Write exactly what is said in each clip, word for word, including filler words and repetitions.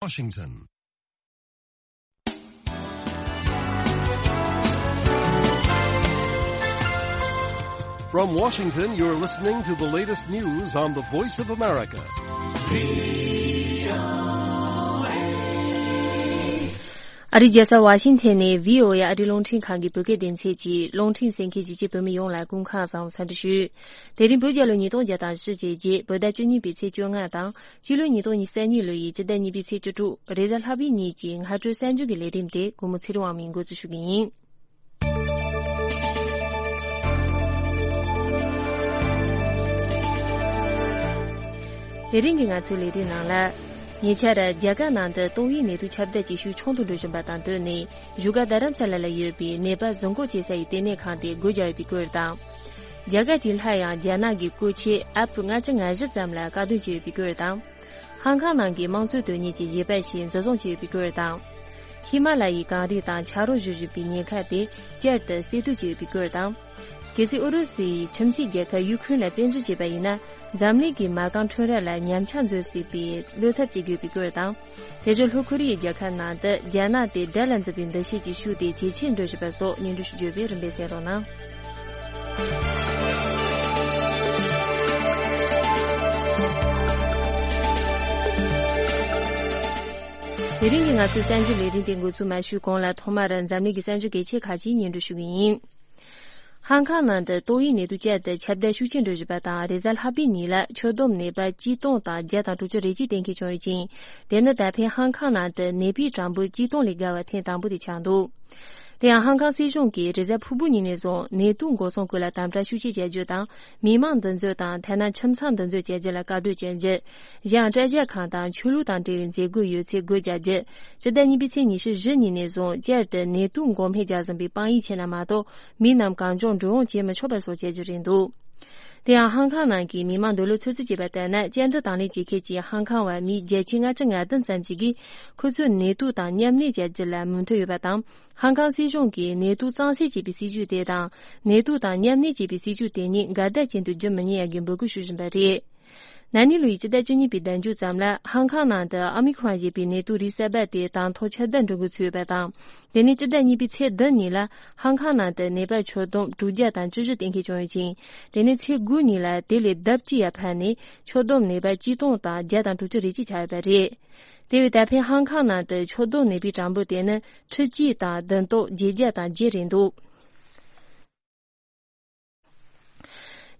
Washington. From Washington, you're listening to the latest news on the Voice of America. ཨ་རིའི་རྒྱལ་ས་ཝ་ཤིང་ཐན་ནས་བྷི་ཨོ་ཨེ་ཨ་རིའི་རླུང་འཕྲིན་ཁང་གི་བོད་སྐད་སྡེ་ཚན་གྱིས་རླུང་འཕྲིན་གསན་མཁན་གཞིས་བྱེས་བོད་མི་ཡོངས་ལ་སྐུ་ཁམས་བཟང་བའི་འཚམས་འདྲི་ཞུ། དེ་རིང་བོད་རྒྱལ་ལོ་ཉིས་སྟོང་བརྒྱ་དང་བཞི་བཅུ་ཞེ་བརྒྱད། བོད་ཟླ་བཅུ་གཉིས་པའི་ཚེས་བཅོ་ལྔ་དང་། སྤྱི་ལོ་ཉིས་སྟོང་ཉི་ཤུ་རྩ་གཉིས་ལོ་ཡི་སྤྱི་ཟླ་གཉིས་པའི་ཚེས་བཅུ་དྲུག་རེས་གཟའ་ལྷག་པའི་ཉིན་གྱི་སྔ་དྲོའི་གསར་འགྱུར་གྱི་ལས་རིམ་དེ་གུས་མོ་ཚེ་རིང་དབང་མོས་འགོ་འཛུགས་ཞུ་གི་ཡིན། དེ་རིང་གི་ང་ཚོའི་ལས་རིམ་ནང་ལ། ཉེ་ཆར་རྒྱ་གར་ནང་དུ་ཏོག་དབྱིབས་ནད་དུག་ཁྱབ་གདལ་གྱི་ཤུགས་ཆུང་དུ་འགྲོ་བཞིན་པ་དང་བསྟུན་ནས། བཞུགས་སྒར་རྡ་རམ་ས་ལ་ལ་ཡོད་པའི་ནད་པ་བཟུང་བཀོད་བྱེད་ས་ཡི་ལྟེ་གནས་ཁང་དེ་སྒོ་རྒྱག་ཡོད་པའི་སྐོར་དང་། རྒྱ་གར་གྱིས་སླར་ཡང་རྒྱ་ནག་གི་བཀོལ་ཆས་ཨེ་ཕི་ལྔ་བཅུ་ང་བཞི་ཙམ་ལ་བཀག་སྡོམ་བྱས་ཡོད་པའི་སྐོར་དང་། ཧང་ཀང་ནང་གི་དམངས་གཙོའི་དོན་གཉེར་གྱི་བཞེད་པ་ཞིག་འཛིན་བཟུང་བྱས་ཡོད་པའི་སྐོར་དང་། ཧི་མ་ལ་ཡའི་གངས་རི་དང་ཆ་རོགས་བཞུར་བཞིན་པའི་ཉེན་ཁ་དེ་བསྐྱར་དུ་གསེད་གཏོད་བྱས་ཡོད་པའི་སྐོར་དང་། གལ་སྲིད་ཨུ་རུ་སུ་ཡིས་ཁྱིམ་མཚེས་རྒྱལ་ཁབ་ཡུ་ཁུ་རེན་ལ་བཙན་འཛུལ་བྱས་པ་ཡིན་ན། འཛམ་གླིང་གི་མ་རྐང་ཁྲོམ་ར་ལ་ཉམས་ཆག་འཛུལ་སྲིད་པའི་བློ་འཚབ་བྱེད་དགོས་པའི་སྐོར་དང་། དེ་བཞིན་ལྷོ་ཁོ་རི་ཡའི་རྒྱལ་ཁབ་ནང་དུ་རྒྱ་ནག་དེ་དགྲ་ལ་འཛིན་པའི་འདུ་ཤེས་ཀྱི་ཤུགས་དེ་ཇེ་ཆེར་འགྲོ་བཞིན་པ་སོགས་སྙན་སྒྲོན་ཞུ་རྒྱུ་ཡོད་པས་རིམ་པས་གསན་རོགས་གནང་། དེ་རིང་གི་ང་ཚོའི་གསར་འགྱུར་ལས་རིམ་དེ་འགོ་ཚུགས་མ་ཞུས་གོང་ལ་ཐོག་མར་འཛམ་གླིང་གི་གསར་འགྱུར་གལ་ཆེ་ཁག་ཅིག་སྙན་སྒྲོན་ཞུ་གི་ཡིན། ཧང་ཀང་ནང་དུ་ཏོག་དབྱིབས་ནད་དུག་བསྐྱར་དུ་ཁྱབ་གདལ་ཤུགས་ཆེན་འགྲོ་བཞིན་པ་དང་། རེས་གཟའ་ལྷག་པའི་ཉིན་ལ་ཁྱོན་བསྡོམས་ནད་པ་གཅིག་སྟོང་དང་བརྒྱ་དང་དྲུག་ཅུ་རེ་གཅིག་གཏན་འཁེལ་བྱུང་ཡོད་ཅིང་། དེ་ནི་ད་ཕན་ཧང་ཀང་ནང་དུ་ནད་པའི་གྲངས་འབོར་གཅིག་སྟོང་ལས་བརྒལ་བ་ཐེངས་དང་པོ་དེ་ཆགས་འདུག་དེ་ཡང་ཧང་ཀང་སྲིད་གཞུང་གིས་རེས་གཟའ་ཕུར་བུ་ཉིན་ནས་བཟུང་ནད་དུག་འགོག་སྲུང་སྐོར་ལ་དམ་དྲག་ཤུགས་ཆེ་བྱ་རྒྱུ་དང་། མི་མང་འདུ་འཛོམས་དང་། ཐ་ན་ཁྱིམ་ཚང་འདུ་འཛོམས་བྱ་རྒྱུ་ལ་བཀག་སྡོམ་བྱ་རྒྱུ། གཞན་ཡང་སྐྲ་བཞར་ཁང་དང་ཆོས་ལུགས་དང་འབྲེལ་བའི་མཛད་སྒོ་ཡོད་ཚད་སྒོ་རྒྱག་རྒྱུ། སྤྱི་ཟླ་གཉིས་པའི་ཚེས་ཉི་ཤུ་བཞི་ཉིན་ནས་བཟུང་བསྐྱར་དུ་ནད་དུག་འགོག་སྨན་རྒྱག་བཞིན་པའི་དཔང་ཡིག་བྱས་ན་མ་གཏོགས། མི་རྣམས་གང་བྱུང་འགྲོ་འོང་བྱེད་མི་ཆོག་པ་སོགས་བྱ་རྒྱུ་རེད་འདུག་དེ་ཡང་ཧང་ཀང་ནང་གི་མི་མང་འདོད་བློ་ཚོད་རྩིས་བྱས་པ་ལྟར་ན། བཅར་འདྲི་དང་ལེན་བྱེད་མཁན་གྱི་ཧང་ཀང་བ་མི་བརྒྱད་ཁྲི་ལྔ་བཅུ་ང་བདུན་ཙམ་ཞིག་གིས་ཁོ་ཚོས་ནད་དུག་དང་མཉམ་གནས་བྱ་རྒྱུ་ལ་མོས་མཐུན་ཡོད་པ་དང་། ཧང་ཀང་སྲིད་གཞུང་གིས་ནད་དུག་གཙང་སེལ་བྱེད་པའི་སྲིད་ཇུས་དེ་དང་། ནད་དུག་དང་མཉམ་གནས་བྱེད་པའི་སྲིད་ཇུས་དེ་གཉིས་འགལ་ཟླ་ཅན་དུ་བསྒྱུར་མི་ཉན་ཡག་གི་འབོད་སྐུལ་ཞུ་བཞིན་པ་རེད། ན་ནིང་ལོའི་སྤྱི་ཟླ་བཅུ་གཉིས་པའི་ཟླ་མཇུག་ཙམ་ལ་ཧང་ཀང་ནང་དུ་ཨོ་མི་ཁོ་རོན་ཞེས་པའི་ནད་དུག་རིགས་གསར་པ་དེ་དང་ཐོག་ཁྱབ་གདལ་འགྲོ་འགོ་ཚུད་ཡོད་པ་དང་། དེ་ནས་སྤྱི་ཟླ་གཉིས་པའི་ཚེས་བདུན་ཉིན་ལ་ཧང་ཀང་ནང་དུ་ནད་པ་ཁྱོན་བསྡོམས་དྲུག་བརྒྱ་དང་བཅུ་བཞི་གཏན་འཁེལ་བྱུང་ཡོད་ཅིང་། དེ་ནས་ཚེས་དགུ་ཉིན་ལ་དེ་ལས་ལྡབ་གཅིག་ཡར་འཕར་ནས་ཁྱོན་བསྡོམས་ནད་པ་གཅིག་སྟོང་དང་བརྒྱ་དང་དྲུག་ཅུ་རེ་གཅིག་ཆགས་ཡོད་པ་རེད། དེ་བས་ད་ཕན་ཧང་ཀང་ནང་དུ་ཁྱོན་བསྡོམས་ནད་པའི་གྲངས་འབོར་དེ་ནི་ཁྲི་གཅིག་དང་བདུན་སྟོང་བརྒྱད་བརྒྱ་དང་བརྒྱད་རེད་འདུག་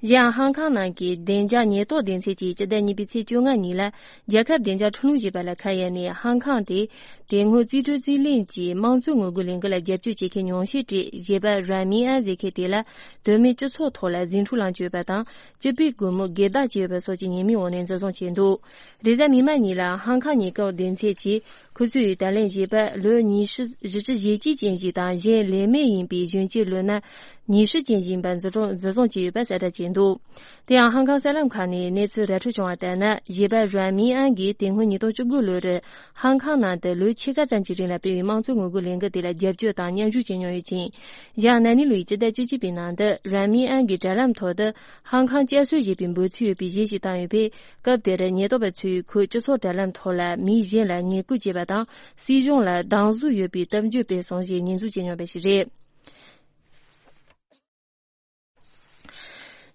གཞན་ཡང་ཧང་ཀང་ནང་གི་བདེ་འཇགས་ཉེན་རྟོག་སྡེ་ཚན་གྱིས་སྤྱི་ཟླ་གཉིས་པའི་ཚེས་བཅོ་ལྔ་ཉིན་ལ། རྒྱལ་ཁབ་བདེ་འཇགས་ཁྲིམས་ལུགས་ཞེས་པ་ལ་ཁ་གཡར་ནས། ཧང་ཀང་དེ་དེ་སྔོན་རྩིས་སྤྲོད་རྩིས་ལེན་གྱི་དམངས་གཙོའི་ངོ་རྒོལ་ལས་འགུལ་ལ་རྒྱབ་སྐྱོར་བྱེད་མཁན་ཉུང་ཤས་གྲས་གཞས་པ་རན་མིན་ཨན་ཟེར་མཁན་དེ་ལ་དོན་མེད་སྤྱི་ཚོགས་ཐོག་ལ་ཟིང་འཁྲུག་ལངས་བཅུག་ཡོད་པ་དང་། སྤྱི་པའི་སྒོར་མོ་སྒེར་བདག་བྱས་ཡོད་པ་སོགས་ཀྱི་ཉེས་མིང་འོག་ནས་འཛིན་བཟུང་བྱས་འདུག་རེས་གཟའ་མིག་དམར་ཉིན་ལ་ཧང་ཀང་ཉེན་རྟོག་སྡེ་ཚན་གྱིས། ཁོ་ཚོས་ད་ལན་གཞས་པ་ལོ་ཉི་ཤུ་བཞི་བཅུ་ཞེ་གཅིག་ཅན་ཞིག་དང་། གཞན་ལས་མེད་ཡིན་པའི་གཞོན་སྐྱེས་ལོ་ན་ཉི་ཤུ་ཅན་ཞིག་ཡིན་པ་འཛིན་བཟུང་འཛིན་བཟུང་བྱས་ཡོད་པ་གསལ་བསྒྲགས་བྱས་འདུག་དེ་ཡང་ཧང་ཀང་གསར་ལམ་ཁག་ནས་གནས་ཚུལ་ར་འཕྲོད་བྱུང་བ་ལྟར་ན། གཞས་པ་རན་མིན་ཨན་གྱིས་དེ་སྔོན་ཉིས་སྟོང་བཅུ་དགུ་ལོར་ཧང་ཀང་ནང་དུ་ལོ་ཕྱེད་ཀ་ཙམ་གྱི་རིང་ལ་སྤེལ་བའི་དམངས་གཙོའི་ངོ་རྒོལ་ལས་འགུལ་དེ་ལ་རྒྱབ་སྐྱོར་དང་མཉམ་ཞུགས་བྱེད་མྱོང་ཡོད་ཅིང་། གཞན་ན་ནིང་ལོའི་སྤྱི་ཟླ་བཅུ་གཅིག་པའི་ནང་དུ་རན་མིན་ཨན་གྱིས་དྲ་ལམ་ཐོག་ཏུ། ཧང་ཀང་བསྐྱར་གསོ་ཞེས་པའི་འབོད་ཚིག་ཡོད་པའི་གཞས་ཤིག་བཏང་ཡོད་པས། སྐབས་དེར་ཉེན་རྟོག་པ་ཚོས་ཁོས་སྤྱི་ཚོགས་དྲ་ལམ་ཐོག་ལ་མི་གཞན་ལ་ངན་སྐུལ་བྱས་པ་དང་། སྲིད་གཞུང་ལ་སྡང་ཟུག་ཡོད་པའི་གཏམ་བརྗོད་སྤེལ་སོང་ཞེས་ཉེས་འཛུགས་བྱས་མྱོང་བ་ཞིག་རེད།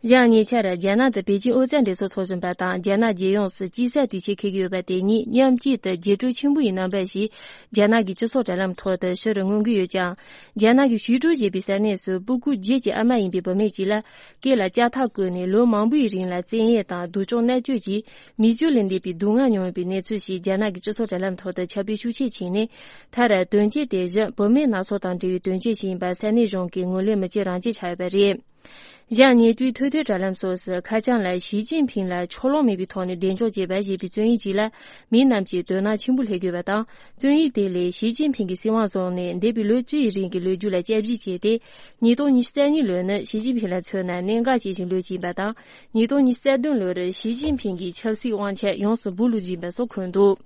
གཞན་ཉེ་ཆར་རྒྱ་ནག་ཏུ་པེ་ཅིན་ཨོ་རྩལ་འགྲན་ཚོགས་འཚོགས་བཞིན་པ་དང་། རྒྱ་ནག་རྒྱལ་ཡོངས་སུ་དཀྱིལ་ས་དུས་ཆེན་འཁེལ་གྱི་ཡོད་པ་དེ་གཉིས་མཉམ་གཅིག་ཏུ་རྒྱས་སྤྲོས་ཆེན་པོ་ཡི་རྣམ་པ་ཞིག་རྒྱ་ནག་གི་སྤྱི་ཚོགས་དྲ་ལམ་ཐོག་ཏུ་ཕྱིར་མངོན་གྱི་ཡོད་ཀྱང་། རྒྱ་ནག་གི་ཞུས་ཀྲོའུ་ཞེས་པའི་ས་གནས་སུ་སྤུ་གུ་བརྒྱད་ཀྱི་ཨ་མ་ཡིན་པའི་བུད་མེད་ཅིག་ལ། སྐེ་ལ་ལྕགས་ཐག་བཀོད་ནས་ལོ་མང་པོའི་རིང་ལ་བཙན་གཡེམ་དང་སྡུག་སྦྱོང་མནར་གཅོད་ཀྱིས་མི་རྒྱུད་ལས་འདས་པའི་སྡུག་བསྔལ་མྱོང་ཡོད་པའི་གནས་ཚུལ་ཞིག་རྒྱ་ནག་གི་སྤྱི་ཚོགས་དྲ་ལམ་ཐོག་ཏུ་ཁྱབ་སྤེལ་ཤུགས་ཆེ་ཕྱིན་ནས། མཐར་དོན་རྐྱེན་དེ་བཞིན་བུད་མེད་སྣ་ཚོགས་དང་འབྲེལ་བའི་དོན་རྐྱེན་ཞིག་ཡིན་པ་ས་གནས་གཞུང་གིས་ངོས་ལེན་མི་བྱེད་རང་བྱེད་ཆགས་ཡོད་པ་རེད། གཞན་ཉེ་དུས་ཐོས་ཐོས་དྲ་ལམ་སོགས་སུ་ཁ་བྱང་ལ་ཞི་ཅིན་ཕིང་ལ་ཕྱོགས་ལྷུང་མེད་པའི་ཐོག་ནས་གདེང་འཇོག་བྱས་པ་ཞེས་པའི་རྩོམ་ཡིག་ཅིག་ལ། མི་རྣམས་ཀྱིས་དོ་སྣང་ཆེན་པོ་སླེབས་ཡོད་པ་དང་། རྩོམ་ཡིག་དེ་ལས་ཞི་ཅིན་ཕིང་གིས་སྲིད་དབང་བཟུང་ནས་འདས་པའི་ལོ་བཅུ་ཡི་རིང་གི་ལོ་རྒྱུས་ལ་དཔྱད་ཞིབ་བྱས་ཏེ། ཉིས་སྟོང་ཉི་ཤུ་རྩ་གཉིས་ལོ་ནི་ཞི་ཅིན་ཕིང་ལ་མཚོན་ན་གནད་འགག་ཅན་ཞིག་ལོ་ཅིག་ཡིན་པ་དང་། ཉིས་སྟོང་ཉི་ཤུ་རྩ་བདུན་ལོར་ཞི་ཅིན་ཕིང་གིས་ཆབ་སྲིད་དབང་ཆ་ཡོངས་སུ་སྦུག་ལུག་ཅིག་ཡིན་པ་སོགས་འཁོད་འདུག་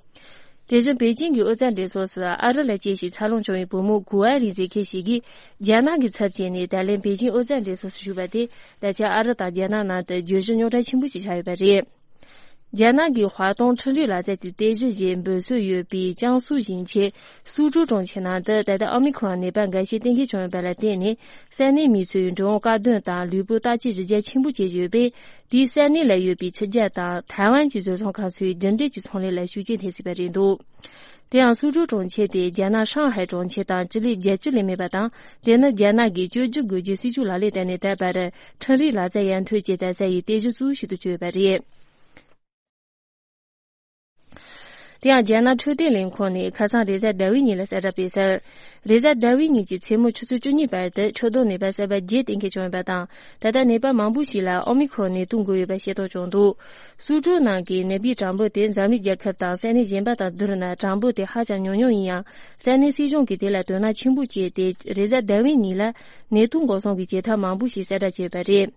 དེ་བཞིན་པེ་ཅིང་གི་ཨོ་རྩལ་འགྲན་ཚོགས་སུ་ཨ་རི་ལ་སྐྱེས་ཤིང་འཚར་ལོངས་བྱུང་བའི་བུ་མོ་གུ་ཨ་རི་ཟེར་མཁན་ཞིག་གིས། རྒྱ་ནག་གི་ཚབ་བྱས་ནས་ད་ལན་པེ་ཅིང་ཨོ་རྩལ་འགྲན་ཚོགས་སུ་ཞུགས་པ་དེ། ད་ཆ་ཨ་རི་དང་རྒྱ་ནག་ནང་དུ་བརྗོད་གཞི་རྙོག་དྲ་ཆེན་པོ་ཞིག་ཆགས་ཡོད་པ་རེད། རྒྱ་ནག་གི་华东འཕྲིན་རིག་ལག་རྩལ་གྱི་རྟེན་གཞི་ཞེས་འབོད་སྲོལ་ཡོད་པའི་ཅང་སུའུ་ཞིང་ཆེན་སུའུ་ཀྲོའུ་གྲོང་ཁྱེར་ནང་དུ་ད་ལྟ་ཨོ་མི་ཁྲོན་ནད་པ་འགའ་ཤས་གཏན་འཁེལ་བྱུང་ཡོད་པ་ལ་བརྟེན་ནས། ས་གནས་མི་ཚོས་འགྲོ་འོང་དཀའ་སྡུག་དང་ལུས་པོ་བརྟག་དཔྱད་ཞིབ་རྒྱ་ཆེན་པོ་བྱས་ཡོད་པས། དེའི་ས་གནས་ལ་ཡོད་པའི་ཕྱི་རྒྱལ་དང་ཐའེ་ཝན་གྱི་བཟོ་ཚོང་ཁང་ཚོས་རྒྱུན་ལྡན་གྱི་ཚོང་ལས་ལ་ཤུགས་རྐྱེན་ཐེབས་སྲིད་པ་རེད་འདུག་དེ་ཡང་སུའུ་ཀྲོའུ་གྲོང་ཁྱེར་དེ་རྒྱ་ནག་ཧྲང་ཧའེ་གྲོང་ཁྱེར་དང་སྤྱི་ལེ་བརྒྱད་ཅུ་ལས་མེད་པ་དང་། དེ་ནི་རྒྱ་ནག་གིས་བཅོས་སྒྱུར་དགོས་རྒྱུའི་སྲིད་ཇུས་ལག་ལེན་བསྟར་ནས་ད་བར་འཕྲིན་རིག་ལག་རྩལ་ཡར་ཐོན་བྱེད་ད་ས་ཡི་རྟེན་གཞི་གཙོ་བོ་ཞིག་ཏུ་གྱུར་ཡོད་པ་རེད། དེ་ཡང་རྒྱ་ནག་འཕྲོད་བསྟེན་ལས་ཁུངས་ནས་ཁ་སང་རེས་གཟའ་ཟླ་བའི་ཉིན་ལ་གསལ་བསྒྲགས་སྤེལ་གསལ། རེས་གཟའ་ཟླ་བའི་ཉིན་གྱི་མཚན་མོ་ཆུ་ཚོད་བཅུ་གཉིས་བར་དུ་ཆུ་དོག་ནད་པ་གསར་པ་བརྒྱད་གཏན་འཁེལ་བྱུང་ཡོད་པ་དང་། ད་ལྟ་ནད་པ་མང་པོ་ཞིག་ལ་ཨོ་མི་ཁྲོན་ནད་དུག་འགོས་ཡོད་པ་ཤེས་རྟོགས་བྱུང་འདུག་སུའུ་ཀྲོའུ་ནང་གི་ནད་པའི་གྲངས་འབོར་དེ་འཛམ་གླིང་རྒྱལ་ཁབ་དང་ས་གནས་གཞན་པ་དང་བསྡུར་ན་གྲངས་འབོར་དེ་ཧ་ཅང་ཉུང་ཉུང་ཡིན་ཡང་། ས་གནས་སྲིད་གཞུང་གིས་དེ་ལ་དོ་སྣང་ཆེན་པོ་བྱས་ཏེ། རེས་གཟའ་ཟླ་བའི་ཉིན་ལ་ནད་དུག་འགོག་སྲུང་གི་བྱེད་ཐབས་མང་པོ་ཞིག་གསལ་བསྒྲགས་བྱས་ཡོད་པ་རེད།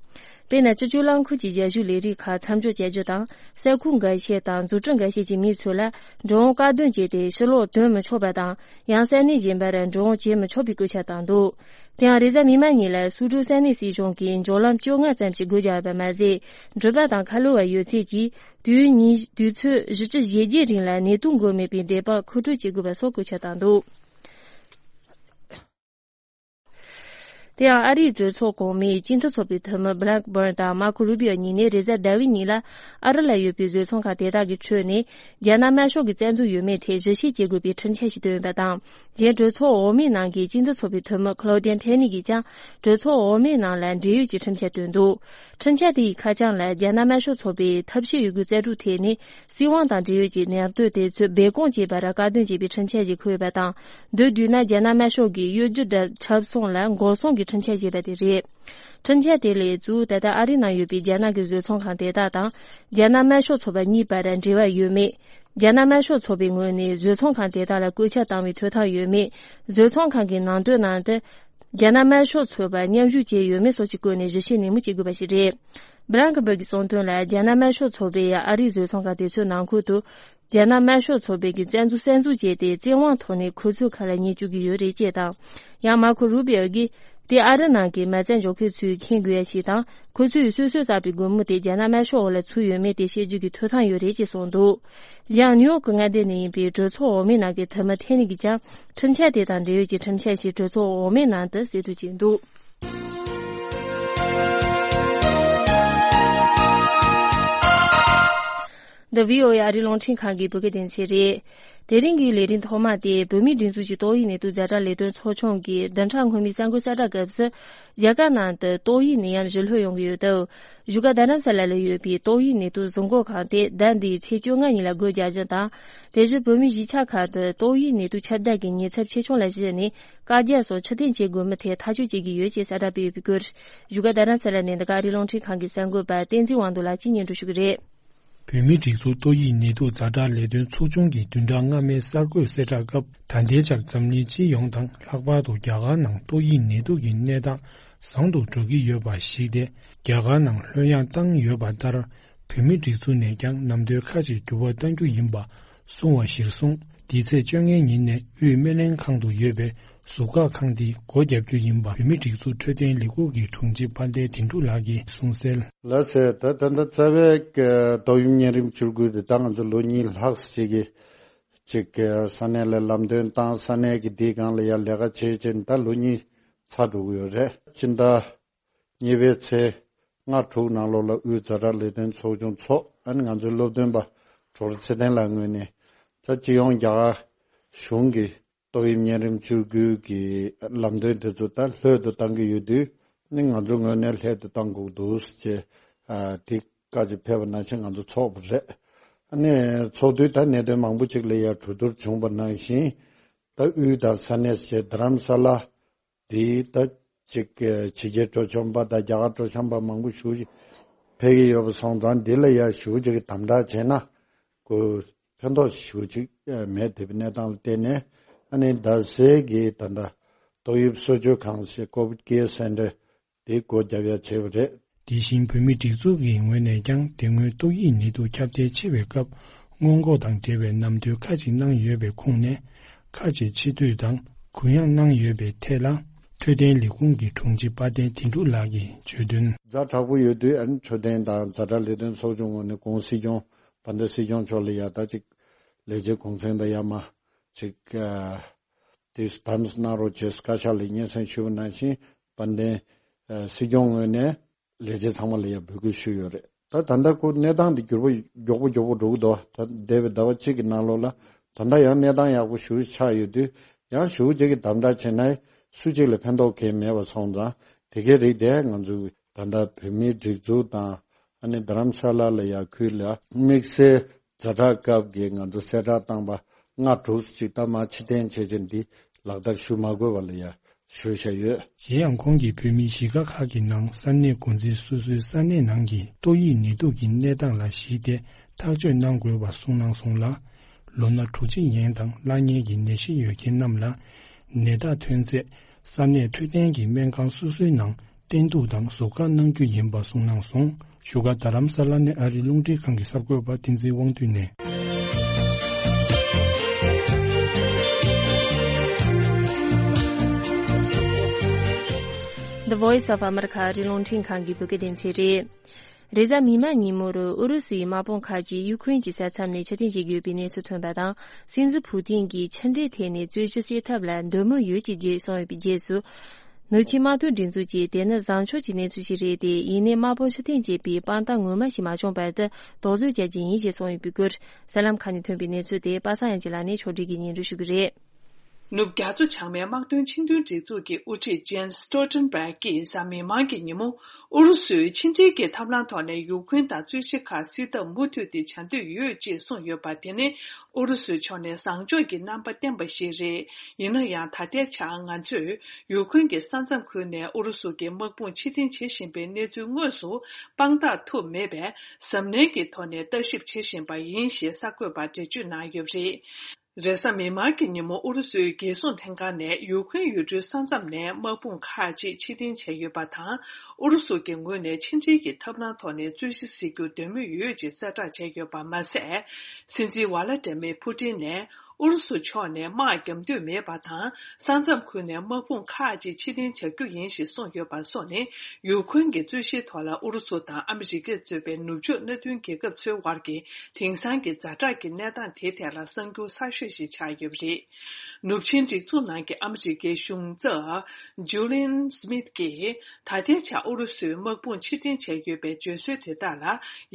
དཔེར་ན། སྤྱི་སྤྱོད་རླངས་འཁོར་གྱི་ཞབས་ཞུའི་ལས་རིགས་ཁག་མཚམས་འཇོག་བྱ་རྒྱུ་དང་། ས་ཁུལ་འགའ་ཤས་དང་འཛུགས་སྐྲུན་འགའ་ཤས་ཀྱི་མི་ཚོ་ལ་འགྲོ་འོང་དཀའ་སྡུག་བྱས་ཏེ་ཕྱིར་ལོག་ཐོན་མི་ཆོག་པ་དང་། ཡང་ས་གནས་གཞན་པར་འགྲོ་འོང་བྱེད་མི་ཆོག་པའི་སྐུལ་ལྕག་བཏང་འདུག་དེ་ཡང་རེས་གཟའ་མིག་དམར་ཉིན་ལ་སུའུ་ཀྲོའུ་ས་གནས་སྲིད་གཞུང་གིས་འབྱོར་ལམ་བཅོ་ལྔ་ཙམ་ཞིག་སྒོ་རྒྱག་པ་མ་ཟད། འགྲུལ་པ་དང་ཁ་ལོ་བ་ཡོད་ཚད་ཀྱིས་དུས་ཡུན་ཉིན་དུས་ཚོད་བཞི་བཅུ་ཞེ་བརྒྱད་རིང་ལ་ནད་དུག་འགོས་མེད་པའི་འདས་པ་མཁོ་སྤྲོད་བྱེད་དགོས་པ་སོགས་སྐུལ་ལྕག་བཏང་འདུག་དེ་ཡང་ཨ་རིའི་གྲོས་ཚོགས་གོང་མའི་སྤྱི་འཐུས་ཚོགས་པའི་འཐུས་མི་Blackburn དང་Marco Rubio གཉིས་ནས་རེས་གཟའ་ཟླ་བའི་ཉིན་ལ་ཨ་རི་ལ་ཡོད་པའི་བཟོ་ཚོང་ཁང་དེ་དག་གི་ཁྲོད་ནས་རྒྱ་ནག་དམར་ཤོག་གི་རྩ་འཛུགས་ཡོད་མེད་ཐད་ཞིབ་བཤེར་བྱེད་དགོས་པའི་ཁྲིམས་འཆར་ཞིག་བཏོན་ཡོད་པ་དང་། གཞན་གྲོས་ཚོགས་འོག་མའི་ནང་གི་སྤྱི་འཐུས་ཚོགས་པའི་འཐུས་མི་Claudine Tenney གྱིས་ཀྱང་གྲོས་ཚོགས་འོག་མའི་ནང་ལ་འབྲེལ་ཡོད་ཀྱི་ཁྲིམས་འཆར་བཏོན་འདུག་ཁྲིམས་འཆར་དེ་ཡི་ཁ་བྱང་ལ་རྒྱ་ནག་དམར་ཤོག་ཚོགས་པའི་ཐབས་ཤེས་ཡོད་རྒུའི་རྩལ་སྤྲུགས་ཐད་ནས། སྲིད་དབང་དང་འབྲེལ་ཡོད་ཀྱི་ནང་དོན་དེ་ཚོའི་སྦས་སྐུང་བྱེད་པར་དཀའ་སྡུག་བྱེད་པའི་ཁྲིམས་འཆར་ཞིག་འཁོད་ཡོད་པ་དང་། མདོར་བསྡུས་ན་རྒྱ་ནག་དམར་ཤོག་གིས་གཡོ་སྒྱུ་དང་ཁྲབ་གསུམ་ལ་འགོག་སྲུང་གི་ཁྲིམས་འཆར་ཞེས་པ་དེ་རེད། ཁྲིམས་འཆར་དེ་ལས་གཙོ་བོ་ད་ལྟ་ཨ་རི་ནང་ཡོད་པའི་རྒྱ་ནག་གི་བཟོ་ཚོང་ཁང་དེ་དག་དང་། རྒྱ་ནག་དམར་ཤོག་ཚོགས་པ་གཉིས་བར་འབྲེལ་བ་ཡོད་མེད། རྒྱ་ནག་དམར་ཤོག་ཚོགས་པའི་ངོས་ནས་བཟོ་ཚོང་ཁང་དེ་དག་ལ་སྐུལ་ལྕག་བཏང་བའི་ཐོབ་ཐང་ཡོད་མེད། བཟོ་ཚོང་ཁང་གི་ནང་དོན་ནང་དུ། རྒྱ་ནག་དམར་ཤོག་ཚོགས་པ་མཉམ་ཞུགས་བྱས་ཡོད་མེད་སོགས་ཀྱི་སྐོར་ནས་ཞིབ་བཤེར་ནན་མོ་བྱེད་དགོས་པ་ཞིག་རེད། Blackburn གྱིས་གསུངས་དོན་ལ། རྒྱ་ནག་དམར་ཤོག་ཚོགས་པས་ཨ་རིའི་བཟོ་ཚོང་ཁང་དེ་ཚོའི་ནང་ཁུལ་དུ། རྒྱ་ནག་དམར་ཤོག་ཚོགས་པའི་གི་བཙན་འཛུལ་གསར་འཛུགས་བྱས་ཏེ། བཙན་དབང་ཐོག་ནས་ཁོ་ཚོའི་ཁ་ལ་ཉན་བཅུག་གི་ཡོད་རེད་ཅེས་དང་། ཡང་མར་ཁོ་རུ་བི་ཨོ་གིས། དེ་ཨ་རི་ནང་གི་མ་རྩ་འཇོག་མཁན་ཚོས་མཁྱེན་དགོས་ཡ་ཞིག་དང་། ཁོ་ཚོས་སོ་སོས་བསགས་པའི་སྒོར་མོ་དེ་རྒྱ་ནག་དམར་ཤོག་འོག་ལ་ཚུད་ཡོད་མེད་དེ་ཤེས་རྒྱུ་གི་ཐོབ་ཐང་ཡོད་རེད་ཅེས་གསུངས་འདུག་གཞན་ཡང་ནིའུ་ཡོག་གི་མངའ་སྡེ་ནས་ཡིན་པའི་གྲོས་ཚོགས་འོག་མའི་ནང་གི་འཐུས་མི་ཐེ་ནི་གིས་ཀྱང་། ཁྲིམས་འཆར་དེ་དང་འབྲེལ་ཡོད་ཀྱི་ཁྲིམས་འཆར་ཞིག་གྲོས་ཚོགས་འོག་མའི་ནང་དུ་གསལ་བསྡུ་བྱས་འདུག་འདི་བྷི་ཨོ་ཨེ་ཨ་རིའི་རླུང་འཕྲིན་ཁང་གི་བོད་སྐད་སྡེ་ཚན་རེད། དེ་རིང་གི་ལས་རིམ་ཐོག་མ་དེ་བོད་མིའི་སྒྲིག་འཛུགས་ཀྱི་ཏོག་དབྱིབས་ནད་དུག་ཛ་དྲག་ལས་དོན་ཚོགས་ཆུང་གིས་བདུན་ཕྲག་སྔོན་མའི་གསར་འགོད་གསལ་བསྒྲགས་སྐབས་སུ། རྒྱ་གར་ནང་དུ་ཏོག་དབྱིབས་ནད་ཡམས་ཞི་ལྷོད་ཡོང་གི་ཡོད་སྟབས། བཞུགས་སྒར་རྡ་རམ་ས་ལ་ལ་ཡོད་པའི་ཏོག་དབྱིབས་ནད་དུག་བཟོ་འགོད་ཁང་དེ་ཟླ་འདིའི་ཚེས་བཅོ་ལྔ་ཉིན་ལ་སྒོ་རྒྱག་རྒྱུ་དང་། དེ་བཞིན་བོད་མིའི་གཞིས་ཆགས་ཁག་ཏུ་ཏོག་དབྱིབས་ནད་དུག་ཁྱབ་གདལ་གྱི་ཉེན་ཚབས་ཆེ་ཆུང་ལ་གཞིགས་ནས། བཀའ་རྒྱ་སོགས་ཕྱིར་འཐེན་བྱེད་དགོས་མིན་ཐད་ཐག་གཅོད་བྱེད་ཀྱི་ཡོད་ཅེས་གསལ་བསྒྲགས་སྤེལ་ཡོད་པའི་སྐོར། བཞུགས་སྒར་རྡ་རམ་ས་ལ་ནས་འདི་ག་ཨ་རིའི་རླུང་འཕྲིན་ཁང་གི་གསར་འགོད་པ་བསྟན་འཛིན་དབང་འདུས་ལགས་ཀྱིས་སྙན་སྒྲོན་ཞུ་གི་རེད། བོད་མིའི་སྒྲིག་འཛུགས་ཏོག་དབྱིབས་ནད་དུག་ཛ་དྲག་ལས་དོན་ཚོགས་ཆུང་གིས་བདུན་ཕྲག་སྔ་མའི་གསར་འགོད་གསལ་བསྒྲགས་སྐབས། ད་ལྟའི་ཆར་འཛམ་གླིང་སྤྱི་ཡོངས་དང་ལྷག་པར་དུ་རྒྱ་གར་ནང་ཏོག་དབྱིབས་ནད་དུག་གི་གནས་སྟངས་བཟང་དུ་འགྲོ་གི་ཡོད་པ་གཞིགས་ཏེ། རྒྱ་གར་ནང་ལྷོད་ཡངས་བཏང་ཡོད་པ་ལྟར། བོད་མིའི་སྒྲིག་འཛུགས་ནས་ཀྱང་ནམ་དུས་ཁ་ཅིག་འགྱུར་བ་གཏང་རྒྱུ་ཡིན་པ་གསུངས་པ་གཞིར་བཟུང་། འདི་ཚེས་བཅོ་ལྔའི་ཉིན་ནས་དབུས་སྨན་ལྷན་ཁང་དུ་ཡོད་པའི་ཟུར་བཀག་ཁང་དེ་སྒོ་བརྒྱབ་རྒྱུ་ཡིན་པ། བོད་མིའི་སྒྲིག་འཛུགས་འཕྲོད་བསྟེན་ལས་ཁུངས་ཀྱི་དྲུང་ཆེ་དཔལ་ལྡན་དོན་གྲུབ་ལགས་ཀྱིས་གསུངས་གསལ། ལགས་སེ། ད་ད་ལྟ་རྩ་བའི་ཏོག་དབྱིབས་གཉན་རིམས་བཅུ་དགུ་དེ་ད་ང་ཚོ་ལོ་གཉིས་ལྷག་ཙམ་ཅིག་གི་ཅིག་ས་གནས་ལ་ལམ་སྟོན་བཏང་། ས་གནས་ཀྱི་འདིའི་སྒང་ལ་ཡར་ལས་ཀ་བྱེད་བྱེད་ད་ལོ་གཉིས་ཚར་འགྲོ་གི་ཡོད་རེད། སྤྱི་ཟླ་གཉིས་པའི་ཚེས་ལྔ་དྲུག་ནང་ལོགས་ལ་དབུས་ཛ་དྲག་ལས་དོན་ཚོགས་ཆུང་ཚོགས། ཨ་ནི་ང་ཚོའི་སློབ་སྟོན་པ་ཌོག་ཊར་ཚེ་བརྟན་ལགས་ངོས་ནས་ད་སྤྱི་ཡོངས་རྒྱ་གར་གཞུང་གི་ཏོག་དབྱིབས་གཉན་རིམས་བཅུ་དགུ་གི་ལམ་སྟོན་དེ་ཚོ་ད་ལྷོད་དུ་གཏང་གི་ཡོད་དུས། ནི་ང་ཚོ་ངོས་ནས་ལྷོད་དུ་གཏང་དགོས་འདུག་ཅེས་ཨ་དེ་བཀའ་ཅིག་ཕེབས་པ་ནང་བཞིན་ང་ཚོ་ཚོགས་པ་རེད། ཨ་ནི་ཚོགས་དུས་ད་གནད་དོན་མང་པོ་ཅིག་ལ་ཡར་གྲོས་བསྡུར་བྱུང་བ་ནང་བཞིན། ད་དབུས་དང་ས་གནས་བཅས་རྡ་རམ་ས་ལ་དེ་ད་ཅིག་ཕྱི་རྒྱལ་སྤྲོ་འཆམ་པ་དང་རྒྱ་གར་སྤྲོ་འཆམ་པ་མང་པོ་ཞེ་ཅིག་ཕེབས་ཀྱི་ཡོད་པ་སོང་ཙང་། འདི་ལ་ཡར་ཞེ་ཅིག་དམ་དྲག་བྱས་ན་ཁོ་ཕན་ཐོགས་ཞེ་ཅིག་མེད། དེ་བའི་གནས་སྟངས་ལ་བརྟེན་ནས། ཨ་ནི་རྡ་སའི་གི་ད་ལྟ་ཏོག་དབྱིབས་གསོ་བཅོས་ཁང་ཞེས་COVID Care Center དེ་སྒོ་བརྒྱབ་ཡ་བྱས་པ་རེད། དེ་བཞིན་བོད་མིའི་སྒྲིག་འཛུགས་ཀྱི་ངོས་ནས་ཀྱང་། དེ་སྔོན་ཏོག་དབྱིབས་ནད་དུག་ཁྱབ་གདལ་ཆེ་བའི་སྐབས་སྔོན་འགོག་དང་འབྲེལ་བའི་ནམ་དུས་ཁག་ཅིག་གནང་ཡོད་པའི་ཁོངས་ནས། ཁག་ཅིག་ཕྱི་བསྡུས་དང་གུ་ཡངས་གནང་ཡོད་པའི་ཐད་ལ། འཕྲོད་བསྟེན་ལས་ཁུངས་ཀྱི་དྲུང་ཆེ་དཔལ་ལྡན་དོན་གྲུབ་ལགས་ཀྱིས་བརྗོད་དོན། ཛ་དྲག་པོ་ཡོད་དུས། ཨ་ནི་འཕྲོད་བསྟེན་དང་ཛ་དྲག་ལས་དོན་ཚོགས་ཆུང་ངོས་ནས་གུང་སྲིད་སྐྱོང་ དཔལ་ལྡན་སྲིད་སྐྱོང་མཆོག་ལ་ཡ་ད་ཅིག་ལས་བྱེད་གུང་སེང་དང་ཡ་མ་ཅིག་ཨ་དེ་དམ་གནང་རོགས་བྱས་བཀའ་ཤག་ལ་སྙན་སེང་ཞུས་པ་ནང་བཞིན་དཔལ་ལྡན་ཨ་སྲིད་སྐྱོང་ངོས་ནས་ལས་བྱེད་ཚང་མ་ལ་ཡ་འབོད་སྐུལ་ཞུས་ཡོད་རེད། ད་ད་ལྟ་ཁོ་གནས་སྟངས་འདི་འགྱུར་བ་མགྱོགས་པོ་མགྱོགས་པོ་འགྲོ་གི་འདུག་ད་འདས་པའི་ཟླ་བ་གཅིག་གི་ནང་ལོགས་ལ་ད་ལྟ་ཡང་གནས་སྟངས་ཡག་པོ་ཞེ་པོ་ཆགས་ཡོད་དུས། ཡང་ཞེ་པོ་ཅིག་གི་དམ་དྲག་བྱས་ན་སུ་གཅིག་ལ་ཕན་ཐོགས་གང་ཡང་མེད་པ་སོང་ཙང་། དེ་གའི་རིགས་དེ་ང་ཚོས་ད་ལྟ་བོད་མིའི་སྒྲིག་འཛུགས་དང་། ཨ་ནི་རྡ་རམ་ས་ལ་ལ་ཡ་ཁུལ་ལ་དམིགས་བསལ་ཛ་དྲག་སྐབས་ཀྱི་ང་ཚོ་གསལ་བསྒྲགས་བཏང་པ་ལྔ་དྲུག་ཅིག་ད་མར་ཕྱིར་འཐེན་བྱས་རྗེས་འདི་ལག་བསྟར་ཞུ་མ་དགོས་པ་ལ་ཡ་ཞུས་བཞག་ཡོད། གཞན་ཡང་ཁོང་གིས་བོད་མིའི་གཞིས་ཀ་ཁག་གི་ནང་ས་གནས་འགོ་འཛིན་སོ་སོའི་ས་གནས་ནང་གི་ཏོག་དབྱིབས་ནད་དུག་གི་གནས་སྟངས་ལ་གཞིགས་ཏེ་ཐག་གཅོད་གནང་དགོས་པ་གསུངས་གནང་སོང་ལ། ལོ་ན་དྲུག་ཅུ་ཡན་དང་བླ་ངན་གྱི་ནད་གཞི་ཡོད་མཁན་རྣམས་ལ་ནད་རྟགས་ཐོན་ཚེ་ས་གནས་འཕྲོད་བསྟེན་གྱི་སྨན་ཁང་སོ་སོའི་ནང་བསྟེན་གཏུག་དང་ཟུར་བཀག་གནང་རྒྱུ་ཡིན་པ་གསུངས་གནང་སོང་། བཞུགས་སྒར་རྡ་རམ་ས་ལ་ནས་ཨ་རིའི་རླུང་འཕྲིན་ཁང་གི་གསར་འགོད་པ་བསྟན་འཛིན་དབང་འདུས་ནས། The Voice of America ཨ་རིའི་རླུང་འཕྲིན་ཁང་གི་བོད་སྐད་སྡེ་ཚན་རེད། རེས་གཟའ་མིག་དམར་ཉིན་མོར་ཨུ་རུ་སུའི་དམག་དཔུང་ཁག་ཅིག་ཡུ་ཁུ་རེན་གྱི་ས་མཚམས་ནས་ཕྱིར་འཐེན་བྱེད་ཀྱི་ཡོད་པའི་གནས་ཚུལ་ཐོན་པ་དང་། སྲིད་འཛིན་ཕུ་ཏིན་གྱིས་ཕྱི་འབྲེལ་ཐད་ནས་རྩོད་གཞི་སེལ་ཐབས་ལ་འདོད་མོས་ཡོད་ཅེས་རྗེས་སོང་ཡོད་པའི་རྗེས་སུ། ནུབ་ཆིངས་དམག་དོན་སྒྲིག་འཛུགས་ཀྱིས་དེ་ནི་བཟང་ཕྱོགས་ཀྱི་གནས་ཚུལ་ཞིག་རེད་དེ། ཡིན་ནའི་དམག་དཔུང་ཕྱིར་འཐེན་བྱེད་པའི་དཔང་རྟགས་ངོ་མ་ཞིག་མ་བྱུང་བར་དུ་དོགས་ཟོན་བྱ་རྒྱུ་ཡིན་ཞེས་གསུངས་ཡོད་པའི་སྐོར། གསར་ལམ་ཁག་ནས་ཐོན་པའི་གནས་ཚུལ་དེ་པ་སངས་དབྱངས་ཅན་ལགས་ནས་ཕྱོགས་སྒྲིག་གིས་སྙན་སྒྲོན་ཞུ་གི་རེད། ནུབ་རྒྱ་མཚོ་བྱང་མའི་དམག་དོན་ཆིངས་དོན་སྒྲིག་འཛུགས་ཀྱི་དབུ་ཁྲིད་ཇེན་སི་སྟོལ་ཊེན་བྷེག་གིས་གཟའ་མིག་དམར་གྱི་ཉིན་མོ། ཨུ་རུ་སུས་ཕྱི་འབྲེལ་གྱི་ཐབས་ལམ་ཐོག་ནས་ཡུ་ཁུན་དང་རྩོད་གཞི་ཁག་སེལ་ཐབས་མུ་མཐུད་དེ་བྱ་འདོད་ཡོད་ཅེས་གསུངས་ཡོད་པ་དེ་ནི་ཨུ་རུ་སུའི་ཕྱོགས་ནས་བཟང་ཕྱོགས་ཀྱི་རྣམ་པ་བསྟན་པ་ཞིག་རེད། ཡིན་ན་ཡང་ད་ལྟའི་ཆར་ང་ཚོས་ཡུ་ཁུན་གྱི་ས་མཚམས་ཁུལ་ནས་ཨུ་རུ་སུ་གྱི་དམག་དཔུང་ཕྱིར་འཐེན་བྱེད་བཞིན་པའི་གནས་ཚུལ་དངོས་སུ་དཔང་རྟགས་ཐུབ་མེད་པས། གཟབ་ནན་གྱི་ཐོག་ནས་ལྟ་ཞིབ་བྱེད་བཞིན་པ་ཡིན་ཞེས་གསར་འགོད་པར་འགྲེལ་བརྗོད་གནང་ཡོད་པ་རེད། རེས་གཟའ་མིག་དམར་གྱི་ཉིན་མོ་ཨུ་རུ་སུའི་རྒྱལ་སྲུང་ལྷན་ཁང་ནས་ཡུ་ཁུན་ཡུལ་གྲུའི་ས་མཚམས་ནས་དམག་དཔུང་ཁག་ཅིག་ཕྱིར་འཐེན་བྱས་ཡོད་པ་དང་། ཨུ་རུ་སུ་གྱི་ངོས་ནས་ཕྱི་འབྲེལ་གྱི་ཐབས་ལམ་ཐོག་ནས་རྩོད་གཞི་སེལ་རྒྱུར་འདོད་མོས་ཡོད་ཅེས་གསལ་བསྒྲགས་བྱས་ཡོད་པ་མ་ཟད། སྲིད་འཛིན་ཝ་ལ་ཏྲེ་མེ་ཕུ་ཏིན་ནས་ཨུ་རུ་སུ་ཕྱོགས་ནས་དམག་རྒྱག་འདོད་མེད་པ་དང་། ས་མཚམས་ཁུལ་ནས་དམག་དཔུང་ཁག་ཅིག་ཕྱིར་འཐེན་བྱ་རྒྱུ་ཡིན་ཞེས་གསུངས་ཡོད་པ་སོགས་ནི། ཡུ་ཁུན་གྱི་རྩོད་གཞིའི་ཐོག་ལ་ཨུ་རུ་སུ་དང་ཨ་མི་རི་ཀས་གཙོས་པའི་ནུབ་ཕྱོགས་མནའ་མཐུན་རྒྱལ་ཁབ་ཚོའི་དབར་གྱི་དེང་སང་གི་ཛ་དྲག་གི་གནས་སྟངས་དེའི་ཐད་ལ་གསར་འགྱུར་གསར་ཤོས་ཤིག་ཆགས་ཡོད་པ་རེད། ནུབ་ཆིངས་སྒྲིག་འཛུགས་ནང་གི་ཨ་མི་རི་ཀའི་གཞུང་ཚབ་ཇུ་ལིན་སི་མིད་ཀྱིས། ད་ལྟའི་ཆར་ཨུ་རུ་སུའི་དམག་དཔུང་ཕྱིར་འཐེན་བྱས་ཡོད་པའི་བརྗོད་སྲོལ་དེ་དག་ལ་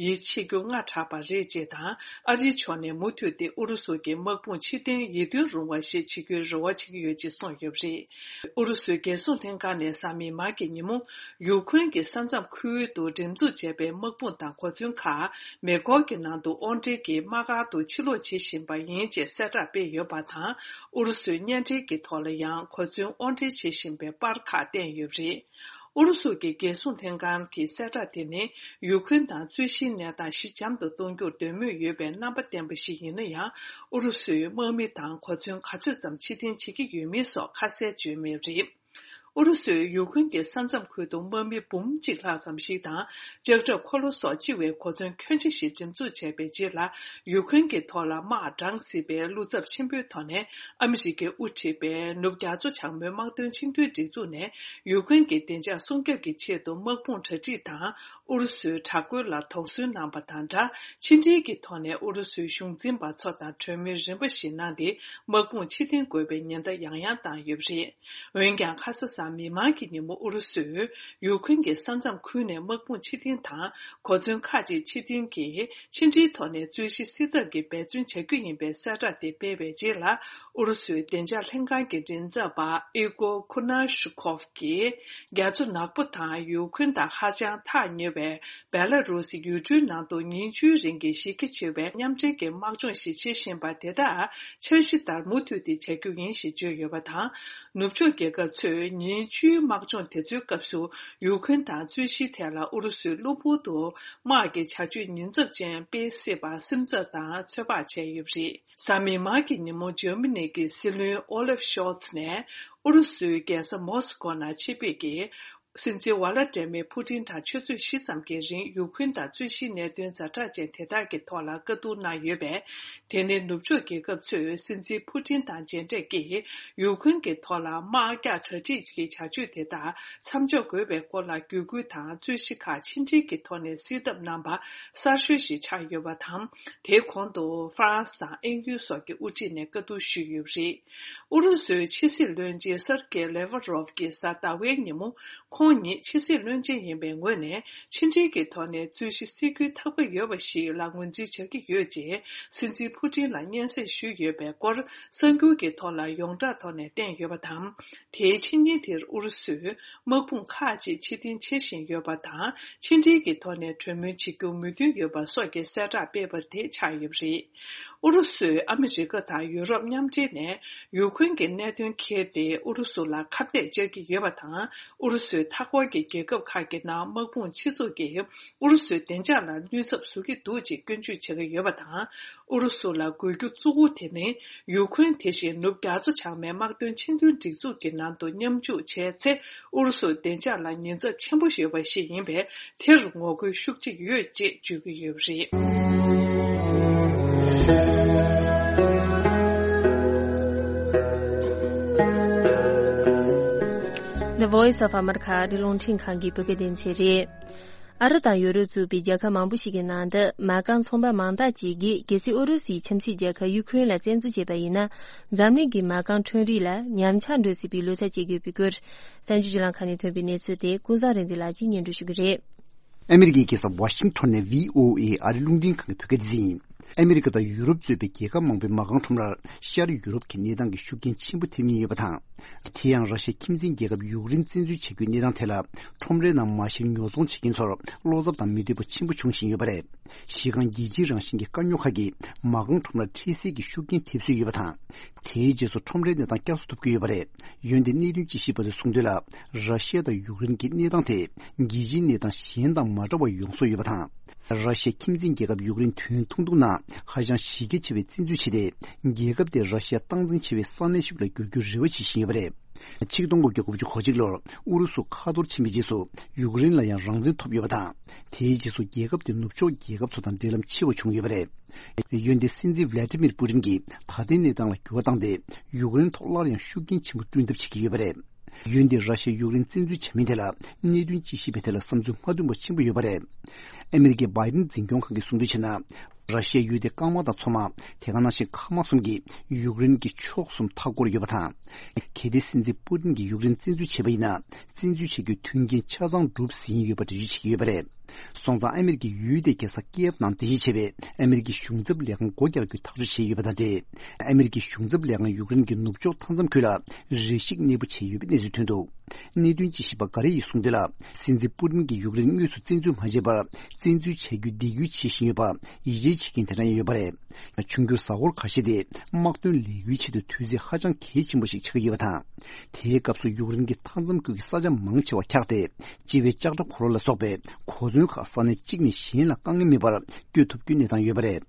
ཡིད་ཆེས་རྒྱུ་སྔ་དྲགས་པ་རེད་ཅེས་དང་། ཨ་རིའི་ཕྱོགས་ནས་མུ་མཐུད་དེ་ཨུ་རུ་སུ་གྱི་དམག་དཔུང་ཕྱིར་འཐེན་ཡིད་རྟོན་རུང་བ་ཞིག་བྱེད་རྒྱུའི་རེ་བ་བྱེད་ཀྱི་ཡོད་ཅེས་གསུངས་ཡོད་པ་རེད། ཨུ་རུ་སུའི་རྒྱལ་སྲུང་ལྷན་ཁང་ནས་གཟའ་མིག་དམར་གྱི་ཉིན་མོ། ཡུ་ཁུན་གྱི་ས་མཚམས་ཁུལ་དུ་འགྲེམས་འཛུགས་བྱས་པའི་དམག་དཔུང་དང་གོ་མཚོན་ཁག་མེ་འཁོར་གྱི་ནང་དུ་དབོར་འདྲེན་གྱི་དམག་སྒར་དུ་ཕྱིར་ལོག་བྱེད་བཞིན་པ་ཡིན་ཅེས་གསལ་བསྒྲགས་སྤེལ་ཡོད་པ་དང་། ཨུ་རུ་སུའི་བརྙན་འཕྲིན་གྱི་ཐོག་ལ་ཡང་གོ་མཚོན་དབོར་འདྲེན་བྱེད་བཞིན་པའི་པར་ཁག་བསྟན་ཡོད་པ་རེད། ཨུ་རུ་སུ་གྱི་རྒྱལ་སྲུང་ལྷན་ཁང་གི་གསལ་བསྒྲགས་དེ་ནི་ཡུ་ཁུན་དང་རྩོད་གཞིའི་གནས་སྟངས་ཞི་འཇམ་དུ་གཏོང་རྒྱུར་འདོད་མོས་ཡོད་པའི་རྣམ་པ་བསྟན་པ་ཞིག་ཡིན་ན་ཡང་། ཨུ་རུ་སུས་དམག་མི་དང་གོ་མཚོན་ག་ཚོད་ཙམ་ཕྱིར་འཐེན་བྱེད་ཀྱི་ཡོད་མེད་སོགས་ཁ་གསལ་བརྗོད་མེད་པ་རེད། ཨུ་རུ་སུས་ཡུ་ཁུན་གྱི་ས་མཚམས་ཁུལ་དུ་དམག་མི་འབུམ་གཅིག་ལྷག་ཙམ་ཞིག་དང་། ལྕགས་ཁྲབ་འཁོར་ལོ་སོགས་ལྕི་བའི་གོ་མཚོན་ཁྱོན་ཆེ་ཞིག་འགྲེམས་འཛུགས་བྱས་པའི་རྗེས་ལ། ཡུ་ཁུན་གྱི་ཐོག་ལ་དམག་དྲངས་སྲིད་པའི་བློ་འཚབ་ཆེན་པོའི་ཐོག་ནས། ཨ་མི་རི་ཀས་དབུ་ཁྲིད་པའི་ནུབ་རྒྱ་མཚོ་བྱང་མའི་དམག་དོན་ཆིངས་དོན་སྒྲིག་འཛུགས་ནས། ཡུ་ཁུན་གྱི་བདེ་འཇགས་སྲུང་སྐྱོབ་ཀྱི་ཆེད་དུ་དམག་དཔུང་གྲ་སྒྲིག་དང་། ཨུ་རུ་སུའི་དྲག་རྒོལ་ལ་དོགས་ཟོན་གནང་པ་དང་སྦྲགས། ཕྱི་འབྲེལ་གྱི་ཐོག་ནས་ཨུ་རུ་སུའི་གཞུང་འཛིན་པ་ཚོ་དང་གྲོས་མོལ་རིམ་པ་ཞིག་གནང་སྟེ། དམག་དཔུང་ཕྱིར་འཐེན་དགོས་པའི་ཉེན་བརྡ་ཡང་ཡང་བཏང་ཡོད་པ་རེད། འོན་ཀྱང་། ཁ་ས་གཟའ་མིག་དམར་གྱི་ཉིན་མོ་ཨུ་རུ་སུས་ཡུ་ཁུན་གྱི་ས་མཚམས་ཁུལ་ནས་དམག་དཔུང་ཕྱིར་འཐེན་དང་། གོ་མཚོན་ཁག་ཅིག་ཕྱིར་འཐེན་གྱིས་ཕྱི་འབྲེལ་ཐོག་ནས་རྩོད་གཞི་སེལ་ཐབས་ཀྱི་འབད་བརྩོན་བྱ་རྒྱུ་ཡིན་པའི་གསལ་བསྒྲགས་དེ་སྤེལ་བའི་རྗེས་ལ། ཨུ་རུ་སུའི་བདེ་འཇགས་ལྷན་ཁང་གི་མགྲིན་ཚབ་པ་ཨི་གོ་ཁུ་ན་ཤུ་ཁོབ་ཀྱིས། རྒྱ་མཚོ་ནག་པོ་དང་ཡུ་ཁུན་དང་ཧ་ཅང་ཐག་ཉེ་བའི་བེ་ལ་རུ་སི་ཡུལ་གྲུའི་ནང་དུ་ཉིན་བཅུའི་རིང་གི་གཞི་རྒྱ་ཆེ་བའི་མཉམ་འབྲེལ་གྱི་དམག་སྦྱོང་ཞིག་བྱེད་བཞིན་པ་དེ་དག་འཆར་གཞི་ལྟར་མུ་མཐུད་དེ་བྱ་རྒྱུ་ཡིན་ཞེས་བརྗོད་ཡོད་པ་དང་། ནུབ་ཕྱོགས་རྒྱལ་ཁབ་ཚོས་ཉིན་བཅུའི་དམག་སྦྱོང་དེ་ཚོའི་སྐབས་སུ་ཡུ་ཁུན་དང་རྩོད་གཞིའི་ཐད་ལ་ཨུ་རུ་སུའི་གློ་བུར་དུ་དམག་གི་བྱ་སྤྱོད་ཉེན་ཚབས་ཅན་སྤེལ་སྲིད་པར་སེམས་འཚབ་དང་ཚོད་དཔག་བྱས་ཡོད་པ་རེད། གཟའ་མིག་དམར་གྱི་ཉིན་མོ་འཇར་མ་ནི་གི་སྲིད་བློན་ཨོ་ལེབ་ཤོལ་ཚ་ནས་ཨུ་རུ་སུའི་རྒྱལ་ས་མོ་སི་ཀོ་ནང་ཆེད་ཕེབས་ཀྱིས། སྲིད་འཛིན་ཝ་ལ་ཏྲེ་མེ་ཕུ་ཏིན་དང་ཆུ་ཚོད་བཞི་ཙམ་གྱི་རིང་ཡུ་ཁུན་དང་རྩོད་གཞིའི་གནད་དོན་ཛ་དྲག་ཅན་དེ་དག་གི་ཐོག་ལ་བཀའ་བསྡུར་གནང་ཡོད་པས། དེ་ནི་ནུབ་ཕྱོགས་རྒྱལ་ཁབ་ཚོས་སྲིད་འཛིན་ཕུ་ཏིན་དང་མཇལ་འཕྲད་ཀྱིས་ཡུ་ཁུན་གྱི་ཐོག་ལ་དམག་རྒྱག་གྲ་སྒྲིག་གི་བྱ་སྤྱོད་དེ་དག་མཚམས་འཇོག་དགོས་པའི་སྐོར་ལ་བརྒྱུད་སྐུལ་དང་རྩོད་གཞི་ཁག་ཕྱི་འབྲེལ་གྱི་ཐོག་ནས་སེལ་ཐབས་གནང་པ་གསར་ཤོས་ཤིག་ཆགས་ཡོད་པ་དང་། དེའི་གོང་དུ་ཧྥ་རན་སི་དང་དབྱིན་ཡུལ་སོགས་ཀྱི་དབུ་ཁྲིད་ནས་བཀའ་བསྡུར་ཞུས་ཡོད་པ་རེད། ཨུ་རུ་སུའི་ཕྱི་སྲིད་བློན་ཆེན་སར་ཀེ་ལེ་ཝ་རོབ་ཀྱིས་གཟའ་ཟླ་བའི་ཉིན་མོ། ཁོང་ཉིད་ཕྱི་སྲིད་བློན་ཆེན་ཡིན་པའི་ངོས་ནས་ཕྱི་འབྲེལ་གྱི་ཐོག་ནས་རྩོད་གཞི་སེལ་རྒྱུའི་ཐག་གཅོད་ཡོད་པ་ཞིག་ལ་ངོས་འཛིན་བྱ་གི་ཡོད་ཅེས་སྲིད་འཛིན་ཕུ་ཏིན་ལ་སྙན་སེང་ཞུས་ཡོད་པའི་སྐོར་གསར་འགྱུར་གྱི་ཐོག་ལ་ཡོངས་གྲགས་ཐོག་ནས་བསྟན་ཡོད་པ་དང་། དེའི་ཕྱི་ཉིན་དེར་ཨུ་རུ་སུས་དམག་དཔུང་ཁག་ཅིག་ཕྱིར་འཐེན་བྱེད་བཞིན་ཡོད་པ་དང་། ཕྱི་འབྲེལ་གྱི་ཐོག་ནས་གྲོས་མོལ་བྱེད་རྒྱུར་མོས་མཐུན་ཡོད་པ་སོགས་ཀྱི་གསལ་བསྒྲགས་སྤེལ་བ་དེ་ཆགས་ཡོད་པ་རེད། ཨུ་རུ་སུས་ཨ་མི་རི་ཀ་དང་ཡུ་རོབ་མཉམ་འབྲེལ་ནས་ཡུ་ཁུན་གྱི་གནད་དོན་འཁྱེར་ཏེ་ཨུ་རུ་སུ་ལ་ཁ་གཏད་བཅག་གི་ཡོད་པ་དང་། ཨུ་རུ་སུའི་མཐའ་འཁོར་གྱི་རྒྱལ་ཁབ་ཁག་གི་ནང་དམག་དཔུང་ཆེ་ཚུགས་ཀྱིས་ཨུ་རུ་སུའི་བདེ་འཇགས་ལ་གནོད་ཚབས་བཟོ་གི་འདུག་ཅེས་སྐྱོན་བརྗོད་བྱེད་ཀྱི་ཡོད་པ་དང་། ཨུ་རུ་སུ་ལ་དགོས་རྒྱུ་གཙོ་བོ་དེ་ནི་ཡུ་ཁུན་དེ་བཞིན་ནུབ་རྒྱ་མཚོ་བྱང་མའི་དམག་དོན་ཆེས་མཐོའི་སྒྲིག་འཛུགས་ཀྱི་ནང་དུ་མཉམ་ཞུགས་བྱས་ཚེ། ཨུ་རུ་སུའི་བདེ་འཇགས་ལ་ཉེན་ཚབས་ཆེན་པོ་ཡོད་པ་ཞིག་ཡིན་པས། དེར་ངོ་རྒོལ་ཤུགས་ཆེ་ཡོད་ཅེས་བརྗོད་ཀྱི་ཡོད་པ་རེད། The Voice of America ཨ་རིའི་རླུང་འཕྲིན་ཁང་གི་བོད་སྐད་སྡེ་ཚན་རེད། ཨ་རི་དང་ཡུ་རོབ་གཙོས་པའི་རྒྱལ་ཁབ་མང་པོ་ཞིག་གི་ནང་དུ་མ་རྐང་ཚོང་པ་མང་དག་ཅིག་གིས་གལ་སྲིད་ཨུ་རུ་སུའི་ཁྱིམ་མཚེས་རྒྱལ་ཁབ་ཡུ་ཁུ་རེན་ལ་བཙན་འཛུལ་བྱས་པ་ཡིན་ན། འཛམ་གླིང་གི་མ་རྐང་ཁྲོམ་རའི་ལ་ཉམས་ཆག་འགྲོ་སྲིད་པའི་ལོ་ཚད་བཅད་ཀྱི་ཡོད་པའི་སྐོར། གསར་འགྱུར་བརྒྱུད་ལམ་ཁག་ནས་ཐོན་པའི་གནས་ཚུལ་དེ་ཀུན་བཟང་རིག་འཛིན་ལགས་ཀྱིས་སྙན་སྒྲོན་ཞུ་གི་རེད། ཨ་མི་རི་ཀའི་རྒྱལ་ས་ཝ་ཤིང་ཊོན་ནས་བྷི་ཨོ་ཨེ་ཨ་རིའི་རླུང་འཕྲིན་ཁང་གི་བོད་སྐད་སྡེ་ཚན་ཡིན། ཨ་མི་རི་ཀ་དང་ཡུ་རོབ་གཙོས་པའི་རྒྱལ་ཁབ་མང་པོའི་མ་རྐང་ཁྲོམ་རར་ཤར་ཡུ་རོབ་ཀྱི་གནས་སྟངས་ཀྱི་ཤུགས་རྐྱེན་ཆེན་པོ་ཐེབས་ཉེན་ཡོད་པ་དང་། དེ་ཡང་ར་ཤི་ཡ་ཁྱིམ་མཚེས་རྒྱལ་ཁབ་ཡུཀ་རེན་བཙན་འཛུལ་བྱེད་རྒྱུའི་གནས་སྟངས་ཐད་ལ། ཁྲོམ་རའི་ནང་མ་གཞིར་ཉོ་ཚོང་བྱེད་མཁན་ཚོར་བློ་འཚབ་དང་མི་འདོད་པ་ཆེན་པོ་བྱུང་བཞིན་ཡོད་པ་རེད། གཞི་རྐང་རྒྱལ་སྤྱིའི་རང་བཞིན་གྱི་དཀའ་རྙོག་ཁག་གིས་མ་རྐང་ཁྲོམ་རར་འཕྲལ་སེལ་གྱི་ཤུགས་རྐྱེན་ཐེབས་སྲོལ་ཡོད་པ་དང་། དེའི་རྗེས་སུ་ཁྲོམ་རའི་གནས་སྟངས་བསྐྱར་གསོ་ཐུབ་ཀྱི་ཡོད་པ་རེད། འོན་ཏེ་གནད་དོན་དཔྱད་ཞིབ་པ་ཚོས་གསུངས་དོན་ལ། ར་ཤི་ཡ་དང་ཡུཀ་རེན་གྱི་གནས་སྟངས་དེ་རྒྱལ་སྤྱིའི་གནས་སྟངས་གཞན་དང་མ་འདྲ་བ་ཡོང་བཟོ་ཡོད་པ་དང་། ར་ཤི་ཡ་ཁྱིམ་མཚེས་རྒྱལ་ཁབ་ཡུཀ་རེན་དོན་ཐུང་ཐུང་ནང་ཧ་ཅང་གཞི་རྒྱ་ཆེ་བའི་བཙན་འཛུལ་བྱས་ཏེ། རྒྱལ་ཁབ་དེ་ར་ཤི་ཡ་སྟངས་འཛིན་བྱེད་པའི་ས་གནས་ཤིག་ལ་འགྱུར་རྒྱུའི་རེ་བ་བྱེད་བཞིན་ཡོད་པ་རེད། ཆིག་སྟོང་དགུ་བརྒྱ་དགུ་བཅུ་གོ་གཅིག་ལོར་ཨུ་རུ་སུ་ཁ་ཐོར་ཕྱིན་པའི་རྗེས་སུ་ཡུཀ་རེན་ལ་ཡང་རང་བཙན་ཐོབ་ཡོད་པ་དང་། དེའི་རྗེས་སུ་རྒྱལ་ཁབ་དེ་ནུབ་ཕྱོགས་རྒྱལ་ཁབ་ཚོ་དང་འབྲེལ་ལམ་ཆེ་བ་བྱུང་ཡོད་པ་རེད། འོན་ཏེ་སྲིད་འཛིན་ཝི་ལ་ཏི་མིར་པུ་ཏིན་གྱིས་ད་ལྟའི་གནས་སྟངས་ལ་འགྱུར་བ་བཏང་སྟེ། ཡུཀ་རེན་ཐོག་སླར་ཡང་ཤུགས་རྐྱེན་ཆེན་པོ་བསྐྲུན་ཐབས་བྱེད་ཀྱི་ཡོད་པ་རེད། འོན་ཏེ་ར་ཤི་ཡ་ཡུཀ་རེན་བཙན་འཛུལ་བྱ་མིན་དེ་ལ་གནད་དོན་དཔྱད་ཞིབ་པའི་ཐད་ལ་བསམ་ཚུལ་མ་མཐུན་པ་ཆེན་པོ་ཡོད་པ་རེད། ཨ་མི་རི་ཀའི་བྷའི་ཏིན་འཛིན་སྐྱོང་ཁང་གིས་གསུངས་དོན་བྱས་ན། ར་ཤི་ཡ་ཡུལ་དེའི་རྐང་དམག་དང་མཚོ་དམག་དེ་ག་ནང་བཞིན་མཁའ་དམག་གསུམ་གྱིས་ཡུཀ་རེན་གྱི་ཕྱོགས་གསུམ་མཐའ་བསྐོར་ཡོད་པ་དང་། གལ་ཏེ་སྲིད་འཛིན་པུ་ཏིན་གྱིས་ཡུཀ་རེན་བཙན་འཛུལ་བྱས་པ་ཡིན་ན། བཙན་འཛུལ་བྱེད་རྒྱུའི་མཐུན་རྐྱེན་ཆ་ཚང་འགྲུབ་ཟིན་ཡོད་པ་འགྲེལ་བརྗོད་བྱེད་ཀྱི་ཡོད་པ་རེད། སོང་ཙང་ཨ་མི་རི་ཀའི་ཡུལ་དེའི་རྒྱལ་ས་ཀི་ཡེབ་ནང་རྟེན་གཞི་བྱས་པའི་ཨ་མི་རི་ཀའི་གཞུང་ཚབ་ལས་ཁང་སྒོ་རྒྱག་རྒྱུའི་ཐག་གཅོད་བྱས་ཡོད་པ་དང་འབྲེལ། ཨ་མི་རི་ཀའི་གཞུང་ཚབ་ལས་ཁང་ཡུཀ་རེན་གྱི་ནུབ་ཕྱོགས་མཐའ་མཚམས་ཁུལ་ལ་རེ་ཞིག་གནས་སྤོ་བྱས་ཡོད་པའི་གནས་ཚུལ་ཐོན་འདུག་གནད་དོན་དཔྱད་ཞིབ་པ་འགའ་རེ་ཡིས་གསུངས་དོན་ལ། སྲིད་འཛིན་པུ་ཏིན་གྱིས་ཡུཀ་རེན་དངོས་སུ་བཙན་འཛུལ་མ་བྱས་པར། བཙན་འཛུལ་བྱ་རྒྱུའི་འདེགས་སྐྱོར་བྱེད་བཞིན་ཡོད་པར་ཡིད་ཆེས་བྱེད་མཁན་དེ་འདྲ་ཡང་ཡོད་པ་རེད། འབྱུང་འགྱུར་གཟའ་འཁོར་ཁ་ཤས་དེ་དམག་དོན་ལས་འགུལ་ཆེད་དུ་དུས་ཚོད་ཧ་ཅང་གལ་ཆེན་པོ་ཞིག་ཆགས་ཀྱི་ཡོད་པ་དང་། དེའི་སྐབས་སུ་ཡུཀ་རེན་གྱི་མཐའ་མཚམས་ཁུལ་གྱི་ས་ཆ་མང་ཆེ་བ་འཁྱགས་ཏེ། ལྕི་བའི་ལྕགས་དྲ་འཁོར་ལོ་ལ་སོགས་པའི་གོ་མཚོན་ཁག་ས་གནས་གཅིག་ནས་གཞན་ལ་དཀའ་ངལ་མེད་པར་སྐྱོད་ཐུབ་རྒྱུའི་གནས་སྟངས་ཡོད་པ་རེད།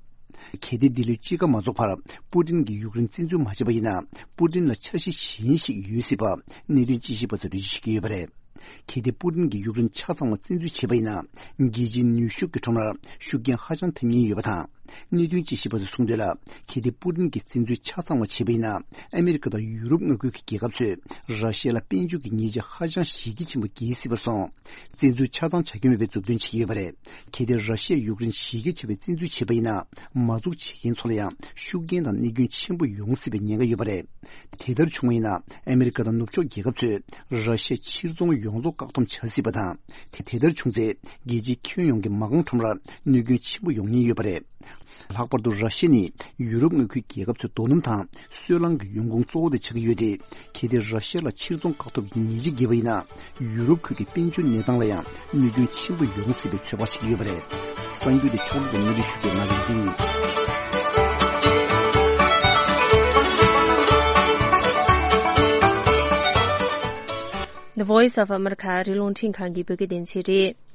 གལ་ཏེ་འདི་ལོའི་དཔྱིད་ཀ་མ་རྫོགས་བར་པུ་ཏིན་གྱིས་ཡུཀ་རེན་བཙན་འཛུལ་མ་བྱས་པ་ཡིན་ན། པུ་ཏིན་ལ་འཆར་གཞི་གཞན་ཞིག་ཡོད་སྲིད་པ་གནད་དོན་དཔྱད་ཞིབ་པ་ཚོས་འགྲེལ་བརྗོད་བྱེད་ཀྱི་ཡོད་པ་རེད། གལ་ཏེ་པུ་ཏིན་གྱིས་ཡུཀ་རེན་ཆ་ཚང་བ་བཙན་འཛུལ་བྱས་པ་ཡིན་ན། རྒྱལ་སྤྱིའི་ནུས་ཤུགས་ཀྱི་ཁྲོམ་རར་ཤུགས་རྐྱེན་ཧ་ཅང་ཐེབས་ཉེན་ཡོད་པ་དང་། གནད་དོན་དཔྱད་ཞིབ་པ་ཚོས་གསུངས་དོན་ལ། གལ་ཏེ་པུ་ཏིན་གྱིས་བཙན་འཛུལ་ཆ་ཚང་བ་བྱས་པ་ཡིན་ན། ཨ་མི་རི་ཀ་དང་ཡུ་རོབ་མངའ་ཁུལ་གྱི་རྒྱལ་ཁབ་ཚོས་ར་ཤི་ཡ་ལ་དཔལ་འབྱོར་གྱི་ཉེས་ཆད་ཧ་ཅང་གཞི་རྒྱ་ཆེན་པོ་འགེལ་སྲིད་པར་སོང་། བཙན་འཛུལ་ཆ་ཚང་བྱ་རྒྱུ་མེད་པའི་མཛུབ་སྟོན་བྱེད་ཀྱི་ཡོད་པ་རེད། གལ་ཏེ་ར་ཤི་ཡས་ཡུཀ་རེན་གཞི་རྒྱ་ཆེ་བའི་བཙན་འཛུལ་བྱས་པ་ཡིན་ན། མ་འཛུགས་བྱེད་མཁན་ཚོ་ལ་ཡང་ཤུགས་རྐྱེན་དང་གནོད་སྐྱོན་ཆེན་པོ་ཡོང་སྲིད་པའི་ཉེན་ཁ་ཡོད་པ་རེད། དེ་ལྟར་བྱུང་བ་ཡིན་ན། ཨ་མི་རི་ཀ་དང་ནུབ་ཕྱོགས་རྒྱལ་ཁབ་ཚོས་ར་ཤི་ཡ་ཕྱིར་ཚོང་ཡོངས་རྫོགས་བཀག་སྡོམ་བྱ་སྲིད་པ་དང་། དེ་དེ་ལྟར་བྱུང་ཚེ། རྒྱལ་སྤྱིའི་ཁྱོན་ཡོངས་ཀྱི་མ་རྐང་ཁྲོམ་རར་གནོད་སྐྱོན་ཆེན་པོ་ཡོང་ཉེན་ཡོད་པ་རེད། ལྷག་པར་དུ་ར་ཤི་ཡ་ནི་ཡུ་རོབ་མངའ་ཁུལ་རྒྱལ་ཁབ་ཚོའི་རྡོ་སྣུམ་དང་སོལ་རླངས་ཀྱི་ཡོང་ཁུངས་གཙོ་བོ་དེ་ཆགས་ཀྱི་ཡོད་དེ། གལ་ཏེ་ར་ཤི་ཡ་ལ་ཕྱིར་ཚོང་བཀག་ཐབས་ཀྱི་ཉེས་ཆད་འགེལ་བ་ཡིན་ན། ཡུ་རོབ་ཁུལ་གྱི་དཔལ་འབྱོར་གནས་སྟངས་ལ་ཡང་གནོད་སྐྱོན་ཆེན་པོ་ཡོང་སྲིད་པའི་ཚོད་དཔག་བྱེད་ཀྱི་ཡོད་པ་རེད། གསར་འགྱུར་དེ་ཕྱོགས་སྒྲིག་དང་སྙན་སྒྲོན་ཞུ་མཁན་ང་རིག་འཛིན་ཡིན། The Voice of America ཨ་རིའི་རླུང་འཕྲིན་ཁང་གི་བོད་སྐད་སྡེ་ཚན་རེད།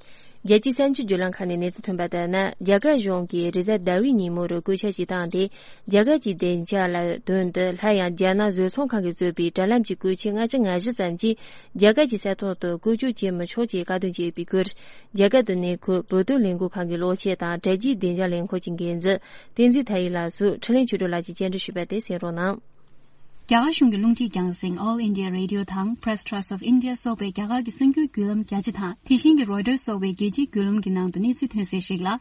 རྒྱལ་སྤྱིའི་གསར་འགྱུར་བརྒྱུད་ལམ་ཁག་ནས་གནས་ཚུལ་ཐོན་པ་ལྟར་ན། རྒྱ་གར་གཞུང་གིས་རེས་གཟའ་ཟླ་བའི་ཉིན་མོར་བཀོད་ཁྱབ་ཅིག་བཏང་སྟེ། རྒྱ་གར་གྱི་བདེ་འཇགས་ལ་དོན་དུ་སླར་ཡང་རྒྱ་ནག་བཟོ་ཚོང་ཁང་གིས་བཟོས་པའི་དྲ་ལམ་གྱི་བཀོལ་ཆས་ལྔ་བཅུ་ང་བཞི་ཙམ་ཞིག་རྒྱ་གར་གྱི་ས་ཐོག་ཏུ་བཀོལ་སྤྱོད་བྱེད་མི་ཆོག་ཅེས་བཀའ་བསྡུར་བྱས་པའི་སྐོར། རྒྱ་གར་དུ་གནས་འཁོད་བོད་དོན་ལས་འགུལ་ཁང་གི་གློག་ཆས་དང་དྲ་རྒྱའི་བདེ་འཇགས་ལས་ཁུངས་ཀྱི་འགན་འཛིན་བསྟན་འཛིན་མཐའ་ཡས་ལགས་སུ་འཕྲིན་ལས་ཆོས་སྒྲོན་ལགས་ཀྱིས་བཅར་འདྲི་ཞུས་པ་དེ་གསན་རོགས་གནང་། རྒྱ་གར་གཞུང་གི་རླུང་འཕྲིན་རྒྱང་སྲིང་All India Radio དང་Press Trust of India སོགས་པའི་རྒྱ་གར་གྱི་གསར་འགྱུར་བརྒྱུད་ལམ་རྒྱ་ཆེ་དང་། དེ་བཞིན་གྱི་Reuters སོགས་པའི་རྒྱལ་སྤྱིའི་བརྒྱུད་ལམ་གྱི་ནང་དུ་གནས་ཚུལ་ཐོན་གསལ་ཞིག་ལ།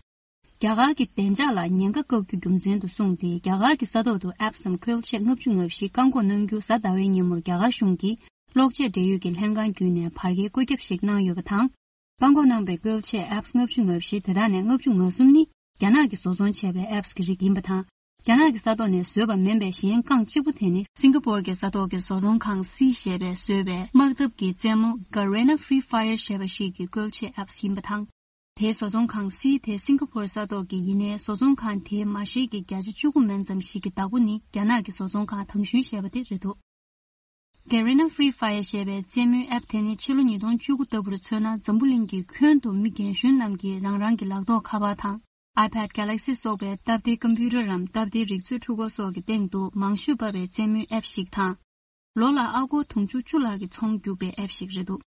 རྒྱ་གར་གྱི་བདེ་འཇགས་ལ་ཉེན་ཁ་བཀག་རྒྱུ་རྒྱུ་མཚན་དུ་བཟུང་སྟེ། རྒྱ་གར་གྱི་ས་ཐོག་ཏུ་apps སམ་བཀོལ་ཆས་ལྔ་བཅུ་ང་བཞི་བཀག་འགོག་གནང་རྒྱུ་གཟའ་ཟླ་བའི་ཉིན་མོར་རྒྱ་གར་གཞུང་གི་གློག་ཆས་འབྲེལ་ཡོད་ཀྱི་ལྷན་ཁང་བརྒྱུད་ནས་བར་བརྒལ་བཀོད་ཁྱབ་ཞིག་གནང་ཡོད་པ་དང་། བཀག་འགོག་གནང་པའི་བཀོལ་ཆས་apps ལྔ་བཅུ་ང་བཞི་དེ་དག་ནས་ལྔ་བཅུ་ང་གསུམ་ནི་རྒྱ་ནག་གིས་བཟོ་ཚོང་བྱས་པའི་apps གི་རིགས་ཡིན་པ་དང་། རྒྱ་ནག་གི་ས་ཐོག་ནས་བཟོས་པ་མིན་པའི་གཞན་རྐང་གཅིག་པུ་དེ་ནི་སིང་ག་པོར་གྱི་ས་ཐོག་གི་བཟོ་ཚོང་ཁང་སི་ཞེས་པས་བཟོས་པའི་དམག་འཐབ་ཀྱི་རྩེད་མོ་Garena Free Fire ཞེས་པ་ཞིག་གི་བཀོལ་ཆས་apps ཡིན་པ་དང་། དེའི་བཟོ་ཚོང་ཁང་སི་དེ་སིང་ག་པོར་ས་ཐོག་གི་ཡིན་ནའི། བཟོ་ཚོང་ཁང་དེའི་མ་ཤེས་ཀྱི་བརྒྱ་ཆ་བཅུ་དགུ་མན་ཙམ་ཞིག་གི་བདག་པོ་ནི་རྒྱ་ནག་གི་བཟོ་ཚོང་ཁང་དང་ཤུན་ཞེས་པ་དེ་རེད་འདུག Garena Free Fire ཞེས་པའི་རྩེད་མོའི་app དེ་ནི་ཕྱི་ལོ་ཉིས་སྟོང་བཅུ་དགུ་ལྟ་བུར་མཚོན་ན། འཛམ་བུ་གླིང་གི་ཁྱོན་དུ་མི་རྒན་གཞོན་རྣམས་ཀྱིས་རང་རང་གི་ལག་ཐོགས་ཁ་པར་དང་iPad Galaxy སོགས་པའི་སྟབས་བདེའི་ཀམ་པུ་ཊར་རམ་སྟབས་བདེའི་རིག་མཛོད་འཕྲུལ་འཁོར་སོགས་ཀྱི་སྟེང་དུ་མང་ཤོས་པ་བའི་རྩེད་མོའི་app ཞིག་དང་། ལོ་ལ་ཨ་སྒོར་དུང་ཕྱུར་བཅུ་ལྷག་གི་ཚོང་རྒྱུག་པའི་app ཞིག་རེད་འདུག་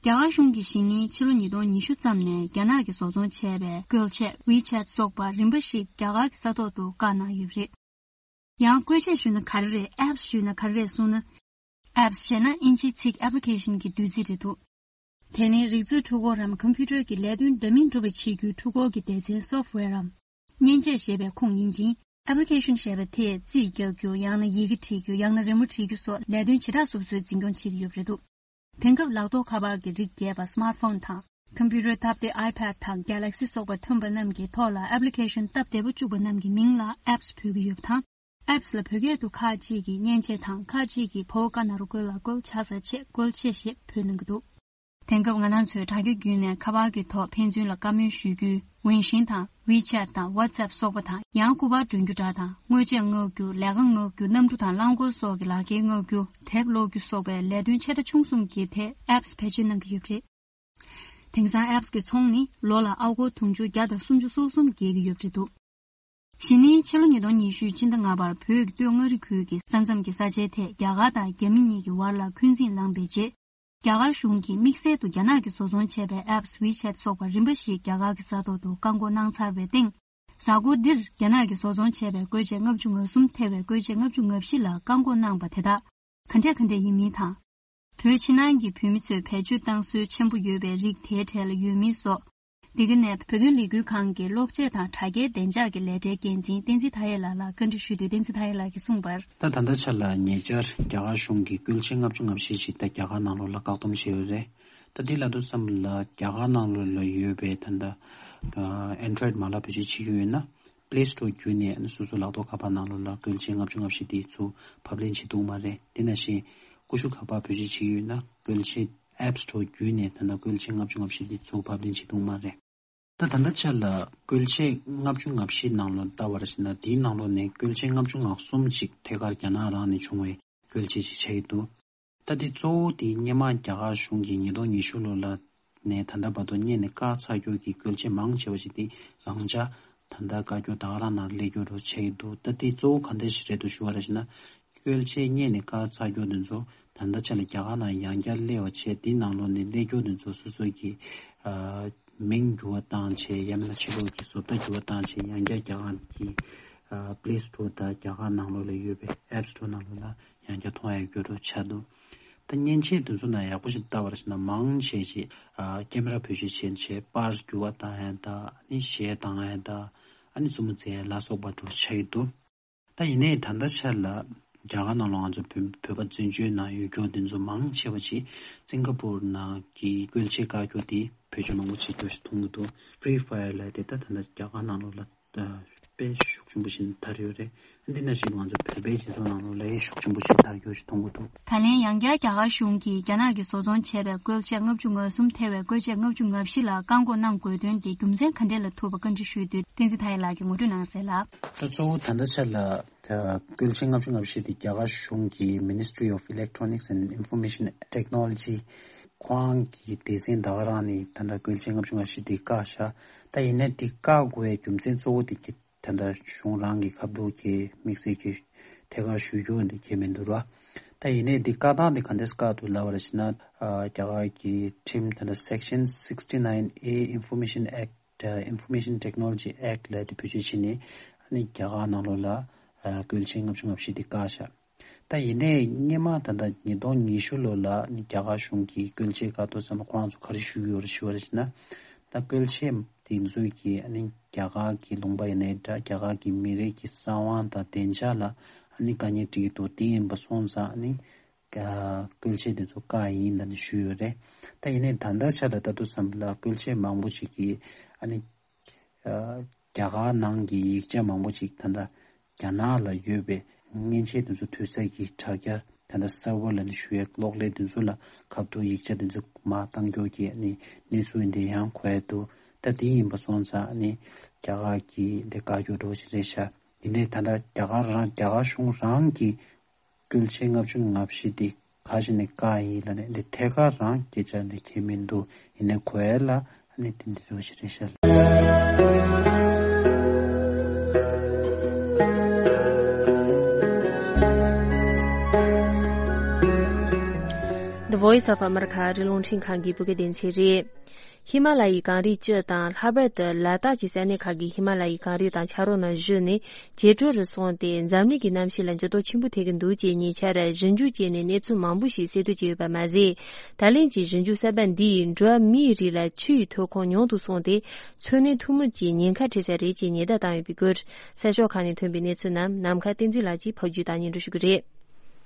རྒྱ་གར་གཞུང་གིས་གཞེས་ནིང་ཕྱི་ལོ་ཉིས་སྟོང་ཉི་ཤུ་ཙམ་ནས་རྒྱ་ནག་གིས་བཟོ་ཚོང་བྱས་པའི་བཀོལ་ཆས་WeChat སོགས་པ་རིམ་པ་ཞིག་རྒྱ་གར་གྱི་ས་ཐོག་ཏུ་བཀག་གནང་ཡོད་པ་རེད། ཡང་བཀོལ་ཆས་ཞུས་ན་ག་རེ་རེད། apps ཞུས་ན་ག་རེ་རེད་གསུངས་ན། apps ཞེས་ན་ཨིན་ཇིའི་ཚིག་application གྱི་བསྡུས་ཚིག་རེད་འདུག་དེ་ནི་རིག་མཛོད་འཕྲུལ་འཁོར་རམ་ཀམ་པུ་ཊར་གྱི་ལས་དོན་འདྲ་མིན་སྒྲུབ་པ་བྱེད་རྒྱུའི་འཕྲུལ་འཁོར་གྱི་སྡེ་ཚན་software རམ་མཉེན་ཆས་ཞེས་པའི་ཁུངས་ཡིན་ཅིང་། application ཞེས་པ་དེས་རྩིས་རྒྱག་རྒྱུ། ཡང་ན་ཡི་གེ་བྲིས་རྒྱུ། ཡང་ན་རི་མོ་བྲིས་རྒྱུ་སོགས་ལས་དོན་བྱེ་བྲག་སོ་སོའི་འཛིན་སྐྱོང་བྱེད་ཀྱི་ཡོད་པ་རེད་འདུག་དེང་སྐབས་ལག་ཐོགས་ཁ་པར་གྱི་རིགས་བརྒྱད་པ་smartphone དང་ཀམ་པུ་ཊར་སྟབས་བདེ་iPad དང་Galaxy སོགས་པ་ཐོན་པ་རྣམས་ཀྱི་ཐོག་ལ་application སྟབས་བདེ་པོ་བཅུག་པ་རྣམས་ཀྱི་མིང་ལ་apps འབོད་ཀྱི་ཡོད་པ་དང་། apps ལ་བོད་སྐད་དུ་ཁག་ཅིག་གིས་མཉེན་ཆས་དང་ཁག་ཅིག་གིས་ཕོ་བོ་ཀ་ན་རོ་བཀོལ་ལ་བཀོལ་བྱ་ས་ཆེད་བཀོལ་ཆས་ཞེས་འབོད་གནང་གི་འདུག་དེང་སྐབས་ང་རང་ཚོས་དྲ་རྒྱ་བརྒྱུད་ནས་ཁ་པར་གྱི་ཐོག་ཕན་ཚུན་ལ་བཀའ་མོལ་ཞུ་རྒྱུའི་Weixin དང་WeChat དང་WhatsApp སོགས་པ་དང་། ཡང་སྐུ་པར་སྒྲོན་རྒྱུ་འདྲ་དང་། དངོས་ཆས་མངག་རྒྱུ། ལས་ཀ་མངག་རྒྱུ། གནམ་གྲུ་དང་རླངས་འཁོར་སོགས་ཀྱི་ལག་འཁྱེར་མངག་རྒྱུ། དེབ་ཀློག་རྒྱུ་སོགས་པའི་ལས་དོན་ཆེ་ཕྲ་ཆུང་གསུམ་གྱི་ཐད་apps བེད་སྤྱོད་གནང་གི་ཡོད་པ་རེད། དེང་སང་apps གི་ཚོང་ནི་ལོ་ལ་ཨ་སྒོར་དུང་ཕྱུར་བརྒྱ་དང་སུམ་ཅུ་སོ་གསུམ་བརྒལ་གྱི་ཡོད་པ་རེད་འདུག་གཞེས་ནིང་ཕྱི་ལོ་ཉིས་སྟོང་ཉི་ཤུའི་ཕྱི་ཟླ་ལྔ་པར་བོད་ཀྱི་སྟོད་མངའ་རིས་ཁུལ་གྱི་ས་མཚམས་ཀྱི་ས་ཆའི་ཐད་རྒྱ་གར་དང་རྒྱ་མི་གཉིས་ཀྱི་བར་ལ་འཁོན་འཛིང་ལངས་པའི་རྗེས། རྒྱ་གར་གཞུང་གིས་དམིགས་བསལ་དུ་རྒྱ་ནག་གིས་བཟོ་ཚོང་བྱས་པའི་apps WeChat སོགས་པ་རིམ་པ་ཞིག་རྒྱ་གར་གྱི་ས་ཐོག་ཏུ་བཀག་འགོག་གནང་ཚར་བའི་སྟེང་། གཟའ་འཁོར་འདིར་རྒྱ་ནག་གིས་བཟོ་ཚོང་བྱས་པའི་བཀོལ་ཆས་ལྔ་བཅུ་ང་གསུམ་ཐེ་བའི་བཀོལ་ཆས་ལྔ་བཅུ་ང་བཞི་ལ་བཀག་འགོག་གནང་པ་དེ་དག་ག་འདྲས་ག་འདྲས་ཡིན་མིན་དང་། བོད་ཕྱི་ནང་གི་བོད་མི་ཚོས་བེད་སྤྱོད་བཏང་སྲོལ་ཆེན་པོ་ཡོད་པའི་རིགས་དེའི་གྲས་ལ་ཡོད་མིན་སོགས། འདི་ག་ནས་བོད་དོན་ལས་འགུལ་ཁང་གི་གློག་ཆས་དང་དྲ་རྒྱའི་བདེ་འཇགས་ཀྱི་ལས་གྲྭའི་འགན་འཛིན་བསྟན་འཛིན་མཐའ་ཡས་ལགས་ལ་བཀའ་འདྲི་ཞུས་དུས། བསྟན་འཛིན་མཐའ་ཡས་ལགས་ཀྱིས་གསུངས་པར། ད་ད་ལྟ་ཆ་ལ་ཉེ་ཆར་རྒྱ་གར་གཞུང་གིས་བཀོལ་ཆས་ལྔ་བཅུ་ང་བཞི་ཞིག་ད་རྒྱ་གར་ནང་ལོགས་ལ་བཀག་སྡོམ་བྱས་ཡོད་རེད། ད་འདི་ལབ་དུས་ཙམ་ལ་རྒྱ་གར་ནང་ལོགས་ལ་ཡོད་པའི་ད་ལྟ་Android མ་ལག་བེད་སྤྱོད་བྱེད་ཀྱི་ཡོད་ན། Play Store བརྒྱུད་ནས་སོ་སོའི་ལག་ཐོགས་ཁ་པར་ནང་ལོགས་ལ་བཀོལ་ཆས་ལྔ་བཅུ་ང་བཞི་དེ་ཚུར་ཕབ་ལེན་བྱེད་ཐུབ་མ་རེད། དེ་ནང་བཞིན་ཀུ་ཤུ་ཁ་པར་བེད་སྤྱོད་བྱེད་ཀྱི་ཡོད་ན། བཀོལ་ཆས་App Store བརྒྱུད་ནས་ད་ལྟ་བཀོལ་ཆས་ལྔ་བཅུ་ང་བཞི་དེ་ཚུར་ཕབ་ལེན་བྱེད་ཐུབ་མ་རེད། ད་ད་ལྟ་ཆ་ལ་བཀོལ་ཆས་ལྔ་བཅུ་ང་བཞི་ནང་ལོགས་ལྟ་བར་ཞིག་ན། དེའི་ནང་ལོགས་ནས་བཀོལ་ཆས་ལྔ་བཅུ་ང་གསུམ་ཅིག་ཐད་ཀར་རྒྱ་ནག་རང་ནས་བྱུང་བའི་བཀོལ་ཆས་ཅིག་ཆགས་ཀྱི་འདུག་ད་དེ་གཙོ་བོ་དེ་སྔོན་མ་རྒྱ་གར་གཞུང་གིས་ཉིས་སྟོང་ཉི་ཤུ་ལོ་ལ་ནས་ད་ལྟ་བར་དུ་སྔོན་ནས་བཀག་ཚར་རྒྱུ་གི་བཀོལ་ཆས་མང་ཆེ་བ་ཞིག་དེ་རང་འཇགས་ད་ལྟ་བཀག་རྒྱུ་ད་ག་རང་ནང་སླེབས་རྒྱུ་རུ་ཆགས་ཀྱི་འདུག་ད་དེ་གཙོ་བོ་ག་འདྲ་ཞིག་རེད་འདུག་ཞུ་བ་རེད་ཞེ་ན། བཀོལ་ཆས་སྔོན་ནས་བཀག་ཚར་རྒྱུ་དེ་ཚོ་ད་ལྟ་ཆ་ལ་རྒྱ་གར་ནང་ཡང་བསྐྱར་སླེབས་པ་བྱས། དེ་ནང་ལོགས་ནས་སླེབས་རྒྱུ་དེ་ཚོ་སོ་སོ་གི་ཨ་མིང་འགྱུར་བ་བཏང་བྱས། ཡང་མིན་ན་ཕྱི་ལོགས་ཀྱི་བཟོ་ལྟ་འགྱུར་བ་བཏང་བྱས། ཡང་བསྐྱར་རྒྱ་གར་གྱི་ཨ་Play Store དང་རྒྱ་གར་ནང་ལོགས་ལ་ཡོད་པའི་App Store ནང་ལོགས་ལ་ཡང་བསྐྱར་མཐོང་ཡག་རྒྱུ་རུ་ཆགས་འདུག་ད་མཉེན་ཆས་དེ་ཚོ་ནང་ཡག་པོ་ཞིག་ལྟ་བར་ཞིག་ན། མང་ཆེ་ཞིག་ཨ་ཀེ་མ་ར་བེད་སྤྱོད་བྱས་བྱས་པར་འགྱུར་བ་བཏང་ཡག་དང་། ཨ་ནི་གཞས་བཏང་ཡག་དང་། ཨ་ནི་མཛུབ་མོ་འཛིན་ཡག་ལ་སོགས་པ་འགྲོ་ཆགས་ཀྱི་འདུག་ད་ཡིན་ནའི་ད་ལྟ་ཆ་ལ་རྒྱ་གར་ནང་ལ་ང་ཚོ་བོད་བོད་པ་བཙན་བྱོལ་ནང་ཡོད་རྒྱུ་དེ་ཚོ་མང་ཆེ་བ་ཅིག་སིང་ག་པུར་ནང་གི་བཀོལ་ཆས་བཀག་རྒྱུ་དེ་བེད་སྤྱོད་མང་པོ་བྱེད་རྒྱུ་ཞིག་མཐོང་གི་འདུག Free Fire ལབ་དེ་ད་ད་ལྟ་རྒྱ་གར་ནང་ལོགས་ལ་དཔེ་ཤུགས་ཆེན་པོ་ཞིག་དར་ཡོད་རེད། འདི་ནང་བཞིན་ང་ཚོ་བོད་པའི་སྤྱི་ཚོགས་ནང་ལོགས་ལ་ཤུགས་ཆེན་པོ་ཞིག་དར་རྒྱུ་ཞིག་མཐོང་གི་འདུག་ད་ལན་ཡང་བསྐྱར་རྒྱ་གར་གཞུང་གིས་རྒྱ་ནག་གིས་བཟོ་ཚོང་བྱས་པའི་བཀོལ་ཆས་ལྔ་བཅུ་ང་གསུམ་ཐེ་བའི་བཀོལ་ཆས་ལྔ་བཅུ་ང་བཞི་ལ་བཀག་འགོག་གནང་དགོས་དོན་དེ་རྒྱུ་མཚན་ག་འདྲས་ལ་ཐུག་པ་བཀའ་འདྲི་ཞུས་དུས། བསྟན་འཛིན་མཐའ་ཡས་ལགས་ཀྱིས་ངོ་སྤྲོད་གནང་གསལ་ལ། ད་གཙོ་བོ་ད་ལྟ་ཆ་ལ་ད་བཀོལ་ཆས་ལྔ་བཅུ་ང་བཞི་དེ་རྒྱ་གར་གཞུང་གི་Ministry of Electronics and Information Technology ཁོ་རང་གི་སྡེ་ཚན་ད་ག་རང་ནས་ད་ལྟ་བཀོལ་ཆས་ལྔ་བཅུ་ང་བཞི་དེ་བཀག་བཞག་ད་ཡིན་ནའི་དེ་བཀག་དགོས་པའི་རྒྱུ་མཚན་གཙོ་བོ་དེ་གི་ད་ལྟ་གཞུང་རང་གི་ཁ་བསྡུར་གྱི་དམིགས་བསལ་གྱི་ཐད་ཀར་ཞུ་རྒྱུ་འདི་གལ་མི་འདུག་ར། ད་ཡིན་ནའི་འདི་བཀག་སྟངས་འདི་ག་འདྲས་བཀག་འདུག་ལབ་པ་རེད་ཟེར་ན། ཨ། རྒྱ་གར་གྱི་ཁྲིམས་ད་ལྟ་Section sixty nine A Information Act, Information Technology Act ལབ་དེ་བེད་སྤྱོད་བྱས་ནས་ཨ་ནི་རྒྱ་གར་ནང་ལོགས་ལ་ཨ་བཀོལ་ཆས་ལྔ་བཅུ་ང་བཞི་འདི་བཀག་བཞག་ད་ཡིན་ནའི་སྔོན་མ་ད་ལྟ་ཉིས་སྟོང་ཉི་ཤུ་ལོ་ལ་ནི་རྒྱ་གར་གཞུང་གིས་བཀོལ་ཆས་བཀག་དུས་ཙམ་པ་ཁོ་རང་ཚོ་ག་རེ་ཞུས་ཡོད་རེད་ཞུ་བ་རེད་ཟེར་ན། ད་བཀོལ་ཆས་དེ་ཚོས་ཀྱིས་ཨ་ནི་རྒྱ་གར་གྱི་ལུང་པ་ཡིན་ནའི་འདྲ། རྒྱ་གར་གྱི་མི་རིགས་ཀྱི་གསང་བ་དང་བདེ་འཇགས་ལ་ཨ་ནི་དཀའ་ངལ་འཕྲད་ཀྱི་འདུག་དེ་ཡིན་པ་སོང་ཙང་ཨ་ནི་ཨ་བཀོལ་ཆས་དེ་ཚོ་བཀག་ཡིན་ལབ་ནས་ཞུས་ཡོད་རེད། ད་ཡིན་ནའི་ད་ལྟ་ཆ་ལ་ལྟ་དུས་ཙམ་པ་ལ་བཀོལ་ཆས་མང་པོ་ཞིག་གིས་ཨ་ནི་ཨ་རྒྱ་གར་ནང་གི་ཡིག་ཆ་མང་པོ་ཞིག་ད་ལྟ་རྒྱ་ནག་ལ་ཡོད་པའི་མཉེན་ཆས་དེ་ཚོ་དུས་ཚོད་ཀྱི་དྲ་རྒྱ་ད་ལྟ་སར་བར་ལབ་ནས་ཞུ་ཡས་གློག་ཀླད་དེ་ཚོ་ལ་ཁ་ཐུག་ཡིག་ཆ་དེ་ཚོ་མར་བཏང་རྒྱུ་གི་ཨ་ནི་གནས་ཚུལ་འདི་ཡང་གོ་ཡས་འདུག་ད་དེ་ཡིན་པ་སོང་ཙང་ཨ་ནི་རྒྱ་གར་གྱིས་འདི་བཀག་རྒྱུ་འདྲ་བོ་ཞིག་རེད་ཤག་ཡིན་ནའི་ད་ལྟ་རྒྱ་གར་རང་རྒྱ་གར་གཞུང་རང་གིས་བཀོལ་ཆས་ལྔ་བཅུ་ང་བཞི་དེ་ག་ཞིག་ནས་བཀག་ཡིན་ལབ་ནས་འདི་ཐད་ཀར་རང་སྐད་ཆ་འདི་ཁྱེད་མི་འདུག་ཡིན་ནའི་གོ་ཡ་ལ་ཨ་ནི་དེ་འདི་ཚོ་ཞིག་རེད་ཤག The Voice of America རི་ལུང་འཕྲིན་ཁང་གི་བོད་སྐད་སྡེ་ཚན་རེད། ཧི་མ་ལ་ཡའི་གངས་རིས་བཅུ་དང་ལྷག་པར་དུ་ལ་དྭགས་ཀྱི་ས་གནས་ཁག་གི་ཧི་མ་ལ་ཡའི་གངས་རི་དང་ཆར་པ་རྣམས་བཞུར་ནས་བྱེ་དྲོད་རུ་སོང་སྟེ་འཛམ་གླིང་གི་གནམ་གཤིས་ལ་འགྱུར་ལྡོག་ཆེན་པོ་ཐེབས་ཀྱི་འདུག་ཅེས་ཉེ་ཆར་ཞིབ་འཇུག་བྱས་ནས་གནས་ཚུལ་མང་པོ་ཞིག་གསལ་སྟོན་བྱས་ཡོད་པ་མ་ཟད། ད་ལན་གྱི་ཞིབ་འཇུག་གསར་པ་འདིས་འགྲོ་བ་མིའི་རིགས་ལ་ཆུའི་ཐོན་ཁུངས་ཉུང་དུ་སོང་སྟེ་འཚོ་གནས་ཐུན་མོང་གི་ཉེན་ཁ་འཕྲད་ས་རེད་ཅེས་ཉེན་བརྡ་བཏང་ཡོད་པའི་སྐོར་གསར་ཤོག་ཁག་ནས་ཐོན་པའི་གནས་ཚུལ་རྣམས་ནམ་མཁའ་བསྟན་འཛིན་ལགས་ཀྱིས་ཕབ་སྒྱུར་དང་སྙན་སྒྲོན་ཞུ་གི་རེད།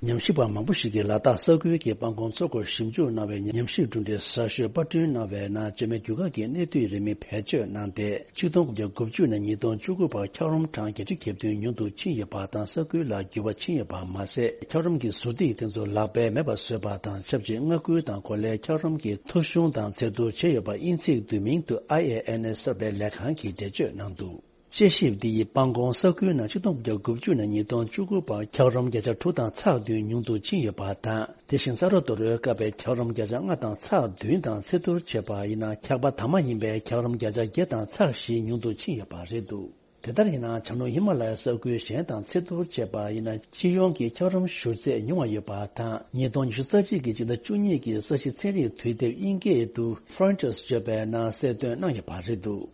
ཉམས་ཞིབ་པ་མང་པོ་ཞིག་གིས་ལ་དྭགས་ས་ཁུལ་གྱི་སྤང་གོང་མཚོ་སྐོར་ཞིབ་འཇུག་གནང་བའི་ཉམས་ཞིབ་གྲུབ་འབྲས་གསར་ཤོས་པར་སྐྲུན་གནང་བའི་ནང་བཅོས་མའི་རྒྱུ་སྐར་གྱི་གནས་སྡུད་རིན་མེད་བེད་སྤྱོད་གནང་སྟེ། ཆིག་སྟོང་དགུ་བརྒྱ་དགུ་བཅུ་ནས་ཉིས་སྟོང་བཅུ་དགུ་བར་འཁྱགས་རོམ་གྲངས་བརྒྱད་ཅུ་གྱ་བདུན་ཉུང་དུ་ཕྱིན་ཡོད་པ་དང་། ས་ཁུལ་ལ་འགྱུར་བ་ཕྱིན་ཡོད་པ་མ་ཟད། འཁྱགས་རོམ་གྱི་ཟུར་ཐིགས་དེ་ཚོ་ལག་པས་མེད་པར་བཟོས་པ་དང་ཆབས་ཅིག་མངའ་ཁུལ་དང་གོ་ལའི་འཁྱགས་རོམ་གྱི་ཐོ་གཞུང་དང་ཚད་བསྡུར་བྱས་ཡོད་པ་དབྱིན་ཚིག་བསྡུས་མིང་དུ་ཨའི་ཨེ་ཨེན་ཨེས་གསར་སྤེལ་ལས་ཁང་གིས་འགྲེལ་བརྗོད་གནང་འདུག་དཔྱད་ཞིབ་འདི་ཡིས་སྤང་གོང་ས་ཁུལ་ནང་ཆིག་སྟོང་དགུ་བརྒྱ་དགུ་བཅུ་ནས་ཉིས་སྟོང་བཅུ་དགུ་བར་འཁྱགས་རོམ་བརྒྱ་ཆ་དྲུག་དང་ཚེག་བདུན་ཉུང་དུ་ཕྱིན་ཡོད་པ་དང་། དེ་བཞིན་ས་རོ་རྡོ་རོའི་སྐབས་པའི་འཁྱགས་རོམ་བརྒྱ་ཆ་ལྔ་དང་ཚེག་བདུན་དང་ཚད་བསྡུར་བྱས་པ་ཡིན་ན། འཁྱགས་པ་དྭངས་མ་ཡིན་པའི་འཁྱགས་རོམ་བརྒྱ་ཆ་བརྒྱད་དང་ཚེག་བཞི་ཉུང་དུ་ཕྱིན་ཡོད་པ་རེད་འདུག་དེ་ལྟར་ཡིན་ན། བྱང་ནུབ་ཧི་མ་ལ་ཡའི་ས་ཁུལ་གཞན་དང་ཚད་བསྡུར་བྱས་པ་ཡིན་ན། སྤྱི་ཡོངས་ཀྱི་འཁྱགས་རོམ་བཞུར་ཚད་ཉུང་བ་ཡོད་པ་དང་། ཉིས་སྟོང་ཉི་ཤུ་རྩ་གཅིག་གི་སྤྱི་ཟླ་བཅུ་གཉིས་ཀྱི་ས་གཞི་ཚན་རིག་དུས་དེབ་དབྱིན་སྐད་དུ་Frontiers བརྗོད་པའི་ནང་གསལ་སྟོན་གནང་ཡོད་པ་རེད་འདུག་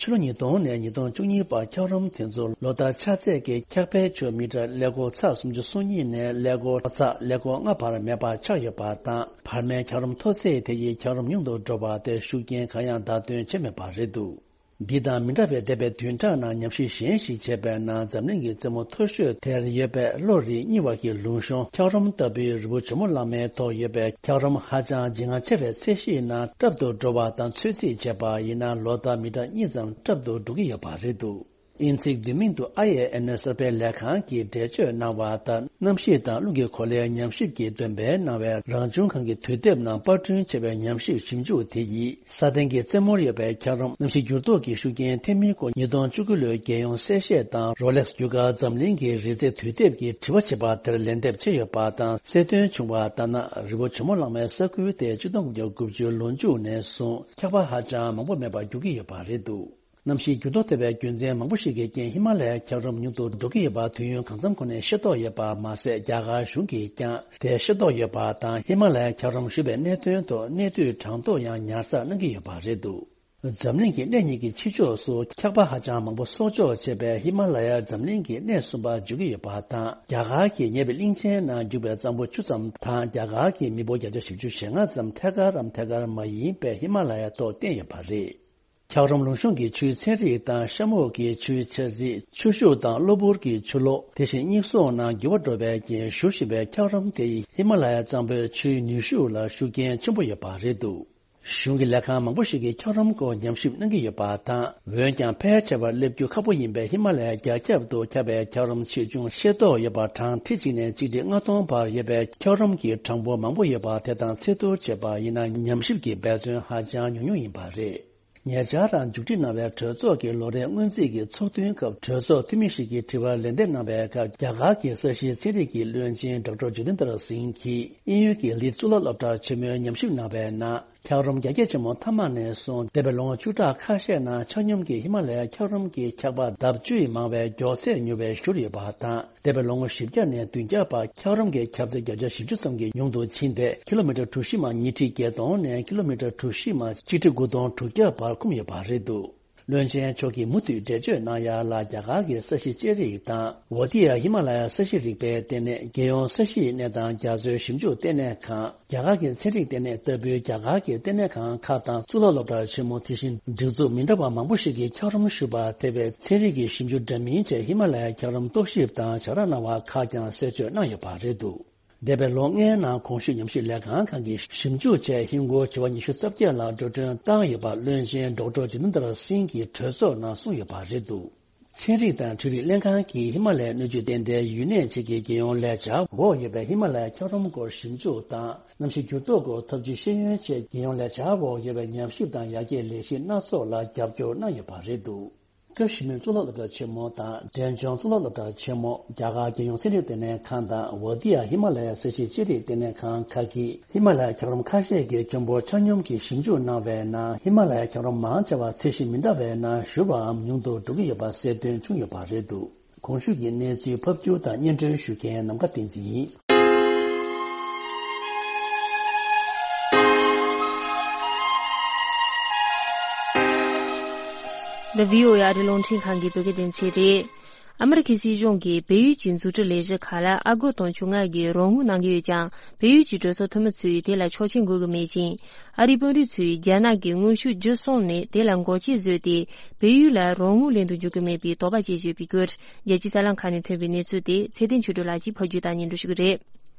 ཕྱི་ལོ་ཉིས་སྟོང་ནས་ཉིས་སྟོང་བཅུ་གཉིས་བར་འཁྱགས་རོམ་དེ་ཚོ་ལོ་ལྟར་ཆགས་ཚད་ཀྱི་འཁྱགས་ཕན་ཆུ་མི་ཊར་ཀླད་ཀོར་ཚེག་སུམ་ཅུ་སོ་གཉིས་ནས་ཀླད་ཀོར་ཚེག་ཀླད་ཀོར་ལྔ་བར་མེད་པར་ཆག་ཡོད་པ་དང་། བར་མའི་འཁྱགས་རོམ་མཐོ་ཚད་དེ་ཡིས་འཁྱགས་རོམ་ཉུང་དུ་འགྲོ་བ་དེ་ཤུགས་རྐྱེན་གང་ཡང་བརྡ་སྟོན་བྱས་མེད་པ་རེད་འདུག་འདི་དང་མི་འདྲ་བའི་འདས་པའི་བདུན་ཕྲག་ནང་ཉམས་ཞིབ་གཞན་ཞིག་བྱས་པའི་ནང་། འཛམ་གླིང་གི་རྩེ་མོ་མཐོ་ཤོས་དེར་ཡོད་པའི་གློ་རིས་རྙིལ་བ་གི་ལུང་གཤོང་འཁྱགས་རོམ་ལྟ་བུའི་རི་བོ་ཇོ་མོ་གླང་མའི་ཐོག་ཡོད་པའི་འཁྱགས་རོམ་ཧ་ཅང་ལྗིད་ངར་ཆེ་བའི་ཚད་གཞིའི་ནང་རབ་ཏུ་འགྲོ་བ་དང་། ཚོད་རྩིས་བྱས་པ་ཡིན་ན། ལོ་ལྟར་མི་ཊར་གཉིས་ཙམ་རབ་ཏུ་འགྲོ་གི་ཡོད་པ་རེད་འདུག་དབྱིན་ཚིག་བསྡུས་མིང་དུ་ཨའི་ཨེ་ཨེན་ཨེས་གསར་སྤེལ་ལས་ཁང་གིས་འགྲེལ་བརྗོད་གནང་བ་ལྟར། གནམ་གཤིས་དང་རླུང་གི་གོ་ལའི་ཉམས་ཞིབ་ཀྱི་འདོན་སྤེལ་གནང་བའི་རང་བྱུང་ཁམས་ཀྱི་དུས་དེབ་ནང་པར་སྐྲུན་བྱས་པའི་ཉམས་ཞིབ་ཞིབ་འཇུག་དེ་ཡིས། ས་སྟེང་གི་རྩེ་མོར་ཡོད་པའི་འཁྱགས་རོམ་གནམ་གཤིས་འགྱུར་ལྡོག་གི་ཤུགས་རྐྱེན་ཐེབས་མིན་སྐོར་ཉིས་སྟོང་བཅུ་དགུ་ལོའི་རྒྱལ་ཡོངས་གསལ་བཤད་དང་རོ་ལེགས་རྒྱུ་སྐར་འཛམ་གླིང་གི་རིས་རྩེ་དུས་དེབ་ཀྱིས་དྲི་བ་བྱས་པ་དེར་ལན་འདེབས་བྱས་ཡོད་པ་དང་། གསལ་སྟོན་བྱུང་བ་ལྟར་ན། རི་བོ་ཇོ་མོ་གླང་མའི་ས་ཁུལ་དེ་ཆིག་སྟོང་དགུ་བརྒྱ་དགུ་བཅུ་ལོ་མཇུག་ནས་བཟུང་འཁྱགས་པ་ཧ་ཅང་མང་པོ་མེད་པར་འགྱུར་གྱི་ཡོད་པ་རེད་འདུག་གནམ་གཤིས་འགྱུར་ལྡོག་ཐེབས་པའི་རྒྱུ་མཚན་མང་པོ་ཞིག་གི་རྐྱེན། ཧི་མ་ལ་ཡའི་འཁྱགས་རོམ་ཉུང་དུ་འགྲོ་གི་ཡོད་པ་དུས་ཡུན་གང་འཚམ་གོང་ནས་ཤེས་རྟོགས་ཡོད་པ་མ་ཟད། རྒྱ་གར་གཞུང་གིས་ཀྱང་དེ་ཤེས་རྟོགས་ཡོད་པ་དང་། ཧི་མ་ལ་ཡའི་འཁྱགས་རོམ་བཞུར་བའི་གནད་དོན་ཐོག་གནས་སྡུད་གྲངས་ཐོ་ཡང་ཉར་ཚགས་གནང་གི་ཡོད་པ་རེད་འདུག་འཛམ་གླིང་གི་གནས་གཉིས་ཀྱི་ཕྱི་ཕྱོགས་སུ་འཁྱགས་པ་ཧ་ཅང་མང་པོ་གསོག་འཇོག་བྱས་པའི་ཧི་མ་ལ་ཡ་འཛམ་གླིང་གི་གནས་གསུམ་པར་འཇུག་གི་ཡོད་པ་དང་། རྒྱ་གར་གྱི་ཉེ་བའི་གླིང་ཆེན་ནང་རྒྱུག་པའི་གཙང་པོ་བཅུ་ཙམ་དང་། རྒྱ་གར་གྱི་མི་འབོར་བརྒྱ་ཆ་བཞི་བཅུ་ཞེ་ལྔ་ཙམ་ཐད་ཀར་རམ་ཐད་ཀར་མ་ཡིན་པའི་ཧི་མ་ལ་ཡ་ཐོག་བརྟེན་ཡོད་པ་རེད། འཁྱགས་རོམ་ལུང་གཤོང་གི་ཆུའི་ཚན་རིག་དང་། ཤ་མུག་གི་ཆུའི་ཆ་རྩིས། ཆུ་ཤུགས་དང་གློ་བུར་གྱི་ཆུ་ལོག་དེ་བཞིན་གཉིད་སོང་ནང་འགྱུར་བ་འགྲོ་བའི་རྐྱེན། བཞུར་བཞིན་པའི་འཁྱགས་རོམ་དེ་ཡིས་ཧི་མ་ལ་ཡ་གཙང་པོའི་ཆུའི་ནུས་ཤུགས་ལ་ཤུགས་རྐྱེན་ཆེན་པོ་ཡོད་པ་རེད་འདུག་གཞུང་གི་ལས་ཁང་མང་པོ་ཞིག་གིས་འཁྱགས་རོམ་སྐོར་ཉམས་ཞིབ་གནང་གི་ཡོད་པ་དང་། འོན་ཀྱང་ཕལ་ཆེ་བར་སླེབས་རྒྱུ་ཁག་པོ་ཡིན་པའི་ཧི་མ་ལ་ཡའི་རྒྱ་ཁྱབ་ཏུ་ཁྱབ་པའི་འཁྱགས་རོམ་ཆེ་ཆུང་ཤེས་རྟོགས་ཡོད་པ་གྲངས་ཁྲི་གཅིག་ནས་ཆིག་ཁྲི་ལྔ་སྟོང་བར་ཡོད་པའི་འཁྱགས་རོམ་གྱི་གྲངས་འབོར་མང་པོ་ཡོད་པ་དེ་དང་ཚད་བསྡུར་བྱས་པ་ཡིན་ན། ཉམས་ཞིབ་ཀྱི་འབད་བརྩོན་ཧ་ཅང་ཉུང་ཉུང་ཡིན་པ་རེད། ཉེ་ཆར་རང་མཇུག་སྒྲིལ་གནང་བའི་གྲོས་ཚོགས་ཀྱི་ལོ་རེའི་སྔོན་རྩིས་ཀྱི་ཚོགས་ཐུན་སྐབས་གྲོས་ཚོགས་འཐུས་མི་ཞིག་གིས་དྲི་བར་ལན་འདེབས་གནང་བའི་སྐབས། རྒྱ་གར་གྱི་ས་གཞིའི་ཚན་རིག་གི་བློན་ཆེན་ཌོག་ཊར་ཇོ་ཏིན་དར་སིང་གིས། དབྱིན་ཡུལ་གྱི་ལིཌ་གཙུག་ལག་སློབ་གྲྭ་ཆེན་མོའི་ཉམས་ཞིབ་གནང་བའི་ནང་། འཁྱགས་རོམ་རྒྱ་སྐྱེད་ཆེན་མོ་མཐའ་མ་ནས་བཟུང་འདས་པའི་ལོ་ངོ་བཅུ་ཕྲག་ཁ་ཤས་ནང་ཆ་སྙོམས་ཀྱིས་ཧི་མ་ལ་ཡའི་འཁྱགས་རོམ་གྱི་འཁྱགས་པ་ལྡབ་བཅུ་ཡི་མང་བའི་མགྱོགས་ཚད་མྱུར་བའི་ཤུལ་ཡོད་པ་དང་། འདས་པའི་ལོ་ངོ་བཞི་བརྒྱ་ནས་བདུན་བརྒྱ་བར་འཁྱགས་རོམ་གྱི་ཁྱབ་ཚད་བརྒྱ་ཆ་བཞི་བཅུ་ཙམ་གྱིས་ཉུང་དུ་ཕྱིན་ཏེ། ཀི་ལོ་མི་ཊར་གྲུ་བཞི་མ་ཉིས་ཁྲི་བརྒྱད་སྟོང་ནས་ཀི་ལོ་མི་ཊར་གྲུ་བཞི་མ་ཆིག་ཁྲི་དགུ་སྟོང་དྲུག་བརྒྱ་བར་འཁུམས་ཡོད་པ་རེད་འདུག། བློན་ཆེན་མཆོག་གིས་མུ་མཐུད་འགྲེལ་བརྗོད་གནང་ཡ་ལ། རྒྱ་གར་གྱི་ས་གཞི་ལྕགས་རིགས་དང་། ཝ་ཏི་ཡ་ཧི་མ་ལ་ཡ་ས་གཞི་རིག་པའི་ལྟེ་གནས། རྒྱལ་ཡོངས་ས་གཞིའི་གནས་སྟངས་རྒྱ་མཚོའི་ཞིབ་འཇུག་ལྟེ་གནས་ཁང་། རྒྱ་གར་གྱི་ཚན་རིག་ལྟེ་གནས་ལྟ་བུའི་རྒྱ་གར་གྱི་ལྟེ་གནས་ཁང་ཁག་དང་གཙུག་ལག་སློབ་གྲྭ་ཆེན་མོ། དེ་བཞིན་སྒྲིག་འཛུགས་མི་འདྲ་བ་མང་པོ་ཞིག་གིས་འཁྱགས་རོམ་ཞུ་བར་ཐེ་བའི་ཚན་རིག་གི་ཞིབ་འཇུག་འདྲ་མིན་བཅས་ཧི་མ་ལ་ཡའི་འཁྱགས་རོམ་རྟོག་ཞིབ་དང་བྱ་ར་གནང་བ་ཁག་ཀྱང་གསལ་བརྗོད་གནང་ཡོད་པ་རེད་འདུག། འདས་པའི་ལོ་ལྔའི་ནང་གོང་ཞུས་ཉམས་ཞིབ་ལས་ཁང་ཁག་གིས་ཞིབ་འཇུག་བྱས། ཧིན་སྒོར་བྱེ་བ་ཉི་ཤུ་རྩ་བརྒྱད་ལ་འགྲོ་གྲོན་བཏང་ཡོད་པ། བློན་ཆེན་ཌོག་ཊར་ཇི་ཏེན་དྲ་སིང་གིས་གྲོས་ཚོགས་ནང་གསུངས་ཡོད་པ་རེད་འདུག། ཚན་རིག་དང་འཕྲུལ་རིག་ལྷན་ཁང་གིས་ཧི་མ་ལ་ཡའི་སྣོད་བཅུད་རྟེན་འབྲེལ་ཡུལ་གནས་བཅས་ཀྱི་རྒྱལ་ཡོངས་ལས་འཆར་འོག་ཡོད་པའི་ཧི་མ་ལ་ཡའི་འཁྱགས་རོམ་སྐོར་ཞིབ་འཇུག་དང་། གནམ་གཤིས་འགྱུར་ལྡོག་སྐོར་ཐབས་ཇུས་ཤེས་ཡོན་བཅས་རྒྱལ་ཡོངས་ལས་འཆར་འོག་ཡོད་པའི་ཉམས་ཞིབ་དང་ཡར་རྒྱས་ལས་གཞི་སྣ་ཚོགས་ལ་རྒྱབ་སྐྱོར་གནང་ཡོད་པ་རེད་འདུག། བཀྲ་ཤིས་སྨོན་གཙུག་ལག་སློབ་གྲྭ་ཆེན་མོ་དང་འབྲས་ལྗོངས་གཙུག་ལག་སློབ་གྲྭ་ཆེན་མོ། རྒྱ་གར་རྒྱལ་ཡོངས་ཚན་རིག་ལྟེ་གནས་ཁང་དང་ཝ་ཏི་ཡ་ཧི་མ་ལ་ཡ་ས་གཞིའི་ལྕགས་རིགས་ལྟེ་གནས་ཁང་ཁག་གིས། ཧི་མ་ལ་ཡའི་འཁྱགས་རོམ་ཁ་ཤས་ཀྱི་ཁྱོན་འབོར་ཆ་སྙོམས་ཀྱི་ཞིབ་འཇུག་གནང་བའི་ནང་། ཧི་མ་ལ་ཡའི་འཁྱགས་རོམ་མང་ཆེ་བ་ཚད་གཞི་མི་འདྲ་བའི་ནང་བཞུར་བའམ་ཉུང་དུ་འགྲོ་གི་ཡོད་པ་གསལ་སྟོན་བྱུང་ཡོད་པ་རེད་འདུག། གོང་ཞུས་ཀྱི་གནས་ཚུལ་ཕབ་སྒྱུར་དང་སྙན་སྒྲོན་ཞུ་མཁན་ནམ་མཁའ་བསྟན་འཛིན་ཡིན། འདི་བྷི་ཨོ་ཨེ་ཨ་རིའི་རླུང་འཕྲིན་ཁང་གི་བོད་སྐད་སྡེ་ཚན་རེད། ཨ་མི་རི་ཁའི་སྲིད་གཞུང་གིས་བལ་ཡུལ་གྱི་འཛུགས་སྐྲུན་ལས་གཞི་ཁག་ལ་ཨ་སྒོར་དུང་ཕྱུར་ལྔ་གི་རོགས་དངུལ་གནང་གི་ཡོད་ཀྱང་། བལ་ཡུལ་གྱི་གྲོས་ཚོགས་འཐུས་མི་ཚོས་དེ་ལ་ཆོག་མཆན་དགོས་ཀྱི་མེད་ཅིང་། ཨ་རིའི་དཔོན་རིགས་ཚོས་རྒྱ་ནག་གི་དངོས་ཤུགས་བརྒྱུད་སོང་ནས་དེ་ལ་འགོག་རྐྱེན་བཟོས་ཏེ། བལ་ཡུལ་ལ་རོགས་དངུལ་ལེན་དུ་འཇུག་གི་མེད་པའི་དོགས་པ་བྱེད་བཞིན་ཡོད་པའི་སྐོར། རྒྱལ་སྤྱིའི་གསར་ལམ་ཁག་ནས་ཐོན་པའི་གནས་ཚུལ་དེ་ཚེ་བརྟན་ཆོས་སྒྲོན་ལགས་ཀྱིས་ཕབ་སྒྱུར་དང་སྙན་སྒྲོན་ཞུ་གི་རེད།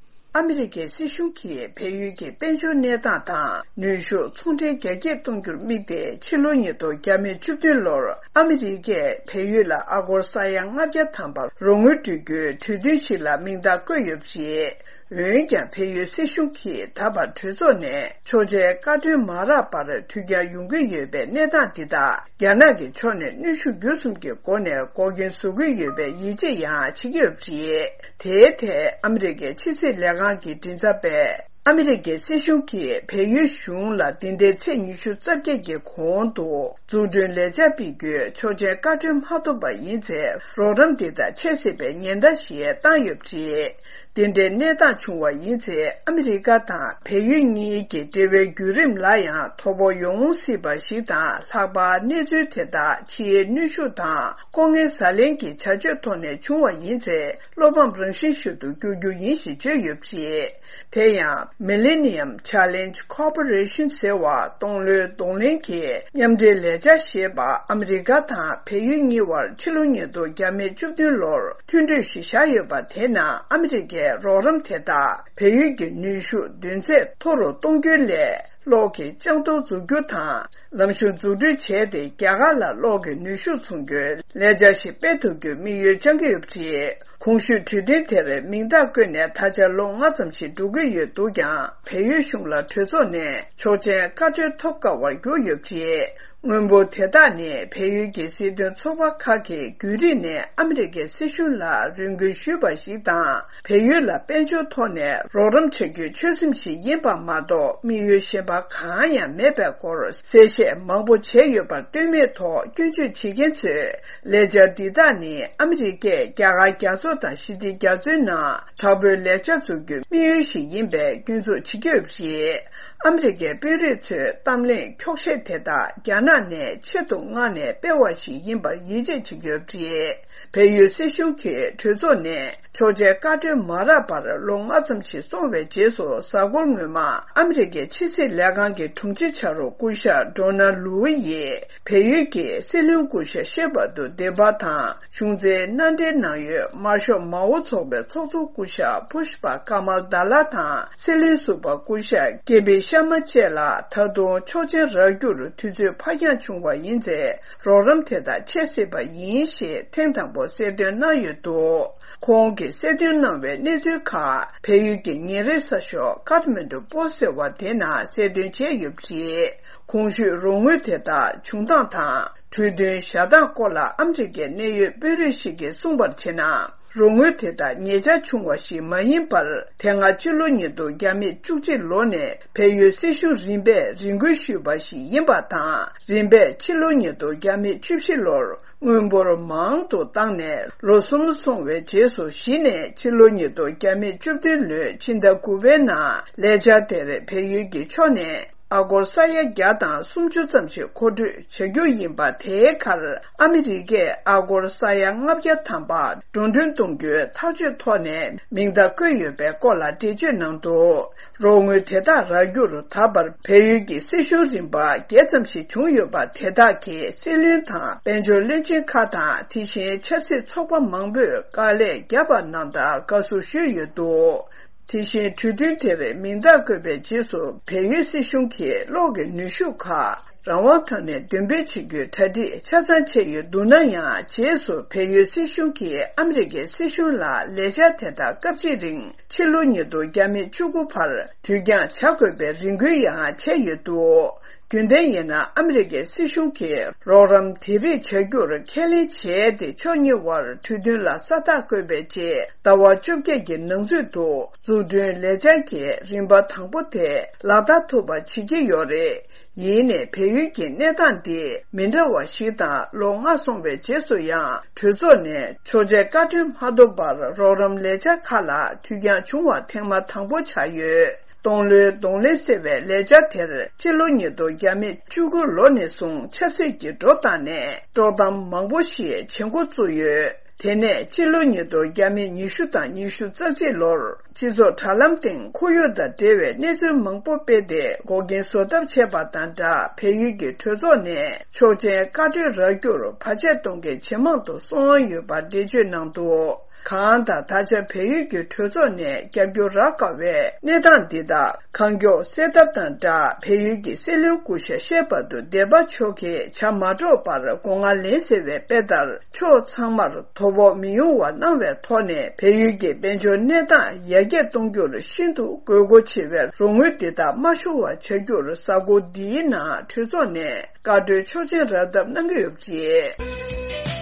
ཨ་མི་རི་ཀའི་སྲིད་གཞུང་གིས་བལ་ཡུལ་གྱི་དཔལ་འབྱོར་གནས་སྟངས་དང་ནུས་ཤུགས་ཚོང་འབྲེལ་རྒྱ་སྐྱེད་གཏོང་རྒྱུར་དམིགས་ཏེ། ཕྱི་ལོ་ཉིས་སྟོང་བརྒྱ་མེད་བཅུ་བདུན་ལོར་ཨ་མི་རི་ཀས་བལ་ཡུལ་ལ་ཨ་སྒོར་ས་ཡ་ལྔ་བརྒྱ་ཐམ་པ་རོགས་དངུལ་སྤྲོད་རྒྱུའི་གྲོས་མཐུན་ཞིག་ལ་མིང་རྟགས་བཀོད་ཡོད་པ་རེད། འོན་ཀྱང་། བལ་ཡུལ་སྲིད་གཞུང་གིས་ད་བར་གྲོས་ཚོགས་ནས་ཆོག་མཆན་བཀའ་འཁྲོལ་མ་རག་པར་འཐུས་རྒྱག་ཡོང་གི་ཡོད་པའི་གནས་སྟངས་འདི་དག་རྒྱ་ནག་གི་ཕྱོགས་ནས་གནོན་ཤུགས་བརྒྱུད་གསུམ་གྱི་སྒོ་ནས་འགོག་རྐྱེན་བཟོ་གི་ཡོད་པའི་ཡིད་ཆེས་ཡང་བྱེད་ཀྱི་ཡོད་པ་རེད། དེའི་ཐད་ཨ་མི་རི་ཀའི་ཕྱི་སྲིད་ལས་ཁང་གི་མགྲིན་ཚབ་པས། ཨ་མི་རི་ཀའི་སྲིད་གཞུང་གིས་བལ་ཡུལ་གཞུང་ལ་འདི་ཟླའི་ཚེས་ཉི་ཤུ་རྩ་བརྒྱད་ཀྱི་གོང་དུ་འཛུགས་སྐྲུན་ལས་འཆར་སྤེལ་རྒྱུའི་ཆོག་མཆན་བཀའ་འཁྲོལ་མ་ཐུབ་པ་ཡིན་ཚེ། རོགས་རམ་འདི་དག་ཆད་སྲིད་པའི་ཉེན་བརྡ་ཞིག་བཏང་ཡོད་པ་རེད། དེ་འདྲའི་གནས་སྟངས་བྱུང་བ་ཡིན་ཚེ། ཨ་མི་རི་ཀ་དང་བལ་ཡུལ་གཉིས་ཀྱི་འབྲེལ་བའི་བརྒྱུད་རིམ་ལ་ཡང་དོ་ཕོག་ཡོང་སྲིད་པ་ཞིག་དང་། ལྷག་པར་གནས་ཚུལ་དེ་དག་ཕྱིའི་གནོན་ཤུགས་དང་ལྐོག་རྔན་ཟ་ལེན་གྱི་བྱ་སྤྱོད་ཐོག་ནས་བྱུང་བ་ཡིན་ཚེ། བློ་ཕམ་རང་བཞིན་ཞིག་ཏུ་འགྱུར་རྒྱུ་ཡིན་ཞེས་བརྗོད་ཡོད་པ་རེད། དེ་ཡང་། Millennium Challenge Corporation ཟེར་བ། སྟོང་ལོའི་གདོང་ལེན་གྱི་མཉམ་འབྲེལ་ལས་འཆར་ཞེས་པ། ཨ་མི་རི་ཀ་དང་བལ་ཡུལ་གཉིས་དབར་ཕྱི་ལོ་ཉིས་སྟོང་བརྒྱ་མེད་བཅུ་བདུན་ལོར་མཐུན་གྲོས་ཤིག་བཞག་ཡོད་པ། དེ་ནང་ཨ་མི་རི་ཀའི་རོགས་རམ་དེ་དག་བལ་ཡུལ་གྱི་ནུས་ཤུགས་འདོན་ཚད་མཐོ་རུ་གཏོང་རྒྱུའི་སླད། གློག་གི་ལྕང་ཐོག་འཛུགས་རྒྱུ་དང་། ལམ་གཞུང་འཛུགས་སྐྲུན་བྱས་ཏེ། རྒྱ་གར་ལ་གློག་གི་ནུས་ཤུགས་འཚོང་རྒྱུའི་ལས་འཆར་ཞིག་སྤེལ་ཐུབ་རྒྱུའི་དམིགས་ཡུལ་བཅངས་ཀྱི་ཡོད་པ་རེད། གོང་ཞུས་གྲོས་མཐུན་དེར་མིང་རྟགས་བཀོད་ནས་ད་ཆ་ལོ་ལྔ་ཙམ་ཞིག་འགྲོ་གི་ཡོད་འདུག་ཀྱང་། བལ་ཡུལ་གཞུང་ལ་གྲོས་ཚོགས་ནས་ཆོག་མཆན་བཀའ་འཁྲོལ་ཐོབ་དཀའ་བར་གྱུར་ཡོད་པ་རེད། དངོས་འབོར་དེ་དག་ནི་བལ་ཡུལ་གྱི་སྲིད་དོན་ཚོགས་པ་ཁག་གིས་རྒྱུན་རིང་ནས་ཨ་མི་རི་ཀའི་སྲིད་གཞུང་ལ་རེ་སྐུལ་ཞུས་པ་ཞིག་དང་། བལ་ཡུལ་ལ་དཔལ་འབྱོར་ཐོག་ནས་རོགས་རམ་བྱ་རྒྱུའི་ཆོད་སེམས་ཤིག་ཡིན་པ་མ་གཏོགས། དམིགས་ཡུལ་གཞན་པ་གང་ཡང་མེད་པའི་སྐོར་གསལ་བཤད་མང་པོ་བྱས་ཡོད་པར་ལྟོས་མེད་ཐོག་སྐྱོན་བརྗོད་བྱེད་མཁན་ཚོས། ལས་འཆར་འདི་དག་ནི་ཨ་མི་རི་ཀས་རྒྱ་གར་རྒྱ་མཚོ་དང་ཞི་བདེ་རྒྱ་མཚོའི་ནང་དྲག་པོའི་ལས་འཆར་འཛུགས་རྒྱུའི་དམིགས་ཡུལ་ཞིག་ཡིན་པའི་སྐྱོན་འཛུགས་བྱེད་ཀྱི་ཡོད་པ་རེད། ཨ་མི་རི་ཀའི་དཔོན་རིགས་ཚོས་གཏམ་གླེང་འཁྱོག་བཤད་དེ་དག་རྒྱ་ནག་ནས་ཆེད་དུ་མངགས་ནས་སྤེལ་བ་ཞིག་ཡིན་པར་ཡིད་ཆེས་བྱེད་ཀྱི་ཡོད་པ་རེད། བལ་ཡུལ་སྲིད་གཞུང་གིས་གྲོས་ཚོགས་ནས་ཆོག་མཆན་བཀའ་འཁྲོལ་མ་རག་པར་ལོ་ལྔ་ཙམ་ཞིག་སོང་བའི་རྗེས་སུ། གཟའ་འཁོར་སྔོན་མ་ཨ་མི་རི་ཀའི་ཕྱི་སྲིད་ལས་ཁང་གི་དྲུང་ཆེ་ཆ་རོགས་སྐུ་ཞབས་ཌོ་ན་ལུའུ་ཡིས་བལ་ཡུལ་གྱི་སྲིད་བློན་སྐུ་ཞབས་ཤེ་བ་དུ་དེ་པ་དང་། གཞུང་འཛིན་མནའ་འབྲེལ་གནང་ཡུལ་དམར་ཤོག་མའོ་ཚོགས་པའི་ཚོགས་གཙོ་སྐུ་ཞབས་ཕུ་ཤ་པ་ཀ་མལ་དཱ་ལ་དང་། སྲིད་བློན་ཟུར་པ་སྐུ་ཞབས་ཀེ་པི་ཤར་མ་བཅས་ལ་ད་དུང་ཆོག་མཆན་རག་རྒྱུར་དུས་ཚོད་ཕར་འགྱངས་བྱུང་བ་ཡིན་ཚེ། རོགས་རམ་དེ་དག་ཆད་སྲིད་པ་ཡིན་ཞེས་ཐེངས་དང་པོ་གསལ་སྟོན་གནང་ཡོད་འདུག། ཁོང་གིས་གསལ་སྟོན་གནང་བའི་གནས་ཚུལ་ཁག་བལ་ཡུལ་གྱི་ཉིན་རེའི་གསར་ཤོག་ཀཱཐ་མན་ཌུ་པོ་སི་ཟེར་བ་དེ་ནང་གསལ་སྟོན་བྱས་ཡོད་པ་རེད། གོང་ཞུས་རོགས་དངུལ་དེ་དག་བྱུང་སྟངས་དང་། གྲོས་མཐུན་བཞག་སྟངས་སྐོར་ལ་ཨ་མི་རི་ཀའི་གནད་ཡོད་དཔོན་རིགས་ཤིག་གིས་གསུངས་པར་བྱས་ན། རོགས་དངུལ་དེ་དག་ཉེ་ཆར་བྱུང་བ་ཞིག་མ་ཡིན་པར། དེ་སྔ་ཕྱི་ལོ་ཉིས་སྟོང་བརྒྱ་མེད་བཅུ་གཅིག་ལོ་ནས་བལ་ཡུལ་སྲིད་གཞུང་རིམ་པས་རེ་སྐུལ་ཞུས་པ་ཞིག་ཡིན་པ་དང་། རིམ་པས་ཕྱི་ལོ་ཉིས་སྟོང་བརྒྱ་མེད་བཅུ་བཞི་ལོར་དངུལ་འབོར་མང་དུ་བཏང་ནས་ལོ་གསུམ་སོང་བའི་རྗེས་སུ་གཞི་ནས་ཕྱི་ལོ་ཉིས་སྟོང་བརྒྱ་མེད་བཅུ་བདུན་ལོའི་ཕྱི་ཟླ་དགུ་པའི་ནང་ལས་འཆར་དེར་བལ་ཡུལ་གྱི་ཕྱོགས་ནས། ཨ་སྒོར་ས་ཡ་བརྒྱ་དང་སུམ་ཅུ་ཙམ་ཞིག་མཁོ་སྤྲོད་བྱ་རྒྱུ་ཡིན་པ། དེའི་ཁར་ཨ་མི་རི་ཀས་ཨ་སྒོར་ས་ཡ་ལྔ་བརྒྱ་ཐམ་པ་འགྲོ་གྲོན་གཏོང་རྒྱུའི་ཐག་གཅོད་ཐོག་ནས་མིང་རྟགས་བཀོད་ཡོད་པའི་སྐོར་ལ་འགྲེལ་བརྗོད་གནང་འདུག་རོགས་དངུལ་དེ་དག་རག་རྒྱུར་ད་བར་བལ་ཡུལ་གྱི་སྲིད་གཞུང་རིམ་པ་བརྒྱད་ཙམ་ཞིག་བྱུང་ཡོད་པ། དེ་དག་གིས་སྲིད་བློན་དང་དཔལ་འབྱོར་བློན་ཆེན་ཁག་དང་། དེ་བཞིན་ཆབ་སྲིད་ཚོགས་པ་མང་པོས་དཀའ་ལས་བརྒྱབ་པ་རྣམས་དང་དགའ་བསུ་ཞུས་ཡོད་འདུག་དེ་བཞིན་གྲོས་མཐུན་དེར་མིང་རྟགས་བཀོད་པའི་རྗེས་སུ་བལ་ཡུལ་སྲིད་གཞུང་གིས་གློག་གི་ནུས་ཤུགས་ཁག་རང་དབང་ཐོག་ནས་འདོན་སྤེལ་བྱེད་རྒྱུའི་གྲ་སྒྲིག་ཆ་ཚང་བྱས་ཡོད་འདུག་ན་ཡང་། རྗེས་སུ་བལ་ཡུལ་སྲིད་གཞུང་གིས་ཨ་མི་རི་ཀའི་སྲིད་གཞུང་ལ་ལས་འཆར་དེ་དག་སྐབས་གཅིག་རིང་ཕྱི་ལོ་ཉིས་སྟོང་བརྒྱ་མེད་བཅུ་དགུ་བར་དུས་འགྱངས་བྱ་དགོས་པའི་རེ་སྐུལ་ཡང་བྱས་ཡོད་འདུག་རྒྱུན་ལྡན་ཡིན་ན་ཨ་མི་རི་ཀའི་སྲིད་གཞུང་གིས་རོགས་རམ་དེ་རིགས་བྱ་རྒྱུར་ཁས་ལེན་བྱས་ཏེ། ཕྱོགས་གཉིས་དབར་གྲོས་མཐུན་ལ་ས་རྟགས་བཀོད་པའི་རྗེས་ཟླ་བ་བཅོ་བརྒྱད་ཀྱི་ནང་ཚུད་དུ་འཛུགས་སྐྲུན་ལས་འཆར་གྱི་རིམ་པ་དང་པོ་དེ་ལག་བསྟར་ཐུབ་པ་བྱེད་ཀྱི་ཡོད་རེད། ཡིན་ནའི་བལ་ཡུལ་གྱི་གནས་སྟངས་འདི་མི་འདྲ་བ་ཞིག་དང་། ལོ་ལྔ་སོང་བའི་རྗེས་སུ་ཡང་གྲོས་ཚོགས་ནས་ཆོག་མཆན་བཀའ་འཁྲོལ་མ་ཐོབ་པར་རོགས་རམ་ལས་འཆར་ཁག་ལ་དུས་འགྱངས་བྱུང་བ་ཐེངས་མ་དང་པོ་ཆགས་ཡོད། སྟོང་ལོའི་གདོང་ལེན་ཟེར་བའི་ལས་འཆར་དེར་ཕྱི་ལོ་ཉིས་སྟོང་བརྒྱ་མེད་བཅུ་དགུ་ལོ་ནས་བཟུང་ཆབ་སྲིད་ཀྱི་འགྲོ་སྟངས་ནས་དཀྲོག་གཏམ་མང་པོ་ཞིག་བྱེད་འགོ་བཙུགས་ཡོད། དེ་ནས་ཕྱི་ལོ་ཉིས་སྟོང་བརྒྱ་མེད་ཉི་ཤུ་དང་ཉི་ཤུ་རྩ་གཅིག་ལོར་སྤྱི་ཚོགས་དྲ་ལམ་སྟེང་ཁོར་ཡུག་དང་འབྲེལ་བའི་གནས་ཚུལ་མང་པོ་སྤེལ་ཏེ་འགོག་རྐྱེན་བཟོ་ཐབས་བྱས་པ་དང་སྦྲགས། བལ་ཡུལ་གྱི་གྲོས་ཚོགས་ནས་ཆོག་མཆན་བཀའ་འཁྲོལ་རག་རྒྱུར་བར་ཆད་གཏོང་མཁན་ཇེ་མང་དུ་སོང་ཡོད་པ་འགྲེལ་བརྗོད་གནང་འདུག་གང་ལྟར། ད་ཆ་བལ་ཡུལ་གྱི་གྲོས་ཚོགས་ནས་རྒྱབ་སྐྱོར་རག་དཀའ་བའི་གནས་སྟངས་འདི་དག་གང་མགྱོགས་སེལ་ཐབས་དང་སྦྲགས། བལ་ཡུལ་གྱི་སྲིད་བློན་སྐུ་ཞབས་ཤེས་པ་དུ་སྡེ་པ་མཆོག་གིས་བྱ་མ་འགྲོ་བར་སྒོ་ང་ལེན་ཟེར་བའི་དཔེ་ལྟར། ཕྱོགས་ཚང་མར་དོ་ཕོག་མི་ཡོང་བ་གནང་བའི་ཐོག་ནས། བལ་ཡུལ་གྱི་དཔལ་འབྱོར་གནས་སྟངས་ཡར་རྒྱས་གཏོང་རྒྱུར་ཤིན་ཏུ་དགོས་མཁོ་ཆེ་བའི་རོགས་དངུལ་འདི་དག་མ་ཤོར་བ་བྱ་རྒྱུར། གཟའ་འཁོར་འདིའི་ནང་གྲོས་ཚོགས་ནས་བཀའ་འཁྲོལ་ཆོག་མཆན་རག་ཐབས་གནང་གི་ཡོད་པ་རེད།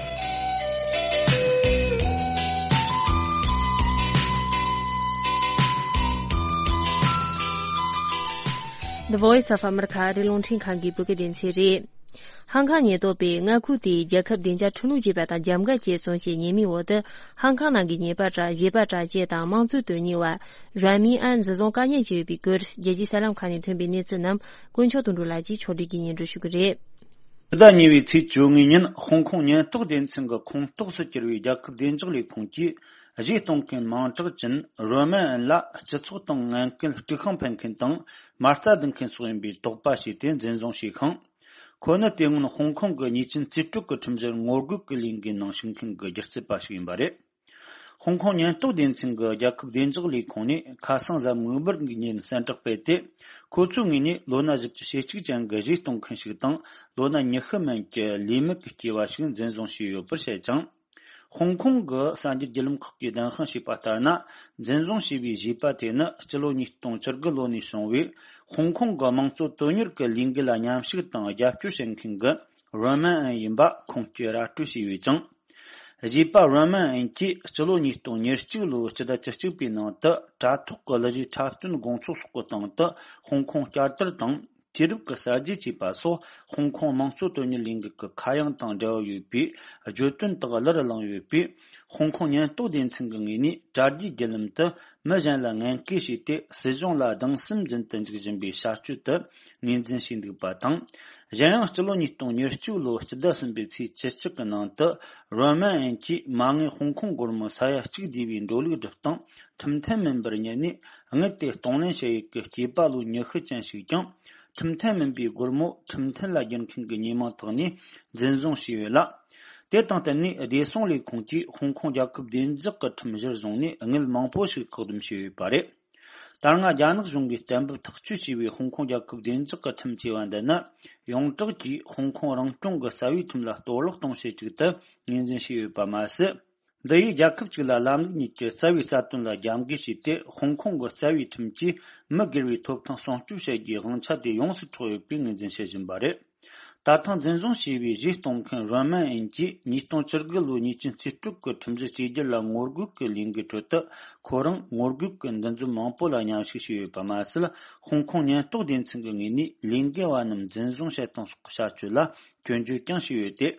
The Voice of America ཨ་རིའི་རླུང་འཕྲིན་ཁང་གི་བོད་སྐད་སྡེ་ཚན་རེད། ཧང་ཀང་ཉེན་རྟོག་པས་མངའ་ཁུལ་དེའི་རྒྱལ་ཁབ་བདེ་འཇགས་ཁྲིམས་ལུགས་ཅེས་པ་དང་རྒྱབ་འགལ་བྱས་སོང་ཞེས་ཉེས་མིང་འོག་ཏུ་ཧང་ཀང་ནང་གི་ཉེས་པ་དྲག་བྱེད་པ་དྲག་བཅས་དང་དམངས་གཙོའི་དོན་གཉེར་བ་རོན་མིན་ཨན་འཛིན་བཟུང་བཀག་ཉར་བྱས་ཡོད་པའི་སྐོར། རྒྱལ་སྤྱིའི་གསར་ལམ་ཁག་ནས་ཐོན་པའི་གནས་ཚུལ་རྣམས་དཀོན་མཆོག་དོན་གྲུབ་ལགས་ཀྱིས་ཕྱོགས་སྒྲིག་གིས་སྙན་སྒྲོན་ཞུ་གི་རེད། ཕྱི་ཟླ་གཉིས་པའི་ཚེས་བཅོ་ལྔ་ཉིན་ཧོང་ཀོང་ཉེན་རྟོག་སྡེ་ཚན་གྱི་ཁོངས་གཏོགས་སུ་གྱུར་བའི་རྒྱལ་ཁབ་བདེ་འཇགས་ལས་ཁུངས་ཀྱིས་གཞས་གཏོང་མཁན་མིང་གྲགས་ཅན་རོན་མིན་ཨན་ལ་སྤྱི་ཚོགས་དང་ངན་སྐུལ་དཀྲུག་ཤིང་འཕེན་མཁན་དང་མ་རྩ་རྡུང་མཁན་སོགས་ཡིན་པའི་དོགས་པ་བྱས་ཏེ་འཛིན་བཟུང་བྱས་ཤིང་། ཁོ་ནི་དེ་སྔོན་ཧོང་ཀོང་གི་ཉེས་ཅན་རྩིས་སྤྲོད་ཀྱི་ཁྲིམས་གཞིར་ངོ་རྒོལ་གྱི་ལས་འགུལ་ནང་ཞུགས་མཁན་གྱི་སྒྱུ་རྩལ་པ་ཞིག་ཡིན་པ་རེད། ཧོང་ཀོང་ཉེན་རྟོག་སྡེ་ཚན་གྱི་རྒྱལ་ཁབ་བདེ་འཇགས་ལས་ཁུངས་ནས་ཁ་སང་གཟའ་མིག་དམར་གྱི་ཉིན་གསལ་བསྒྲགས་སྤེལ་ཏེ། ཁོ་ཚོའི་ངོས་ནས་ལོ་ན་བཞི་བཅུ་ཞེ་གཅིག་ཅན་གྱི་གཞས་གཏོང་མཁན་ཞིག་དང་། ལོ་ན་ཉི་ཤུ་མན་གྱི་ལས་མེད་ཀྱི་སྐྱེས་པ་ཞིག་འཛིན་བཟུང་བྱས་ཡོད་པར་བཤད་ཅིང་། ཧོང་ཀོང་གི་གསར་འགྱུར་བརྒྱུད་ལམ་ཁག་གིས་བདེན་དཔང་བྱས་པ་ལྟར་ན། འཛིན་བཟུང་བྱས་པའི་གཞས་པ་དེ་ནི་སྤྱི་ལོ་ཉིས་སྟོང་བཅུ་དགུ་ལོ་ནས་བྱུང་བའི་ཧོང་ཀོང་གི་དམངས་གཙོ་དོན་གཉེར་གྱི་ལས་འགུལ་ལ་མཉམ་ཞུགས་དང་རྒྱབ་སྐྱོར་བྱེད་མཁན་གྱི་རོན་མིན་ཨན་ཡིན་པ་ཁུངས་སྐྱེལ་ར་སྤྲོད་བྱས་ཡོད་ཅིང་། གཞས་པ་རོན་མིན་ཨན་གྱིས་སྤྱི་ལོ་ཉིས་སྟོང་ཉེར་གཅིག་ལོའི་སྤྱི་ཟླ་བཅུ་གཅིག་པའི་ནང་དུ་དྲ་ཐོག་གི་གླུ་གཞས་འཁྲབ་སྟོན་དགོང་ཚོགས་སོགས་ཀྱི་སྟེང་དུ་ཧོང་ཀོང་བསྐྱར་དར་དང་། དུས་རབས་ཀྱི་གསར་བརྗེ་བཅས་པ་སོགས་ཧོང་ཀོང་དམངས་གཙོ་དོན་གཉེར་ལས་འགུལ་གྱི་ཁ་གཡང་དང་འབྲེལ་བ་ཡོད་པའི་བརྗོད་དོན་དག་གླུར་བླངས་ཡོད་པས། ཧོང་ཀོང་ཉེན་རྟོག་སྡེ་ཚན་གྱི་ངོས་ནས་དྲ་རྒྱའི་བརྒྱུད་ལམ་དུ་མི་གཞན་ལ་ངན་སྐུལ་བྱས་ཏེ། སྲིད་གཞུང་ལ་སྡང་སེམས་འཛིན་དུ་འཇུག་བཞིན་པའི་བྱ་སྤྱོད་དུ་ངོས་འཛིན་བྱས་འདུག་པ་དང་། གཞན་ཡང་སྤྱི་ལོ་ཉིས་སྟོང་ཉེར་གཅིག་ལོའི་སྤྱི་ཟླ་གསུམ་པའི་ཚེས་བཅུ་གཅིག་གི་ནང་དུ་རོན་མིན་ཨན་གྱིས་མ་དངུལ་ཧོང་ཀོང་སྒོར་མོ་ས་ཡ་གཅིག་བསྡུས་པའི་འགྲོ་ལུགས་སྒྲུབ་སྟངས་ཁྲིམས་མཐུན་མིན་པར་བསྙད་ནས། དངུལ་དེ་གཏོང་ལེན་བྱེད་ཡུལ་གྱི་སྐྱེས་པ་ལོ་ཉི་ཤུ་ཅན་ཞིག་ཀྱང་། ཁྲིམས་མཐུན་མིན་པའི་སྒོར་མོ་ཁྲིམས་མཐུན་ལ་བསྒྱུར་མཁན་གྱི་ཉེས་མིང་ཐོག་ནས་འཛིན་བཟུང་བྱས་ཡོད་ལ། དེ་དང་བསྟུན་ནས་བདེ་སྲུང་ལས་ཁུངས་ཀྱིས་ཧོང་ཀོང་རྒྱལ་ཁབ་བདེ་འཇགས་ཀྱི་ཁྲིམས་གཞིར་བཟུང་ནས་དངུལ་མང་པོ་ཞིག་བཀག་སྡོམ་བྱས་ཡོད་པ་རེད། ད་སྔ་རྒྱ་ནག་གཞུང་གིས་གཏན་འབེབས་ཐག་གཅོད་བྱས་པའི་ཧོང་ཀོང་རྒྱལ་ཁབ་བདེ་འཇགས་ཀྱི་ཁྲིམས་ཅེས་པ་འདི་ནི། ཡོངས་གྲགས་ཀྱིས་ཧོང་ཀོང་རང་སྐྱོང་གི་རྩ་བའི་ཁྲིམས་ལ་གཏོར་བརླག་གཏོང་བྱེད་ཅིག་ཏུ་ངོས་འཛིན་བྱས་ཡོད་པ་མ་ཟད། འདི་ཡིས་རྒྱལ་ཁབ་གཅིག་ལ་ལམ་ལུགས་གཉིས་ཀྱི་རྩ་བའི་རྩ་དོན་ལ་རྒྱབ་འགལ་བྱས་ཏེ། ཧོང་ཀོང་གི་རྩ་བའི་ཁྲིམས་ཀྱིས་མི་སྒེར་བའི་ཐོབ་ཐང་སྲུང་སྐྱོབ་བྱེད་རྒྱུའི་དབང་ཆ་དེ་ཡོངས་སུ་འཕྲོག་ཡོད་པའི་ངོས་འཛིན་བྱེད་བཞིན་པ་རེད། ད་ཐེངས་འཛིན་བཟུང་བྱས་པའི་གཞས་གཏོང་མཁན་རོན་མན་ཨན་གྱིས་ཉིས་སྟོང་བཅུ་དགུ་ལོའི་ཉེས་ཅན་རྩིས་སྤྲོད་ཀྱི་ཁྲིམས་གཞི་གཅིག་གྱུར་ལ་ངོ་རྒོལ་གྱི་ལས་འགུལ་ཁྲོད་དུ། ཁོ་རང་ངོ་རྒོལ་གྱི་འདུ་འཛོམས་མང་པོ་ལ་མཉམ་ཞུགས་བྱས་ཡོད་པ་མ་ཟད། ཧོང་ཀོང་ཉེན་རྟོག་སྡེ་ཚན་གྱི་ངོས་ནས་ལས་འགུལ་བ་རྣམས་འཛིན་བཟུང་བྱེད་སྟངས་སོགས་ཀྱི་བྱ་སྤྱོད་ལ་སྐྱོན་བརྗོད་ཀྱང་བྱས་ཡོད་དེ།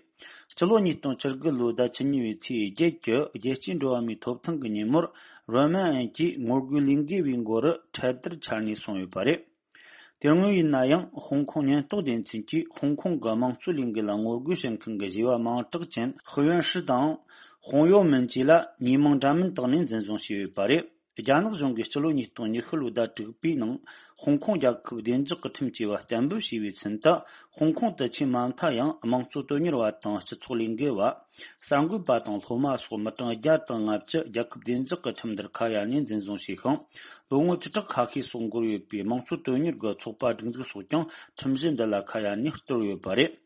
སྤྱི་ལོ་ཉིས་སྟོང་བཅུ་དགུ་ལོའི་ཟླ་བཅུ་གཉིས་པའི་ཚེས་བརྒྱད་ཀྱི་རྒྱལ་སྤྱིའི་འགྲོ་བ་མིའི་ཐོབ་ཐང་གི་ཉིན་མོར། རོན་མན་ཨན་གྱིས་ངོ་རྒོལ་ལས་འགུལ་བའི་མགོ་རུ་འཕྲལ་དར་འཕྱར་ནས་སོང་ཡོད་པ་རེད། དེ་སྔོན་ཡིན་ན་ཡང་། ཧོང་ཀོང་ཉེན་རྟོག་སྡེ་ཚན་གྱིས་ཧོང་ཀོང་གི་དམངས་གཙོའི་ལས་འགུལ་ལ་ངོ་རྒོལ་བྱེད་མཁན་གྱི་བྱིས་པ་མིང་གྲགས་ཅན་ཧུ་ཡོན་ཧྲི་དང་། ཧོང་ཡོ་མིན་བཅས་ལ་ཉེས་མིང་འདྲ་མིན་བཏགས་ནས་འཛིན་བཟུང་བྱས་ཡོད་པ་རེད། རྒྱ་ནག་གཞུང་གིས་སྤྱི་ལོ་ཉིས་སྟོང་ཉི་ཤུ་ལོའི་ཟླ་དྲུག་པའི་ནང་། ཧོང་ཀོང་རྒྱལ་ཁབ་བདེ་འཇགས་ཀྱི་ཁྲིམས་ཞེས་པ་གཏན་འབེབས་བྱས་པའི་ཚུན་དུ། ཧོང་ཀོང་དུ་ཆེས་མ་མཐའ་ཡང་དམངས་གཙོ་དོན་གཉེར་བ་དང་སྤྱི་ཚོགས་ལས་འགུལ་བ། གསར་འགོད་པ་དང་སློབ་མ་སོགས་མི་གྲངས་བརྒྱ་དང་ལྔ་བཅུ་རྒྱལ་ཁབ་བདེ་འཇགས་ཀྱི་ཁྲིམས་འདིར་ཁ་གཡར་ནས་འཛིན་བཟུང་བྱས་ཤིང་། ལོ་ངོ་བཅུ་ཕྲག་ཁ་ཤས་སོགས་འགོར་ཡོད་པའི་དམངས་གཙོ་དོན་གཉེར་གྱི་ཚོགས་པ་སྒྲིག་འཛུགས་སོགས་ཀྱང་ཁྲིམས་གཞི་འདི་ལ་ཁ་གཡར་ནས་གཏོར་ཡོད་པ་རེད།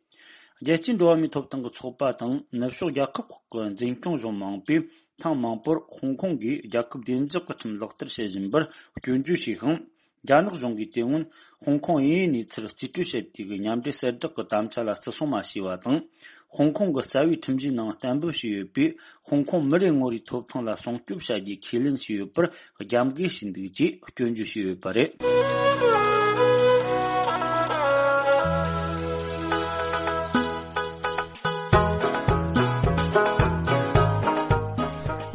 རྒྱལ་སྤྱིའི་འགྲོ་བ་མིའི་ཐོབ་ཐང་གི་ཚོགས་པ་དང་ནུབ་ཕྱོགས་རྒྱལ་ཁབ་ཁག་གི་འཛིན་སྐྱོང་གཞུང་མང་པོས་ཐེངས་མང་པོར་ཧོང་ཀོང་གིས་རྒྱལ་ཁབ་བདེ་འཇགས་ཀྱི་ཁྲིམས་ལག་བསྟར་བྱེད་བཞིན་པར་སྐྱོན་བརྗོད་བྱས་ཤིང་། རྒྱ་ནག་གཞུང་གིས་དེ་སྔོན་ཧོང་ཀོང་དབྱིན་ཡུལ་གནས་ཚུལ་རྩིས་སྤྲོད་བྱེད་དུས་ཀྱི་མཉམ་འབྲེལ་གསལ་བསྒྲགས་ཀྱི་དམ་བཅའ་ལ་བརྩི་སྲུང་མ་བྱས་པ་དང་། ཧོང་ཀོང་གི་རྩ་བའི་ཁྲིམས་གཞིའི་ནང་གཏན་འབེབས་བྱས་ཡོད་པའི་ཧོང་ཀོང་མི་རེ་ངོ་རེའི་ཐོབ་ཐང་ལ་སྲུང་སྐྱོབ་བྱ་རྒྱུའི་ཁས་ལེན་བྱས་ཡོད་པར་རྒྱབ་འགལ་བྱས་འདུག་ཅེས་སྐྱོན་བརྗོད་བྱས་ཡོད་པ་རེད།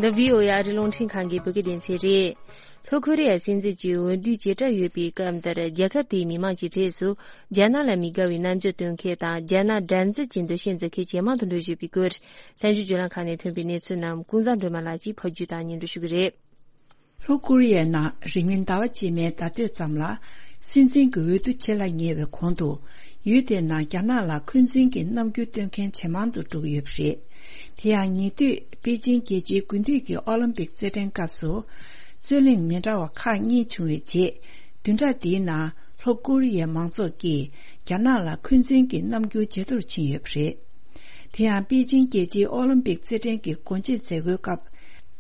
འདི་བྷི་ཨོ་ཨེ་ཨ་རིའི་རླུང་འཕྲིན་ཁང་གི་བོད་སྐད་སྡེ་ཚན་རེད། ལྷོ་ཁོ་རེ་ཡའི་སྲིད་འཛིན་གྱི་འོས་བསྡུའི་བྱེ་བྲག་ཡོད་པའི་སྐབས་འདིར། རྒྱལ་ཁབ་དེའི་མི་མང་གི་གྲས་སུ་རྒྱ་ནག་ལ་མི་དགའ་བའི་རྣམ་འགྱུར་སྟོན་མཁན་དང་། རྒྱ་ནག་དགྲར་འཛིན་གྱི་འདུ་ཤེས་འཛིན་མཁན་ཇེ་མང་དུ་འགྲོ་བཞིན་པའི་སྐོར། གསར་འགྱུར་བརྒྱུད་ལམ་ཁག་ནས་ཐོན་པའི་གནས་ཚུལ་རྣམས་ཀུན་བཟང་སྒྲོལ་མ་ལགས་ཀྱིས་ཕབ་སྒྱུར་དང་སྙན་སྒྲོན་ཞུ་གི་རེད། ལྷོ་ཀོ་རི་ཡའི་ནང་རིང་མིན་ཟླ་བ་རྗེས་མའི་ཟླ་སྟོད་ཙམ་ལ། སྲིད་འཛིན་གྱི་འོས་བསྡུ་བྱེད་ལ་ཉེ་བའི་གོང་དུ། ཡུལ་དེའི་ནང་རྒྱ་ནག་ལ་འཁོན་འཛིན་གྱི་རྣམ་འགྱུར་སྟོན་མཁན་ཇེ་མང་དུ་འགྲོ་གི་ཡོད་པ་རེད། དེ་ཡང་ཉེ་དུས་པེ་ཅིང་རྒྱལ་སྤྱིའི་དགུན་དུས་ཀྱི་ཨོ་ལིམ་པིག་རྩེད་འགྲན་སྐབས་སུ། རྩོད་གླེང་མི་འདྲ་བ་ཁག་གཉིས་བྱུང་བའི་རྗེས། བདུན་ཕྲག་འདིའི་ནང་ལྷོ་ཀོ་རི་ཡའི་མང་ཚོགས་ཀྱིས་རྒྱ་ནག་ལ་འཁོན་འཛིན་གྱི་རྣམ་འགྱུར་ཇེ་མཐོར་ཕྱིན་ཡོད་པ་རེད། དེ་ཡང་པེ་ཅིང་རྒྱལ་སྤྱིའི་ཨོ་ལིམ་པིག་རྩེད་འགྲན་གྱི་སྒོ་འབྱེད་མཛད་སྒོའི་སྐབས།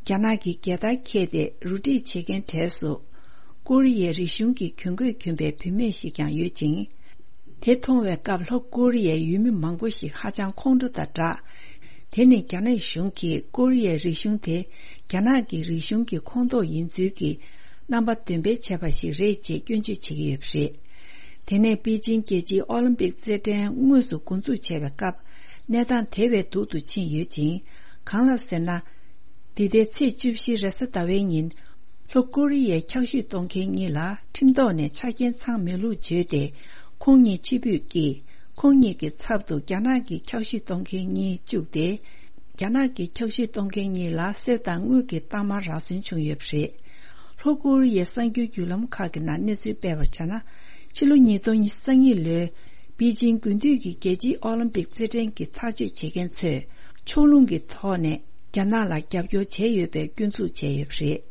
རྒྱ་ནག་གི་རྒྱལ་དར་འཁྱེར་ཏེ་རུ་སྒྲིག་བྱེད་མཁན་གྲས་སུ། ཀོ་རི་ཡའི་རིག་གཞུང་གི་གྱོན་གོས་གྱོན་པའི་བུད་མེད་ཞིག་ཀྱང་ཡོད་ཅིང་། དེ་མཐོང་བའི་སྐབས་ལྷོ་ཀོ་རི་ཡའི་ཡུལ་མི་མང་པོ་ཞིག་ཧ་ཅང་ཁོང་ཁྲོ་དང་སྦྲགས། དེ་ནི་རྒྱ་ནག་གཞུང་གིས་ཀོ་རི་ཡའི་རིག་གཞུང་དེ་རྒྱ་ནག་གི་རིག་གཞུང་གི་ཁོངས་གཏོགས་ཡིན་ཚུལ་གྱི་རྣམ་པ་འདོན་སྤེལ་བྱས་པ་ཞིག་རེད་ཅེས་སྐྱོན་བརྗོད་བྱེད་ཀྱི་ཡོད་པ་རེད། དེ་ནས་པེ་ཅིང་རྒྱལ་སྤྱིའི་ཨོ་ལིམ་པིག་རྩེད་འགྲན་དངོས་སུ་འགོ་འཛུགས་བྱས་པའི་སྐབས། གནས་སྟངས་དེ་བས་སྡུག་ཏུ་ཕྱིན་ཡོད་ཅིང་། གང་ལགས་ཟེར་ན། འདི་ཟླའི་ཚེས་བཅུ་བཞི་རེས་གཟའ་ཟླ་བའི་ཉིན། ལྷོ་ཀོ་རི་ཡའི་འཁྱག་ཤུད་གཏོང་མཁན་གཉིས་ལ་ཁྲིམས་ཐོག་ནས་ཆ་རྐྱེན་ཚང་མེད་ལུགས་བརྗོད་དེ། ཁོང་གཉིས་ཕྱིར་འབུད་ཀྱིས། ཁོང་གཉིས་ཀྱི་ཚབ་ཏུ་རྒྱ་ནག་གི་འཁྱག་ཤུད་གཏོང་མཁན་གཉིས་བཅུག་སྟེ། རྒྱ་ནག་གི་འཁྱག་ཤུད་གཏོང་མཁན་གཉིས་ལ་གསེར་དང་དངུལ་གྱི་རྟགས་མ་རག་སོན་བྱུང་ཡོད་པ་རེད། ལྷོ་ཀོ་རི་ཡའི་གསར་འགྱུར་བརྒྱུད་ལམ་ཁག་གི་ནང་གནས་ཚུལ་སྤེལ་བར་བྱས་ན། ཕྱི་ལོ་ཉིས་སྟོང་ཉི་ཤུ་རྩ་གཉིས་ལོའི་པེ་ཅིང་དགུན་དུས་ཀྱི་རྒྱལ་སྤྱིའི་ཨོ་ལིམ་པིག་རྩེད་འགྲན་གྱི་ཐག་གཅོད་བྱེད་མཁན་ཚོས་ཕྱོགས་ལྷུང་གི་ཐོག་ནས་རྒྱ་ནག་ལ་རྒྱབ་སྐྱོར་བྱས་ཡོད་པའི་སྐྱོན་འཛུགས་བྱས་ཡོད་པ་རེད།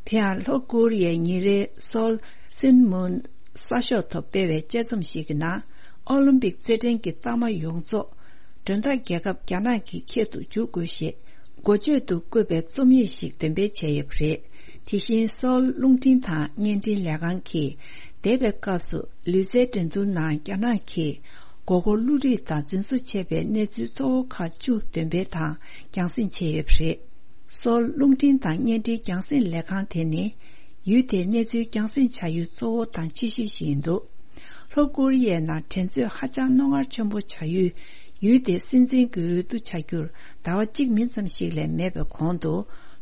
དེ་ཡང་ལྷོ་ཀོ་རི་ཡའི་ཉིན་རེའི་སོལ་སིན་མུན་གསར་ཤོག་ཐོག་སྤེལ་བའི་དཔྱད་རྩོམ་ཞིག་གི་ནང་། ཨོ་ལིམ་པིག་རྩེད་འགྲན་གྱི་རྟགས་མ་ཡོངས་རྫོགས་མགྲོན་བདག་རྒྱལ་ཁབ་རྒྱ་ནག་གི་ཁྱད་དུ་འཇུག་དགོས་ཞེས་འགོ་བརྗོད་དུ་བཀོད་པའི་རྩོམ་ཡིག་ཞིག་འདོན་སྤེལ་བྱས་ཡོད་པ་རེད། དེ་བཞིན་སོལ་རླུང་འཕྲིན་དང་བརྙན་འཕྲིན་ལས་ཁང་གིས་འདས་པའི་སྐབས་སུ་ལུས་རྩལ་འགྲན་བསྡུར་ནང་རྒྱ་ནག་གིས་མགོ་སྐོར་བསླུ་བྲིད་དང་རྫུན་བཟོ་བྱས་པའི་གནས་ཚུལ་གཙོ་བོ་ཁག་བཅུ་འདོན་སྤེལ་དང་རྒྱང་སྲིང་བྱས་ཡོད་པ་རེད། སོལ་རླུང་འཕྲིན་དང་བརྙན་འཕྲིན་རྒྱང་སྲིང་ལས་ཁང་དེ་ནི་ཡུལ་དེའི་གནས་ཚུལ་རྒྱང་སྲིང་བྱ་ཡུལ་གཙོ་བོ་དང་ཆེ་ཤོས་ཤིག་ཡིན་འདུག་ལྷོ་ཀོ་རི་ཡའི་ནང་འགྲན་རྩོད་ཧ་ཅང་རྣོ་ངར་ཆེན་པོ་བྱ་ཡུལ། ཡུལ་དེའི་སྲིད་འཛིན་གྱི་འོས་བསྡུ་བྱ་རྒྱུར་ཟླ་བ་གཅིག་མིན་ཙམ་ཞིག་ལས་མེད་པའི་གོང་དུ།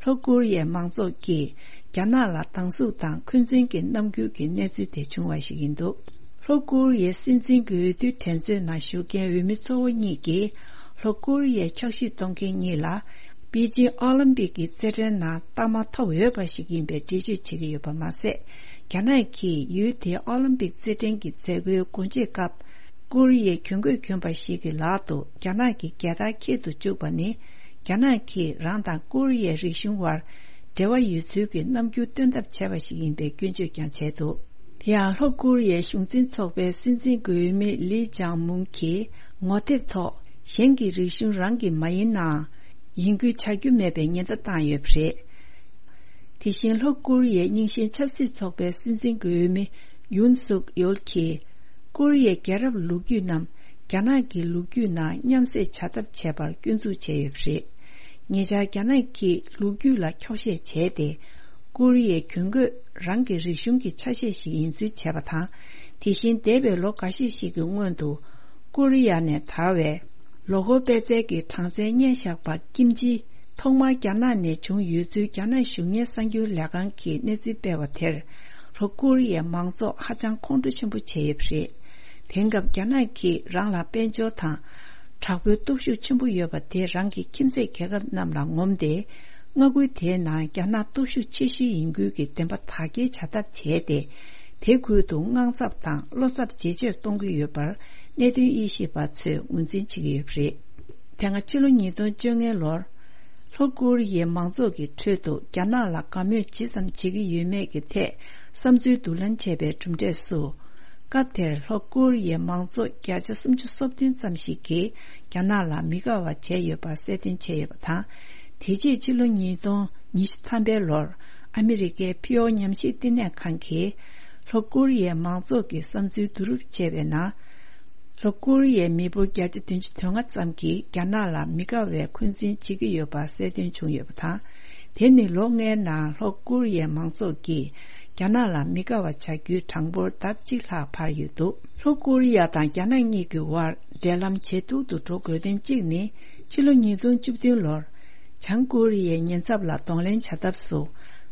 ལྷོ་ཀོ་རི་ཡའི་མང་ཚོགས་ཀྱིས་རྒྱ་ནག་ལ་སྡང་ཟུག་དང་འཁོན་འཛིན་གྱི་རྣམ་འགྱུར་གྱི་གནས་ཚུལ་དེ་བྱུང་བ་ཞིག་ཡིན་འདུག་ལྷོ་ཀོ་རི་ཡའི་སྲིད་འཛིན་གྱི་འོས་བསྡུའི་འགྲན་རྩོད་ནང་ཞུགས་མཁན་འོས་མི་གཙོ་བོ་གཉིས་ཀྱིས། ལྷོ་ཀོ་རི་ཡའི་འཁྱག་ཤུད་གཏོང་མཁན་གཉིས་ལ། པེ་ཅིང་ཨོ་ལིམ་པིག་གི་རྩེད་འགྲན་ནང་རྟགས་མ་ཐོབ་འོས་པ་ཞིག་ཡིན་པའི་འགྲེལ་བརྗོད་བྱེད་ཀྱི་ཡོད་པ་མ་ཟད། རྒྱ་ནག་གིས་ཡུལ་དེའི་ཨོ་ལིམ་པིག་རྩེད་འགྲན་གྱི་མཛད་སྒོའི་སྒོ་འབྱེད་སྐབས། ཀོ་རི་ཡའི་གྱོན་གོས་གྱོན་པ་ཞིག་གི་ལག་ཏུ་རྒྱ་ནག་གི་རྒྱལ་དར་འཁྱེར་དུ་བཅུག་པ་ནི། རྒྱ་ནག་གིས་རང་དང་ཀོ་རི་ཡའི་རིག་གཞུང་དབར་འབྲེལ་བ་ཡོད་ཚུལ་གྱི་རྣམ་འགྱུར་སྟོན་ཐབས་བྱས་པ་ཞིག་ཡིན་པའི་སྐྱོན་བརྗོད་ཀྱང་བྱས་འདུག་དེ་ཡང་ལྷོ་ཀོ་རི་ཡའི་གཞུང་འཛིན་ཚོགས་པའི་སྲིད་འཛིན་གྱི་འོས་མི་ལི་ཅང་མུང་གིས་ངོ་དེབ་ཐོག་གཞན་གྱི་རིག་གཞུང་རང་གི་མ་ཡིན་ནའང་ ཡིན་ཁུལ་བྱ་རྒྱུ་མེད་པའི་ཉེན་བརྡ་བཏང་ཡོད་པ་རེད། དེ་བཞིན་ལྷོ་ཀོ་རི་ཡའི་རྙིང་ཞེན་ཆབ་སྲིད་ཚོགས་པའི་སྲིད་འཛིན་གྱི་འོས་མི་ཡུན་སུག་ཡོལ་གྱིས། ཀོ་རི་ཡའི་རྒྱལ་རབས་ལོ་རྒྱུས་རྣམས་རྒྱ་ནག་གི་ལོ་རྒྱུས་ནང་མཉམ་བསྲེས་བྱ་ཐབས་བྱས་པར་སྐྱོན་འཛུགས་བྱས་ཡོད་པ་རེད། ཉེ་ཆར་རྒྱ་ནག་གིས་ལོ་རྒྱུས་ལ་འཁྱོག་བཤད་བྱས་ཏེ། ཀོ་རི་ཡའི་གྱོན་གོས་རང་གི་རིག་གཞུང་གི་ཆ་ཤས་ཤིག་ཡིན་ཚུལ་བྱས་པ་དང་། དེ་བཞིན་འདས་པའི་ལོ་འགའ་ཤས་ཤིག་གི་སྔོན་དུ། ཀོ་རི་ཡ་ནས་དར་བའི་ལོ་འཁོར་པད་ཚལ་གྱི་གྲངས་ཚད་བརྙན་བཞག་པ་ཀིམ་ཅི་ཐོག་མར་རྒྱ་ནག་ནས་བྱུང་ཡོད་ཚུལ་རྒྱ་ནག་གཞུང་གཉེར་གསར་འགྱུར་ལས་ཁང་གིས་གནས་ཚུལ་སྤེལ་བ་དེར། ལྷོ་ཀོ་རི་ཡའི་མང་ཚོགས་ཧ་ཅང་ཁོང་ཁྲོ་ཆེན་པོ་བྱས་ཡོད་པ་རེད། དེང་སྐབས་རྒྱ་ནག་གིས་རང་ལ་དཔལ་འབྱོར་དང་། དྲག་པོའི་སྟོབས་ཤུགས་ཆེན་པོ་ཡོད་པ་དེ་རང་གི་ཁྱིམ་མཚེས་རྒྱལ་ཁབ་རྣམས་ལ་ངོམ་སྟེ། མངའ་ཁུལ་དེའི་ནང་རྒྱ་ནག་སྟོབས་ཤུགས་ཆེ་ཤོས་ཡིན་ཁུལ་གྱི་བདེན་པ་དག་སྐྱེལ་བྱ་ཐབས་བྱས་ཏེ། དེ་ཁུལ་དུ་དངངས་འཚབ་དང་བློ་འཚབ་ཇེ་ཆེར་གཏོང་གི་ཡོད་པར་གནད་དོན་དབྱེ་ཞིབ་པ་ཚོས་ངོས་འཛིན་བྱེད་ཀྱི་ཡོད་པ་རེད། དེ་སྔ་ཕྱི་ལོ་ཉིས་སྟོང་བཅོ་ལྔའི་ལོར། ལྷོ་ཀོ་རི་ཡའི་མང་ཚོགས་ཀྱི་ཁྲོད་དུ་རྒྱ་ནག་ལ་དགའ་མོས་ཇི་ཙམ་བྱེད་ཀྱི་ཡོད་མེད་ཀྱི་ཐད་བསམ་ཚུལ་བསྡུ་ལེན་བྱས་པའི་གྲུབ་འབྲས་སུ། སྐབས་དེར་ལྷོ་ཀོ་རི་ཡའི་མང་ཚོགས་བརྒྱ་ཆ་སུམ་ཅུ་སོ་བདུན་ཙམ་ཞིག་གིས་རྒྱ་ནག་ལ་མི་དགའ་བ་བྱས་ཡོད་པ་གསལ་སྟོན་བྱས་ཡོད་པ་དང་། དེ་རྗེས་ཕྱི་ལོ་ཉིས་སྟོང་ཉི་ཤུ་ཐམ་པའི་ལོར་ཨ་མི་རི་ཀའི་ཕི་ཨོ་ཉམས་ཞིབ་བསྟི་གནས་ཁང་གིས་ལྷོ་ཀོ་རི་ཡའི་མང་ཚོགས་ཀྱི་བསམ་ཚུལ་བསྡུ་རུབ་བྱས་པའི་ནང་། ལྷོ་ཀོ་རི་ཡའི་མི་འབོར་བརྒྱ་ཆ་བདུན་ཅུ་དོན་ལྔ་ཙམ་གྱིས་རྒྱ་ནག་ལ་མི་དགའ་བའི་འཁོན་འཛིན་བྱེད་ཀྱི་ཡོད་པ་གསལ་སྟོན་བྱུང་ཡོད་པ་དང་། དེ་ནི་ལོ་ལྔའི་ནང་ལྷོ་ཀོ་རི་ཡའི་མང་ཚོགས་ཀྱིས་རྒྱ་ནག་ལ་མི་དགའ་བ་བྱ་རྒྱུའི་གྲངས་འབོར་ལྡབ་གཅིག་ལྷག་འཕར་ཡོད་འདུག་ལྷོ་ཀོ་རི་ཡ་དང་རྒྱ་ནག་གཉིས་ཀྱི་དབར་འབྲེལ་ལམ་ཇེ་སྡུག་ཏུ་འགྲོ་དགོས་དོན་གཅིག་ནི། ཕྱི་ལོ་ཉིས་སྟོང་བཅུ་བདུན་ལོར། བྱང་ཀོ་རི་ཡའི་ཉེན་ཚབས་ལ་གདོང་ལེན་བྱ་ཐབས་སུ།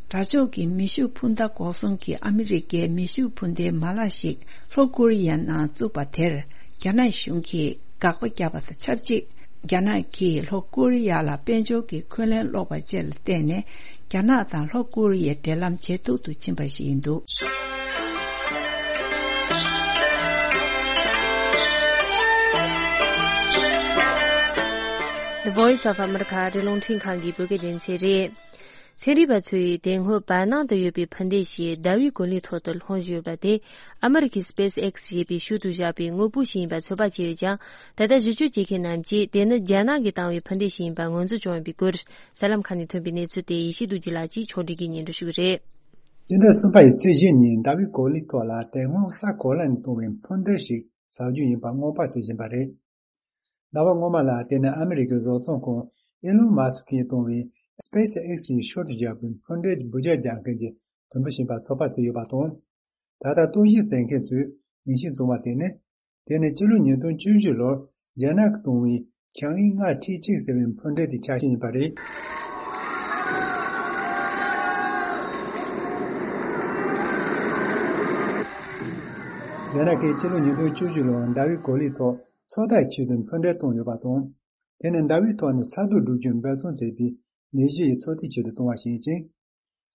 དགྲ་ཕྱོགས་ཀྱི་མེ་ཤུགས་འཕུར་མདའ་འགོག་སྲུང་གི་ཨ་མི་རི་ཀའི་མེ་ཤུགས་འཕུར་མདའི་མ་ལག་ཞིག་ལྷོ་ཀོ་རི་ཡའི་ནང་བཙུགས་པ་དེར། རྒྱ་ནག་གཞུང་གིས་དགག་པ་བརྒྱབ་པ་དང་ཆབས་ཅིག་རྒྱ་ནག་གིས་ལྷོ་ཀོ་རི་ཡ་ལ་དཔལ་འབྱོར་གྱི་འཁོན་ལན་སློག་པ་བཅས་ལ་བརྟེན་ནས། རྒྱ་ནག་དང་ལྷོ་ཀོ་རི་ཡའི་འབྲེལ་ལམ་ཇེ་སྡུག་ཏུ་ཕྱིན་པ་ཞིག་ཡིན་འདུག The Voice of America རི་ཀླུང་འཕྲིན་ཁང་གི་བོད་སྐད་སྡེ་ཚན་རེད། ཚན་རིག་པ་ཚོས་དེ་སྔོན་བར་སྣང་དུ་ཡོད་པའི་འཕུར་མདེལ་ཞིག་ཟླ་བའི་གོ་ལའི་ཐོག་ཏུ་ལྷུང་བཞིན་ཡོད་པ་དེ། ཨ་མེ་རི་ཁའི་སྤེས་ཨེགས་ཞེས་པའི་ཤུལ་དུ་བཞག་པའི་དངོས་པོ་ཞིག་ཡིན་པ་ཚོད་དཔག་བྱས་ཡོད་ཀྱང་། ད་ལྟ་ཞིབ་དཔྱོད་བྱེད་མཁན་རྣམས་ཀྱིས་དེ་ནི་རྒྱ་ནག་གིས་བཏང་བའི་འཕུར་མདེལ་ཞིག་ཡིན་པ་ངོས་འཛིན་བྱུང་ཡོད་པའི་སྐོར། གསར་ལམ་ཁག་ནས་ཐོན་པའི་གནས་ཚུལ་དེ་ཡེ་ཤེས་རྡོ་རྗེ་ལགས་ཀྱིས་ཕྱོགས་སྒྲིག་གིས་སྙན་སྒྲོན་ཞུ་གི་རེད། སྤྱི་ཟླ་གསུམ་པ་ཡི་ཚེས་བཞི་ཉིན་ཟླ་བའི་གོ་ལའི་ཐོག་ལ་དེ་སྔོན་ས་གོ་ལ་ནས་བཏང་བའི་འཕུར་མདེལ་ཞིག་ཟག་རྒྱུ་ཡིན་པ་སྔོན་དཔག་བྱེད་བཞིན་པ་རེད། ཟླ་བ་སྔོན་མ་ལ་དེ་ནི་ཨ་མི་རི་ཀའི་བཟོ་ཚོང་ཁང་ཨི་ལོན་མཱ་སི་ཀིས་བཏང་བའི་སྤེས་ཨེགས་ཀྱི་ཤུལ་དུ་བཞག་པའི་འཕུར་མདེལ་གྱི་འབུད་རྒྱག་རྒྱག་མཁན་གྱི་དུམ་བུ་ཞིག་ཡིན་པ་ཚོད་དཔག་བྱས་ཡོད་པ་དང་། ད་ལྟ་རྟོག་ཞིབ་བྱེད་མཁན་ཚོས་ངེས་ཤེས་བྱུང་བ་དེ་ནི། དེ་ནི་སྤྱི་ལོ་ཉིས་སྟོང་བཅུ་བཞི་ལོར་རྒྱ་ནག་གིས་བཏང་བའི་ཆའང་ཨི་ལྔ་ཁྲི་གཅིག་ཟེར་བའི་འཕུར་མདེལ་གྱི་ཆ་ཤས་ཡིན་པ་རེད། རྒྱ་ནག་གིས་ཕྱི་ལོ་ཉིས་སྟོང་བཅུ་བཞི་ལོར་ཟླ་བའི་གོ་ལའི་ཐོག་མཚོ་ཐར་ཆེད་དུ་འཕུར་མདེལ་བཏང་ཡོད་པ་དང་། དེ་ནི་ཟླ་བའི་ཐོག་ནས་ས་རྡོ་སྒྲུག་རྒྱུར་འབད་བརྩོན་བྱེད་པའི་ལས་གཞི་ཡི་ཚོད་ལྟའི་ཆེད་དུ་བཏང་བ་ཞིག་ཡིན་ཅིང་།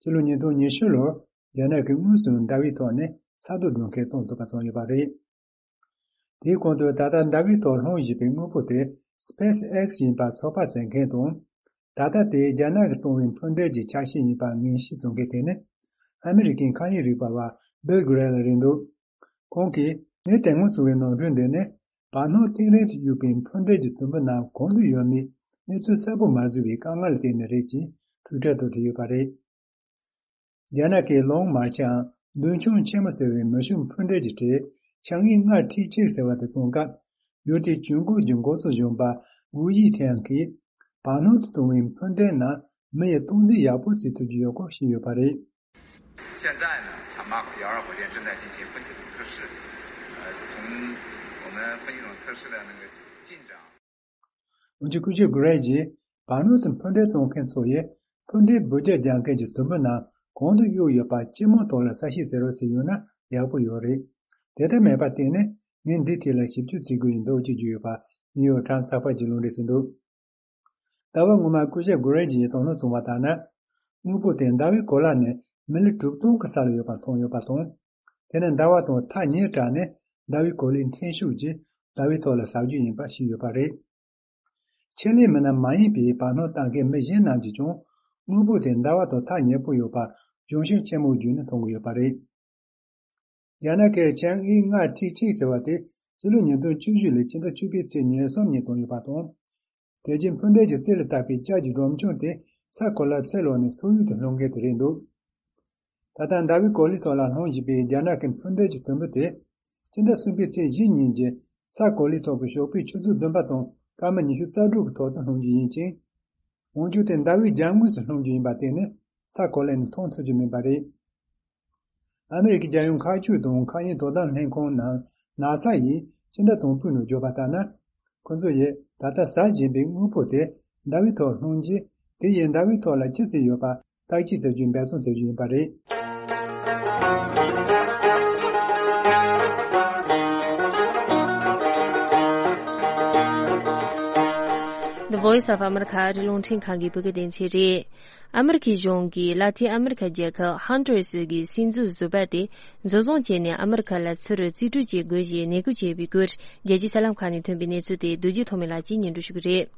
ཕྱི་ལོ་ཉིས་སྟོང་ཉི་ཤུ་ལོར་རྒྱ་ནག་གིས་དངོས་སུ་ཟླ་བའི་ཐོག་ནས་ས་རྡོ་སྒྲུག་མཁན་བཏང་ཐུབ་པ་བྱུང་ཡོད་པ་རེད། དེའི་གོང་དུ་ད་ལྟ་ཟླ་བའི་ཐོག་ལྷུང་བཞིན་པའི་དངོས་པོ་དེ་སྤེས་ཨེགས་ཡིན་པ་ཚོད་དཔག་བྱེད་མཁན་དང་། ད་ལྟ་དེ་རྒྱ་ནག་གིས་བཏང་བའི་འཕུར་མདེལ་གྱི་ཆ་ཤས་ཡིན་པ་ངེས་ཤེས་བྱུང་མཁན་དེ་ནི། ཨ་མི་རི་ཀའི་མཁའ་དབྱིངས་རིག་པ་བ་སྦིལ་གྷི་རེ་ལ་རེད་འདུག་ཁོང་གིས་ངས་དེ་སྔོན་བྱུང་བའི་ནོར་འཁྲུལ་འདི་ནི། བར་སྣང་གཏིང་རིང་དུ་གཡུགས་པའི་འཕུར་མདེལ་གྱི་དུམ་བུ་རྣམས་གང་དུ་ཡོད་མེད་གནས་ཚུལ་གསལ་པོ་མ་བཟོ་བའི་དཀའ་ངལ་ལ་བརྟེན་ནས་རེད་ཅེས་ཊུའི་ཊར་དུ་བྲིས་ཡོད་པ་རེད། རྒྱ་ནག་གི་ལོང་མཱ་ཆའང་མདུན་མཆོང་ཆེན་མོ་ཟེར་བའི་མེ་ཤུགས་འཕུར་མདེལ་གྱི་གྲས་ཆའང་ཨི་ལྔ་ཁྲི་གཅིག་ཟེར་བ་དེ་གཏོང་སྐབས། ཡུལ་དེའི་གྱོན་གོས་ཀྱི་འགོ་གཙོ་གཞོན་པ་ཝུའུ་ཡི་ཐན་གྱིས་བར་སྣང་དུ་གཏོང་བའི་འཕུར་མདེལ་ནང་མི་ཡི་སྟངས་འཛིན་ཡག་པོ་བྱེད་ཐུབ་ཀྱི་ཡོད་སྐོར་བཤད་ཡོད་པ་རེད། 现在呢，长马口幺二火箭正在进行分解测试。呃，从我们分析总测试的那个进展。 འོན་ཀྱང་སྐུ་ཞབས་གྷི་རེ་ཇིས་བར་སྣང་དུ་འཕུར་མདེལ་གཏོང་མཁན་ཚོ་ཡིས་འཕུར་མདེལ་འབུད་རྒྱག་རྒྱག་མཁན་གྱི་དུམ་བུ་རྣམས་གང་དུ་གཡུགས་ཡོད་པ་སྤྱི་དམངས་ཐོག་ལ་གསལ་བཤད་བྱེད་རོགས་བྱས་ཡོད་ན་ཡག་པོ་ཡོད་རེད། དེ་ལྟར་མེད་པར་བརྟེན་ནས་ངས་འདིའི་ཐད་ལ་ཞིབ་འཇུག་བྱེད་དགོས་ཀྱི་འདུག་ཅེས་བརྗོད་ཡོད་པ་ནིའུ་ཡོག་ཊའིམ་སི་ཚགས་པར་གྱིས་ལུང་འདྲེན་བྱས་འདུག་ཟླ་བ་སྔོན་མ་སྐུ་ཞབས་གྷི་རེ་ཇིས་དོ་སྣང་བྱུང་བ་ལྟར་ན། དངོས་པོ་དེ་ཟླ་བའི་གོ་ལ་ནས་མི་ལི་དྲུག་སྟོང་གི་ས་ལ་ཡོད་པ་མཐོང་ཡོད་པ་དང་། དེ་ནི་ཟླ་བ་དང་ཐག་ཉེ་དྲགས་ནས་ཟླ་བའི་གོ་ལའི་འཐེན་ཤུགས་ཀྱིས་ཟླ་བའི་ཐོག་ལ་ཟག་རྒྱུ་ཡིན་པ་ཤེས་ཡོད་པ་རེད། ཆེད་ལས་མི་སྣ་མ་ཡིན་པའི་བར་སྣང་བཏང་མཁན་མི་གཞན་རྣམས་ཀྱིས་ཀྱང་དངོས་པོ་དེ་ཟླ་བ་དང་ཐག་ཉེ་པོ་ཡོད་པར་གཞུང་ཤུགས་ཆེན་མོ་བརྒྱུད་ནས་མཐོང་གི་ཡོད་པ་རེད། རྒྱ་ནག་གིས་ཆའང་ཨི་ལྔ་ཁྲི་གཅིག་ཟེར་བ་དེ་ཕྱི་ལོ་ཉིས་སྟོང་བཅུ་བཞི་ལོའི་ཕྱི་ཟླ་བཅུ་པའི་ཚེས་ཉེར་གསུམ་ཉིན་བཏང་ཡོད་པ་དང་། དེ་རྗེས་འཕུར་མདེལ་གྱི་རྩེ་ལ་བཏགས་པའི་ལྕགས་ཀྱི་སྒྲོམ་ཆུང་དེ་ས་གོ་ལར་ཚུར་ལོག་ནས་སོག་ཡུལ་དུ་ལྷུང་མཁན་དེ་རེད་འདུག་ད་ལྟ་ཟླ་བའི་གོ་ལའི་ཐོག་ལ་ལྷུང་བཞིན་པའི་རྒྱ་ནག་གི་འཕུར་མདེལ་གྱི་དུམ་བུ་དེ། སྤྱི་ཟླ་གསུམ་པའི་ཚེས་བཞི་ཉིན་གྱི་ས་གོ་ལའི་ཐོག་གི་ཞོགས་པའི་ཆུ་ཚོད་བདུན་པ་དང་སྐར་མ་ཉི་ཤུ་རྩ་དྲུག་གི་ཐོག་ཏུ་ལྷུང་རྒྱུ་ཡིན་ཅིང་། འོན་ཀྱང་དེ་ཟླ་བའི་རྒྱབ་ངོས་སུ་ལྷུང་རྒྱུ་ཡིན་པ་དེ་ནི་ས་གོ་ལ་ནས་མཐོང་ཐུབ་རྒྱུ་མིན་པ་རེད། ཨ་མི་རི་ཀའི་རྒྱལ་ཡོངས་མཁའ་སྤྱོད་དང་མཁའ་དབྱིངས་དོ་དམ་ལྷན་ཁང་ནང་ནཱ་ས་ཡིས་སྤྱི་ཟླ་དང་པོའི་ནང་བརྗོད་པ་ལྟར་ན། ཁོ་ཚོ་ཡིས་ད་ལྟ་ཟག་བཞིན་པའི་དངོས་པོ་དེ་ཟླ་བའི་ཐོག་ལྷུང་རྗེས་དེ་ཡིས་ཟླ་བའི་ཐོག་ལ་ཅི་བརྩིས་ཡོད་པ་བརྟག་དཔྱད་བྱ་རྒྱུའི་འབད་བརྩོན་བྱ་རྒྱུ་ཡིན་པ་རེད། The Voice of America རི་ཀླུང་འཕྲིན་ཁང་གི་བོད་སྐད་སྡེ་ཚན་རེད། ཨ་མི་རི་ཀའི་གཞུང་གིས་ལ་ཏིན་ཨ་མི་རི་ཀ་རྒྱལ་ཁབ་ཧོན་ཌུ་ར་སི་གི་སྲིད་འཛིན་ཟུར་པ་དེ་འཛིན་བཟུང་བྱས་ནས་ཨ་མི་རི་ཀ་ལ་ཚུར་རྩིས་སྤྲོད་བྱེད་དགོས་ཞེས་ནན་སྐུལ་བྱས་པའི་སྐོར་རྒྱལ་སྤྱིའི་གསར་ལམ་ཁག་ནས་ཐོན་པའི་གནས་ཚུལ་དེ་རྡོ་རྗེ་ཐོགས་མེད་ལགས་ཀྱིས་སྙན་སྒྲོན་ཞུ་གི་རེད།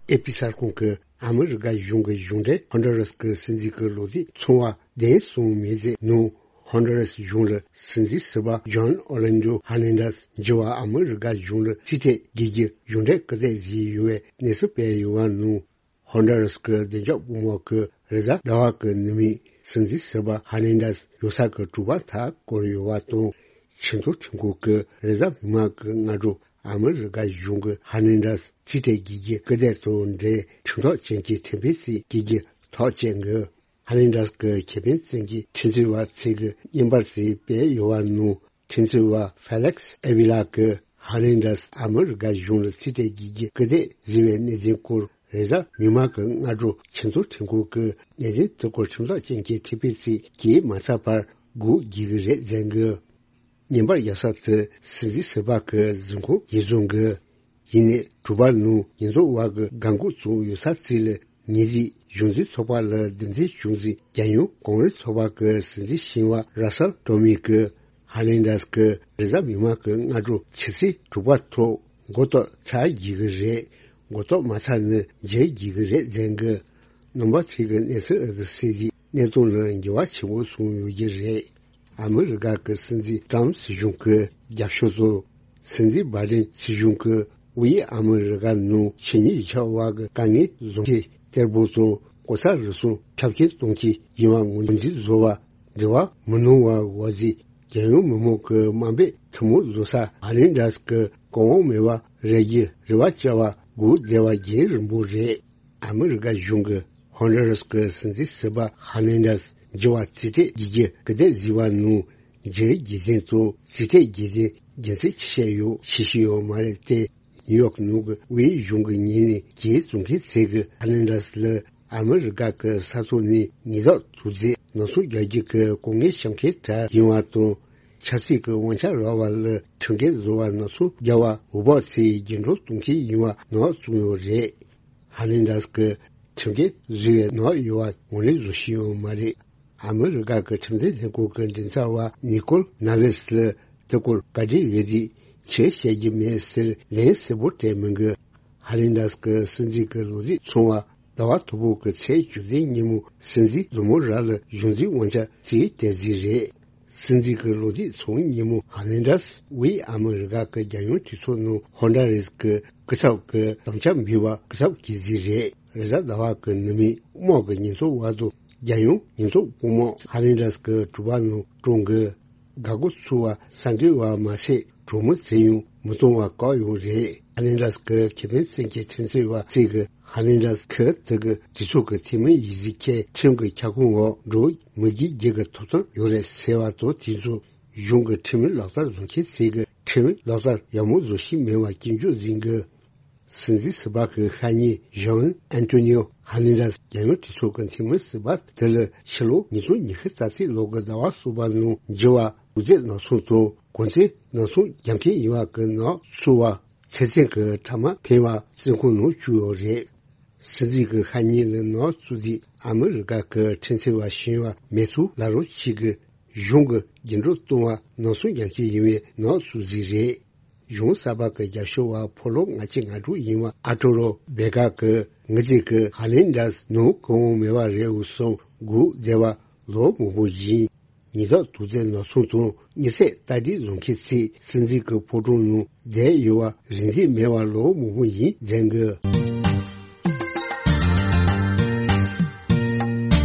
ཨེ་པི་གསར་ཁང་གིས་ཨ་མི་རི་ཀ་གཞུང་གི་གཞུང་འབྲེལ་ཧོན་ཌུ་ར་སི་གི་སྲིད་འཛིན་གྱི་ལོ་ཚིགས་ཚོང་བ་བདུན་སོང་མི་ཚེ་ནང་། ཧོན་ཌུ་ར་སི་གཞུང་ལ་སྲིད་འཛིན་ཟུར་པ་ཇོན་ཨོ་ལན་ཌོ་ཧར་ནན་ཌེ་སི་འགྱུར་བ་ཨ་མི་རི་ཀ་གཞུང་ལ་རྩིས་སྤྲོད་དགོས་རྒྱུ་གཞུང་འབྲེལ་སྐུལ་འདེད་བཟོས་ཡོད་པའི་གནས་ཚུལ་སྤེལ་ཡོད་པ་ནང་། ཧོན་ཌུ་ར་སི་གི་བདེ་འཇགས་པུས་མོ་གིས་རེས་གཟའ་ཟླ་བ་གི་ནུ་མའི་སྲིད་འཛིན་ཟུར་པ་ཧར་ནན་ཌེ་སི་ཡོད་ས་གི་གྲུ་པ་མཐའ་བསྐོར་ཡོད་པ་དང་། ཆེས་མཐོའི་ཁྲིམས་ཁང་གིས་རེས་གཟའ་མིག་དམར་གྱི་སྔ་དྲོ་ཨ་མི་རི་ཀ་གཞུང་གིས་ཧར་ནན་ཌེ་སི་རྩིས་སྤྲོད་དགོས་རྒྱུ་སྐུལ་འདེད་དང་འབྲེལ་ཁྲིམས་ཐག་བཅད་མཁན་ཁྲིམས་དཔོན་ཞིག་དགོས་རྒྱུ་ཐག་བཅད་འགོ། ཧར་ནན་ཌེ་སི་གི་ཁེ་ཕན་བཙན་གྱི་ཁྲིམས་རྩོད་པ་ཚོས་ཀྱི་བརྙན་པར་ཞིག་སྤེལ་ཡོད་པ་ནང་། ཁྲིམས་རྩོད་པ་ཧྥེ་ལེག་སི་ཨེ་ཝི་ལ་གིས་ཧར་ནན་ཌེ་སི་ཨ་མི་རི་ཀ་གཞུང་ལ་རྩིས་སྤྲོད་དགོས་རྒྱུ་སྐུལ་འདེད་བཟོས་པའི་གནད་དོན་སྐོར་རེས་གཟའ་མིག་དམར་གྱི་སྔ་དྲོ་ཆེས་མཐོའི་ཁྲིམས་ཁང་གིས་གནད་དོན་དེ་སྐོར་ཁྲིམས་ཐག་བཅད་མཁན་ཁྲིམས་དཔོན་ཞིག་གིས་མ་ཚར་བར་སྒུག་དགོས་ཀྱི་རེད་གསུངས་འདུག་བརྙན་པར་རྒྱག་ས་དེ་སྲིད་འཛིན་ཟུར་པ་གི་གཟིམ་ཁང་ཡིན་གསུངས་འདུག་ཡིན་ནའི་གྲུ་པ་ནང་ཉེན་རྟོག་པ་གི་འགན་འཁུར་བཙུགས་ཡོད་ས་ཚོ་ལ་ཉེས་རིགས་གཞུང་འཛིན་ཚོགས་པ་ལ་རྡུང་རྡེག་བྱུང་ཟིན། རྒྱལ་ཡོངས་གོང་རིམ་ཚོགས་པ་གི་སྲིད་འཛིན་ཞིང་པ་ར་སལ་ཀྲོ་མི་གིས་ཧར་ནན་ཌེ་སི་གིས་རེས་གཟའ་མིག་དམར་གྱི་སྔ་དྲོ་ཕྱི་ཚེས་དྲུག་པ་ཐོག་མགོ་ཐོག་ཚར་དགོས་ཀྱི་རེད། མགོ་ཐོག་མ་ཚར་ན་མཇལ་དགོས་ཀྱི་རེད་གསུངས་འདུག་རྣམ་པ་ཚོས་ཀྱི་གནས་ཚུལ་འདི་གསན་རྗེས་གནད་དོན་ལ་འགྱུར་བ་ཆེན་པོ་སོང་ཡོད་ཀྱི་རེད། ཨ་མི་རི་ཀ་གི་སྲིད་འཛིན་ཏྲམ་སྲིད་གཞུང་གི་རྒྱབ་ཕྱོགས་སུ། སྲིད་འཛིན་བྷའི་ཌེན་སྲིད་གཞུང་གིས་དབུས་ཨ་མི་རི་ཀ་ནང་ཆེས་ཉེན་ཆེ་བ་གི་དཀའ་ངལ་བཟོ་མཁན་གཏེར་པོ་ཚོ་གོ་ས་རུལ་སུངས་ཁྱབ་མཁན་གཏོང་མཁན་ཡིན་པ་ངོས་འཛིན་བཟོ་བར་འབྲེལ་བ་མི་གནང་བ་འོག་ཟིག་རྒྱལ་ཡོངས་མི་མང་གི་དམའ་འབེབས་ཐུན་མོང་བཟོ་ས་ཧར་ནན་ཌེ་སི་གི་གོང་འོག་མེད་པ་རེད་ཀྱི་རེ་བ་བཅའ་བ་སྒུག་བསྡད་པ་རྒྱུན་རིང་པོ་རེད། ཨ་མི་རི་ཀ་གཞུང་གིས་ཧོན་ཌུ་ར་སི་གི་སྲིད་འཛིན་ཟུར་པ་ཧར་ནན་ཌེ་སི་འགྱུར་བ་རྩིས་སྤྲོད་དགོས་རྒྱུ་སྐུལ་འདེད་བཟོས་པ་ནང་། མཇལ་རྒྱུ་དེ་ཚོ་རྩིས་སྤྲོད་རྒྱུ་དེ་རྒྱུ་མཚན་ཅི་བཤད་ཡོད་ཤེས་ཀྱི་ཡོད་མ་རེད་དེ། ནིའུ་ཡོག་ནང་གི་དབུས་གཞུང་གི་ཉེས་ནས་གྱོད་བཙུགས་མཁན་ཚོས་ཀྱིས་ཧར་ནན་ཌེ་སི་ལ་ཨ་མི་རི་ཀ་གི་ས་ཐོག་ནས་ཉེས་དོན་དོགས་གཅོད་ནག་ཚོང་རྒྱག་རྒྱུ་གི་གོ་གནས་བཤམས་མཁན་གྲས་ཡིན་པ་དང་། ཆབ་སྲིད་ཀྱི་དབང་ཆ་རག་པ་ལ་ཁྲིམས་འགལ་བཟོ་བ་ནག་ཚོང་རྒྱག་པ་འོས་འབབ་ཚོས་རྒྱུན་སྒྲོག་གཏོང་མཁན་ཡིན་པ་ནག་བཙུགས་ཡོད་རེད། ཧར་ནན་ཌེ་སི་གིས་ཁྲིམས་འགལ་བཟོས་པའི་ནག་ཡོད་པ་ངོས་ལེན་བཟོ་ཤེས་ཡོད་མ་རེད། ཨ་མི་རི་ཀ་གི་ཁྲིམས་འཛིན་ལྷན་ཁང་གི་མགྲིན་ཚབ་པ་ནི་ཀོལ་ནཱ་ཝེ་སི་ལ་དེ་སྐོར་བཀའ་འདྲི་ཡོད་དུས་ཆེས་བཤད་རྒྱུ་མེད་ཟེར་ལན་གསལ་པོ་སྤྲད་མི་འདུག་ཧར་ནན་ཌེ་སི་གི་སྲིད་འཛིན་གྱི་ལོ་ཚིགས་ཚོང་བ་ཟླ་བ་དང་པོ་གི་ཚེས་བཅུ་བདུན་ཉིན་མོ་སྲིད་འཛིན་ཟུར་མོ་ར་ལ་གཞུང་འཛིན་དབང་ཆ་རྩིས་སྤྲད་རྩིས་རེད། སྲིད་འཛིན་གྱི་ལོ་ཚིགས་ཚོང་ཉིན་མོ་ཧར་ནན་ཌེ་སི་དབུས་ཨ་མི་རི་ཀ་གི་རྒྱལ་ཡོངས་གྲོས་ཚོགས་ནང་ཧོན་ཌ་རེས་ཀྱི་སྐུ་ཚབ་ཀྱི་དམ་བཅའ་འབུལ་བ་སྐུ་ཚབ་ཀྱིས་རྩིས་རེད། རེས་གཟའ་ཟླ་བ་གི་ནུ་མའི་དམག་གི་ཉེན་རྟོག་པ་དང་རྒྱལ་ཡོངས་ཉེན་རྟོག་དཔུང་དམག་ཧར་ནན་ཌེ་སི་གི་གྲུ་པ་ནང་བཀྲོངས་ཀྱི། འགག་སྒོ་ཚུགས་པ་གསར་འགོད་པ་མ་ཟད་གྲོས་མོལ་བྱས་ཡང་མི་གཏོང་བ་བཀག་ཡོད་རེད། ཧར་ནན་ཌེ་སི་གི་ཁེ་ཕན་བཙན་གྱི་ཁྲིམས་རྩོད་པ་ཚོས་ཀྱིས་ཧར་ནན་ཌེ་སི་ཁོ་དེ་གི་གྲོས་ཚོགས་ཀྱི་འཐུས་མི་ཡིན་ཟེར་མཁན་ཁྲིམས་ཀྱི་ཁྱབ་ཁོངས་འོག་འགྲོ་མི་དགོས་རྒྱུ་གི་ཐོབ་ཐང་ཡོད་རེད་ཟེར་བ་དང་། དེ་ཚོ་གཞུང་གི་ཁྲིམས་ལག་བསྟར་བཟོ་མཁན་ཚོས་ཀྱིས་ཁྲིམས་ལག་བསྟར་ཡག་མོ་བཟོ་ཤེས་མེད་པ་སྐྱོན་བརྗོད་བྱེད་ཀྱི། སྲིད་འཛིན་ཟུར་པ་གི་ཤ་ཉེ་ཇོན་ཨན་ཏོ་ནིའོ་ཧར་ནན་ཌེ་སི་རྒྱལ་ཡོངས་གྲོས་ཚོགས་ཀྱི་འཐུས་མི་ཟུར་པ་དེ་ལ་ཕྱི་ལོ་ཉིས་སྟོང་ཉི་ཤུ་རྩ་གཅིག་ལོ་གི་ཟླ་བ་གསུམ་པ་ནང་འགྱུར་བ་དོགས་ཟོན་ནག་ཚོང་དང་གོང་ཚད་ནག་ཚོང་རྒྱག་མཁན་ཡིན་པ་གི་ནག་ཚུད་པ་ཚེ་བཙོན་གྱི་ཕྲ་མ་འཕེན་པ་བཙོན་ཁང་ནང་བཅུག་ཡོད་རེད། སྲིད་འཛིན་གྱི་ཤ་ཉེ་ལ་ནག་བཙུགས་དུས་ཨ་མི་རི་ཀ་གི་ཁྲིམས་རྩོད་པ་གཞོན་པ་མེ་ཐུ་ལ་རོ་ཆི་གིས་གཞུང་གི་རྒྱུན་སྒྲོག་གཏོང་བ་ནག་ཚོང་རྒྱག་མཁན་ཡིན་པའི་ནག་བཙུགས་རྩིས་རེད། གཞུང་གསར་པ་གི་རྒྱབ་སྐྱོར་བ་ཕོ་ལོ་ལྔ་བཅུ་ང་དྲུག་ཡིན་པ་ཨ་ཏོ་རོ་བེ་ག་གིས་ངེད་ཅག་གི་ཧར་ནན་ཌེ་སི་ནང་གོང་འོག་མེད་པ་རེད་འུ་སོང་སྒུག་བསྡད་པ་ལོ་མང་པོ་ཡིན། ཉེས་དོགས་དོགས་ཟོན་ནག་ཚོང་དང་དམིགས་བསལ་རྟ་དྲེལ་བཟོ་མཁན་ཚོས་སྲིད་འཛིན་གྱི་ཕོ་བྲང་ནང་བསྡད་ཡོད་པ་རིན་འཛེགས་མེད་པ་ལོ་མང་པོ་ཡིན་གསུངས་འདུག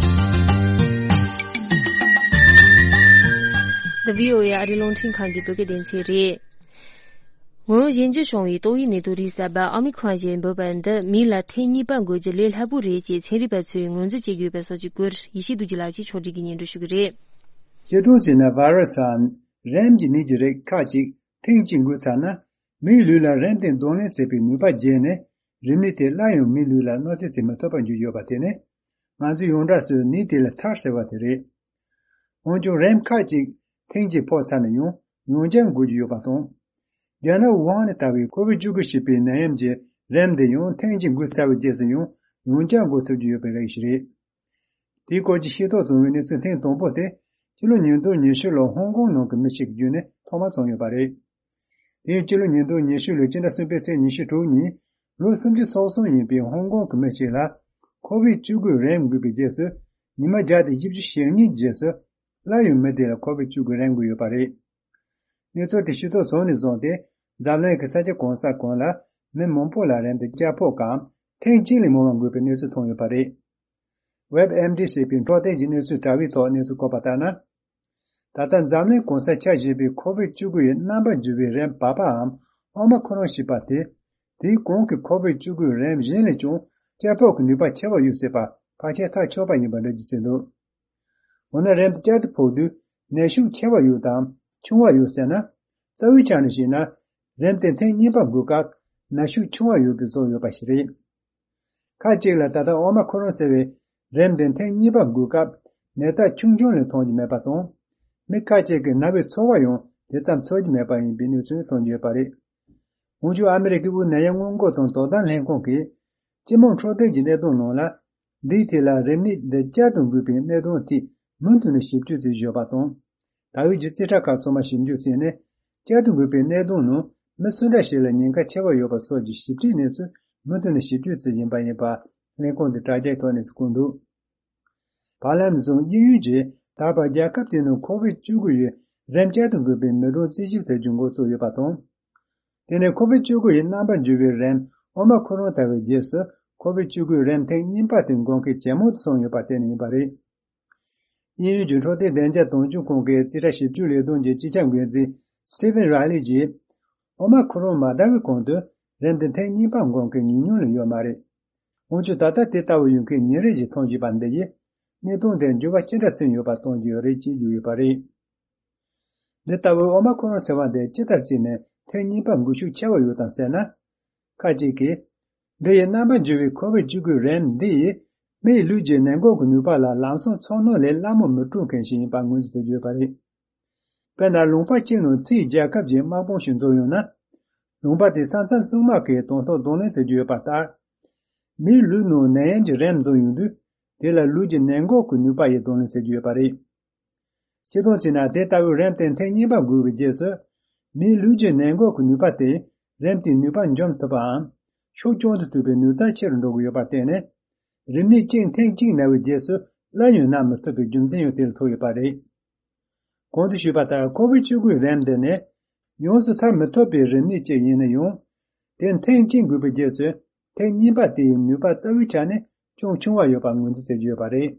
The VOA ཨ་རིའི་རླུང་འཕྲིན་ཁང་གི་བོད་སྐད་སྡེ་ཚན་རེད། ངོ་བོ་གཞན་འགྱུར་བྱུང་བའི་ཏོག་དབྱིབས་ནད་དུག་རིགས་གསར་པ་ཨོ་མི་ཁྲོན་ཞེས་འབོད་པ་འདི་མི་ལ་ཐེངས་གཉིས་པ་འགོས་རྒྱུ་ལས་སླ་པོ་རེད་ཅེས་ཚན་རིག་པ་ཚོས་ངོས་འཛིན་བྱེད་ཀྱི་ཡོད་པ་སོགས་ཀྱི་སྐོར་ཡེ་ཤེས་རྡོ་རྗེ་ལགས་ཀྱིས་ཕྱོགས་སྒྲིག་གིས་སྙན་སྒྲོན་ཞུ་གི་རེད། སྤྱིར་བཏང་བྱས་ན་ཝེ་རུ་སི་འམ་རེམས་ཀྱི་ནད་ཀྱི་རིགས་ཁག་ཅིག་ཐེངས་གཅིག་འགོས་ཚར་ན། མིའི་ལུས་ལ་རེམས་དེ་གདོང་ལེན་བྱེད་པའི་ནུས་པ་རྒྱས་ནས། རིམས་ནད་དེ་སླར་ཡང་མིའི་ལུས་ལ་གནོད་འཚེ་བྱེད་མི་ཐུབ་པར་འགྱུར་ཡོད་པ་དེ་ནི། ང་ཚོས་ཡོངས་གྲགས་སུ་ནད་དེ་ལ་མཐར་ཟེར་བ་དེ་རེད། འོན་ཀྱང་རེམས་ཁག་ཅིག་ཐེངས་གཅིག་ཕོག་ཚར་ན་ཡང་ཡང་བསྐྱར་འགོས་ཀྱི་ཡོད་པ་དང་། རྒྱ་ནག་ཝུ་ཧན་ནས་དར་བའི་ཁོ་བིད་བཅུ་དགུ་ཞེས་པའི་ནད་ཡམས་ཀྱི་རེམས་དེ་ཡང་ཐེངས་གཅིག་འགོས་ཚར་བའི་རྗེས་སུ་ཡང་ཡང་བསྐྱར་འགོས་ཐུབ་ཀྱི་ཡོད་པའི་རིགས་ཤིག་རེད། དེའི་སྐོར་གྱི་ཤེས་རྟོགས་བྱུང་བའི་གནས་ཚུལ་ཐེངས་དང་པོ་དེ། སྤྱི་ལོ་ཉིས་སྟོང་ཉི་ཤུ་ལོར་ཧོང་ཀོང་ནང་གི་མི་ཞིག་གི་བརྒྱུད་ནས་ཐོག་མར་བྱུང་ཡོད་པ་རེད། དེ་ཡང་སྤྱི་ལོ་ཉིས་སྟོང་ཉི་ཤུ་ལོའི་སྤྱི་ཟླ་གསུམ་པའི་ཚེས་ཉི་ཤུ་དྲུག་ཉིན། ལོ་སུམ་ཅུ་སོ་གསུམ་ཡིན་པའི་ཧོང་ཀོང་གི་མི་ཞིག་ལ། ཁོ་བིད་བཅུ་དགུའི་རེམས་འགོས་པའི་རྗེས་སུ། ཉི་མ་བརྒྱ་དང་བཞི་བཅུ་ཞེ་གཉིས་རྗེས་སུ། སླར་ཡང་མི་དེ་ལ་ཁོ་བིད་བཅུ་དགུའི་རེམས་འགོས་ཡོད་པ་རེད། གནས་ཚུལ་དེ་ཤེས་རྟོགས་བྱུང་ནས་བཟུང་སྟེ། འཛམ་གླིང་གི་ས་ཆ་གང་ས་གང་ལ། མི་མང་པོ་ལ་རེམས་དེ་བསྐྱར་ཕོག་གམ། ཐེངས་གཅིག་ལས་མང་བ་འགོས་པའི་གནས་ཚུལ་ཐོན་ཡོད་པ་རེད། ཝེབ་ཨེམ་ཌི་ཞེས་པའི་འཕྲོད་བསྟེན་གྱི་གནས་ཚུལ་དྲ་བའི་ཐོག་གནས་ཚུལ་བཀོད་པ་ལྟར་ན། ད་ལྟ་འཛམ་གླིང་གང་སར་ཁྱབ་བཞིན་པའི་ཁོ་བིད་བཅུ་དགུ་ཡི་རྣམ་པར་འགྱུར་བའི་རེམས་བབས་པའམ་ཨོ་མ་ཁོ་རོན་ཞེས་པ་དེ། དེའི་གོང་གི་ཁོ་བིད་བཅུ་དགུའི་རེམས་གཞན་ལས་ཀྱང་བསྐྱར་ཕོག་གི་ནུས་པ་ཆེ་བ་ཡོད་སྲིད་པ་ཕལ་ཆེར་ཐག་ཆོད་པ་ཡིན་པ་འགྲེལ་བརྗོད་བྱས་འདུག་འོ་ན་རེམས་དེ་བསྐྱར་དུ་ཕོག་དུས་ནད་ཤུགས་ཆེ་བ་ཡོད་དམ་ཆུང་བ་ཡོད་ཟེར་ན། རྩ་བའི་ཆ་ནས་བཤད་ན། རེམས་དེ་ཐེངས་གཉིས་པ་འགོས་སྐབས་ནད་ཤུགས་ཆུང་བ་ཡོད་པའི་བཟོ་ཡོད་པ་ཞིག་རེད། ཁག་ཅིག་ལ་ད་ལྟ་ཨོ་མ་ཁོ་རོན་ཟེར་བའི་རེམས་དེ་ཐེངས་གཉིས་པ་འགོས་སྐབས་ནད་རྟགས་ཆུང་ཆུང་ལས་མཐོང་རྒྱུ་མེད་པ་དང་། མི་ཁག་ཅིག་གི་ན་བའི་ཚོར་བ་ཡང་དེ་ཙམ་ཚོར་རྒྱུ་མེད་པ་ཡིན་པའི་གནས་ཚུལ་ཐོན་གྱི་ཡོད་པ་རེད། འོན་ཀྱང་ཨ་མི་རི་ཀའི་དབུས་ནད་ཡམས་སྔོན་འགོག་དང་དོ་དམ་ལྷན་ཁང་གིས་སྤྱི་དམངས་འཕྲོད་བསྟེན་གྱི་གནད་དོན་ནང་ལ། འདིའི་ཐད་ལ་རིམས་ནད་འདི་བསྐྱར་དུ་འགོས་པའི་གནད་དོན་ཐད་མུ་མཐུད་ནས་ཞིབ་དཔྱོད་བྱེད་བཞིན་ཡོད་པ་དང་། ད་ཡོད་ཀྱི་རྩིས་ཁྲ་ཁག་ཚང་མ་ཞིབ་འཇུག་བྱས་ནས། བསྐྱར་དུ་འགོས་པའི་གནད་དོན་ནང་མི་སུ་འདྲ་ཞིག་ལ་ཉེན་ཁ་ཆེ་བ་ཡོད་པ་སོགས་ཀྱི་ཞིབ་ཕྲའི་གནས་ཚུལ་མུ་མཐུད་ནས་ཞིབ་དཔྱོད་བྱེད་བཞིན་པ་ཡིན་པ་ལྷན་ཁང་དེ་དྲ་རྒྱའི་ཐོག་ནས་གསུངས་འདུག་བར་ལམ་བཟུང་དབྱིན་ཡུལ་གྱིས་ད་བར་རྒྱལ་ཁབ་དེའི་ནང་ཁོ་བིད་བཅུ་དགུ་ཡི་རིམས་བསྐྱར་དུ་འགོས་པའི་མི་གྲངས་རྩིས་ཞིབ་བྱ་རྒྱུ་འགོ་བཙུགས་ཡོད་པ་དང་། དེ་ནས་ཁོ་བིད་བཅུ་དགུ་ཡི་རྣམ་པར་འགྱུར་བའི་རིམས་ཨོ་མ་ཁོ་རོན་དར་བའི་རྗེས་སུ་ཁོ་བིད་བཅུ་དགུའི་རིམས་ཐེངས་གཉིས་པ་དེ་འགོག་མཁན་ཇེ་མང་དུ་སོང་ཡོད་པ་དེ་ནི་ཡིན་པ་རེད། དབྱིན་ཡུལ་གྱི་འཕྲོད་བསྟེན་བདེ་འཇགས་དོན་གཅོད་ཁང་གི་རྩིས་ཁྲ་ཞིབ་འཇུག་ལས་དོན་གྱི་སྤྱི་ཁྱབ་འགན་འཛིན་Stephen Riley གྱིས། ཨོ་མ་ཁོ་རོན་མ་དར་བའི་གོང་དུ་རིམས་དེ་ཐེངས་གཉིས་པ་འགོག་མཁན་ཉུང་ཉུང་ལས་ཡོད་མ་རེད། འོན་ཀྱང་ད་ལྟ་དེ་ལྟ་བུ་ཡོང་མཁན་ཉིན་རེ་བཞིན་མཐོང་བཞིན་པ་འདི་ཡིས། གནད་དོན་དེར་འགྱུར་བ་ཅི་འདྲ་ཕྱིན་ཡོད་པ་སྟོན་གྱི་ཡོད་རེད་ཅེས་བརྗོད་ཡོད་པ་རེད། འདི་ལྟ་བུའི་ཨོ་མ་ཁོ་རོན་ཟེར་བ་འདི་ཅི་ལྟར་བྱས་ནས་ཐེངས་གཉིས་པ་འགོས་ཤུགས་ཆེ་བ་ཡོད་དམ་ཟེར་ན། ཁ་ཅིག་གིས། འདི་ཡི་རྣམ་པར་འགྱུར་བའི་ཁོ་བིད་བཅུ་དགུའི་རིམས་འདི་ཡིས་མིའི་ལུས་ཀྱི་ནད་འགོག་གི་ནུས་པ་ལ་ལམ་སང་ཚོར་སྣང་ལས་སླ་མོ་མི་སྤྲོད་མཁན་ཞིག་ཡིན་པ་ངོས་འཛིན་བྱེད་ཀྱི་ཡོད་པ་རེད། དཔེར་ན་ལུང་པ་གཅིག་ནང་ཕྱིའི་རྒྱལ་ཁབ་ཀྱི་དམག་དཔུང་ཞིག་འཛོམས་ཡོང་ན། ལུང་པ་དེའི་ས་མཚམས་སྲུང་དམག་གིས་དང་ཐོག་གདོང་ལེན་བྱེད་ཀྱི་ཡོད་པ་ལྟར། མིའི་ལུས་ནང་ནད་ཡམས་ཀྱི་རིམས་འཛོམས་ཡོང་དུས། དེ་ལ་ལུས་ཀྱི་ནད་འགོག་གི་ནུས་པ་ཡིས་གདོང་ལེན་བྱེད་ཀྱི་ཡོད་པ་རེད། སྤྱིར་བཏང་བྱས་ན་དེ་ལྟ་བུའི་རིམས་དེ་ཐེངས་གཉིས་པ་འགོས་པའི་རྗེས་སུ། མིའི་ལུས་ཀྱི་ནད་འགོག་གི་ནུས་པ་དེས་རིམས་དེའི་ནུས་པ་འཇོམས་ཐུབ་པའམ། ཤུགས་ཀྱང་དུ་ཐུབ་པའི་ནུས་རྩལ་ཆེ་རུ་འགྲོ་གི་ཡོད་པར་བརྟེན་ནས། རིམས་ནད་གཅིག་ཐེངས་གཅིག་ན་བའི་རྗེས་སུ་སླར་ཡང་ན་མི་ཐུབ་པའི་རྒྱུ་མཚན་ཡང་དེ་ལ་ཐུག་ཡོད་པ་རེད། གོང་དུ་ཞུས་པ་ལྟར་ཁོ་བིད་བཅུ་དགུའི་རིམས་འདི་ནི། ཡོངས་སུ་ཐར་མི་ཐུབ་པའི་རིམས་ནད་ཅིག་ཡིན་ན་ཡང་། དེ་ཐེངས་གཅིག་འགོས་པའི་རྗེས་སུ། ཐེངས་གཉིས་པ་དེའི་ནུས་པ་རྩ་བའི་ཆ་ནས་ཅུང་ཆུང་བ་ཡོད་པ་ངོས་འཛིན་བྱེད་ཀྱི་ཡོད་པ་རེད།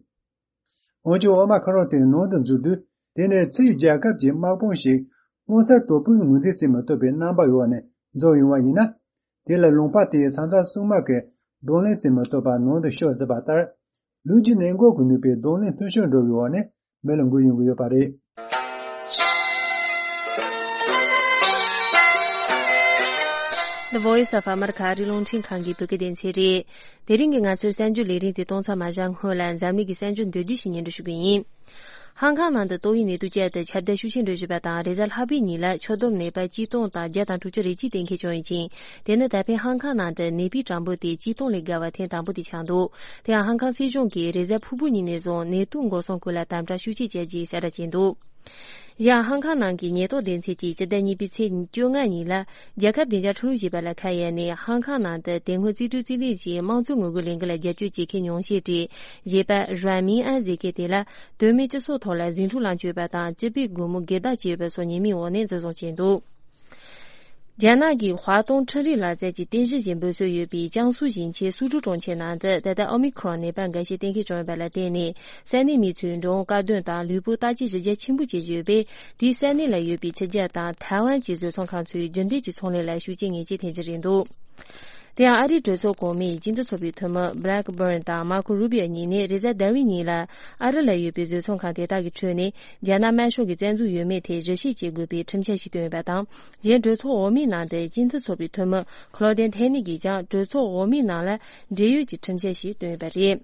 འོན་ཀྱང་ཨོ་མ་ཁ་རོན་དེ་ནང་དུ་འཛུལ་དུས། དེ་ནི་ཕྱིའི་རྒྱལ་ཁབ་ཀྱི་དམག་དཔུང་ཞིག་དམག་སར་དོ་དཔོན་ངོས་འཛིན་བྱེད་མི་ཐུབ་པའི་རྣམ་པ་འོག་ནས་འཛོམས་ཡོང་བ་ཡིན་ན། དེ་ལ་ལུང་པ་དེའི་ས་མཚམས་སྲུང་དམག་གིས་གདོང་ལེན་བྱེད་མི་ཐུབ་པར་ནང་དུ་ཤོར་སྲིད་པ་ལྟར། ལུས་ཀྱི་ནད་འགོག་གི་ནུས་པའི་གདོང་ལེན་མཐུན་ཤོས་འགྲོ་བའི་འོག་ནས་མི་ལ་འགོས་ཡོང་གི་ཡོད་པ་རེད། The Voice of America ཨ་རིའི་རླུང་འཕྲིན་ཁང་གི་བོད་སྐད་སྡེ་ཚན་རེད། དེ་རིང་གི་ང་ཚོའི་གསར་འགྱུར་ལས་རིམ་དེ་གཏོང་མཚམས་མ་བཞག་སྔོན་ལ་འཛམ་གླིང་གི་གསར་འགྱུར་མདོར་བསྡུས་ཤིག་སྙན་སྒྲོན་ཞུ་གི་ཡིན། ཧང་ཁང་ནང་དུ་ཏོག་དབྱིབས་ནད་དུག་བཅས་ཏེ་ཁྱབ་གདལ་ཤུགས་ཆེན་འགྲོ་བཞིན་པ་དང་། རེས་གཟའ་ལྷག་པའི་ཉིན་ལ་ཁྱོན་བསྡོམས་ནད་པ་གཅིག་སྟོང་དང་བརྒྱ་དང་དྲུག་ཅུ་རེ་གཅིག་གཏན་འཁེལ་བྱུང་ཡོད་ཅིང་། དེ་ནི་ད་ཕན་ཧང་ཁང་ནང་དུ་ནད་པའི་གྲངས་འབོར་དེ་གཅིག་སྟོང་ལས་བརྒལ་བ་ཐེངས་དང་པོ་དེ་ཆགས་འདུག་དེ་ཡང་ཧང་ཁང་སྲིད་གཞུང་གིས་རེས་གཟའ་ཕུར་བུ་ཉིན་ནས་བཟུང་ནད་དུག་འགོག་སྲུང་སྐོར་ལ་དམ་དྲག་ཤུགས་ཆེ་བྱས་རྗེས་གསལ་བསྒྲགས་བྱས་འདུག་གཞན་ཧང་ཁང་ནང་གི་ཉེན་རྟོག་སྡེ་ཚན་གྱིས་སྤྱི་ཟླ་གཉིས་པའི་ཚེས་བཅོ་ལྔ་ཉིན་ལ། རྒྱལ་ཁབ་བདེ་འཇགས་ཁྲིམས་ལུགས་ཞེས་པ་ལ་ཁ་གཡར་ནས་ཧང་ཁང་ནང་དུ་དེ་སྔོན་རྩིས་སྤྲོད་རྩིས་ལེན་གྱིས་དམངས་གཙོའི་ངོ་རྒོལ་ལས་འགུལ་ལ་རྒྱབ་སྐྱོར་བྱེད་མཁན་ཉུང་ཤས་ཀྱིས་གཞས་པ་རན་མིན་ཨན་ཟེར་མཁན་དེ་ལ་དོན་མེད་སྤྱི་ཚོགས་ཐོག་ལ་ཟིང་འཁྲུག་ལངས་བཅུག་པ་དང་། སྤྱི་པའི་སྒོར་མོ་སྒེར་བདག་བྱས་ཡོད་པ་སོགས་ཉེས་མིང་འོག་ནས་འཛིན་བཟུང་བྱས་འདུག་རྒྱ་ནག་གི་ཧྭ་ཏུང་འཕྲུལ་རིག་ལག་རྩལ་གྱི་རྟེན་གཞི་ཞིག་འབུལ་སྲོལ་ཡོད་པའི་ཅང་སུའུ་ཞིང་ཆེན་སུ་ཀྲུའུ་གྲོང་ཁྱེར་ནང་དུ་ད་ལྟ་ཨོ་མི་ཁྲོན་ནད་པ་འགའ་ཤས་གཏན་འཁེལ་བྱུང་ཡོད་པ་ལ་བརྟེན་ནས། ས་གནས་མི་ཚོས་འགྲོ་འོང་དཀའ་སྡུག་དང་ལུས་པོ་བརྟག་དཔྱད་ཞིབ་རྒྱས་ཆེན་པོ་བྱེད་བཞིན་ཡོད་པས། དེའི་ས་གནས་ལ་ཡོད་པའི་ཕྱི་རྒྱལ་དང་ཐའེ་ཝན་གྱི་བཟོ་ཚོང་ཁང་ཚོས་རྒྱུན་ལྡན་གྱི་ཚོང་ལས་ལ་ཤུགས་རྐྱེན་ངེས་ཅན་ཐེབས་ཀྱི་རེད་འདུག་དེ་ཡང་ཨ་རིའི་གྲོས་ཚོགས་གོང་མའི་སྤྱི་འཐུས་ཚོགས་པའི་འཐུས་མི་Blackburn དང་Marco Rubio གཉིས་ནས་རེས་གཟའ་ཟླ་བའི་ཉིན་ལ་ཨ་རི་ལ་ཡོད་པའི་བཟོ་ཚོང་ཁང་དེ་དག་གི་ཁྲོད་ནས་རྒྱ་ནག་དམར་ཤོག་གི་བཙན་འཛུལ་ཡོད་མེད་ཐད་ཞིབ་བཤེར་བྱེད་དགོས་པའི་ཁྲིམས་འཆར་ཞིག་བཏོན་ཡོད་པ་དང་། གཞན་གྲོས་ཚོགས་འོག་མའི་ནང་དུ་སྤྱི་འཐུས་ཚོགས་པའི་འཐུས་མི་Claudine Tenney གྱིས་ཀྱང་གྲོས་ཚོགས་འོག་མའི་ནང་ལ་འབྲེལ་ཡོད་ཀྱི་ཁྲིམས་འཆར་ཞིག་བཏོན་ཡོད་པ་རེད།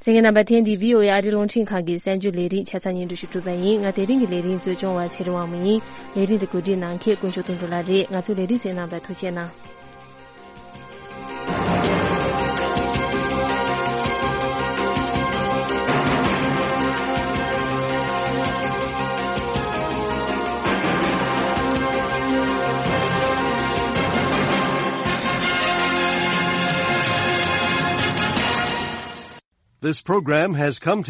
གསན་མཁན་རྣམ་པ། ཐེངས་འདིའི་བྷི་ཨོ་ཨེ་ཨ་རིའི་རླུང་འཕྲིན་ཁང་གི་གསར་འགྱུར་ལས་རིམ་ཆ་ཚང་སྙན་སྒྲོན་ཞུ་གྲུབ་པ་ཡིན། ང་དེ་རིང་གི་ལས་རིམ་གཙོ་སྐྱོང་བ་ཚེ་རིང་དབང་མོ་ཡིན། ལས་རིམ་དེ་གོ་སྒྲིག་གནང་མཁན་དཀོན་མཆོག་དོན་གྲུབ་ལགས་རེད། ང་ཚོའི་ལས་རིམ་གསན་གནང་བར་ཐུགས་རྗེ་གནང་། This program has come to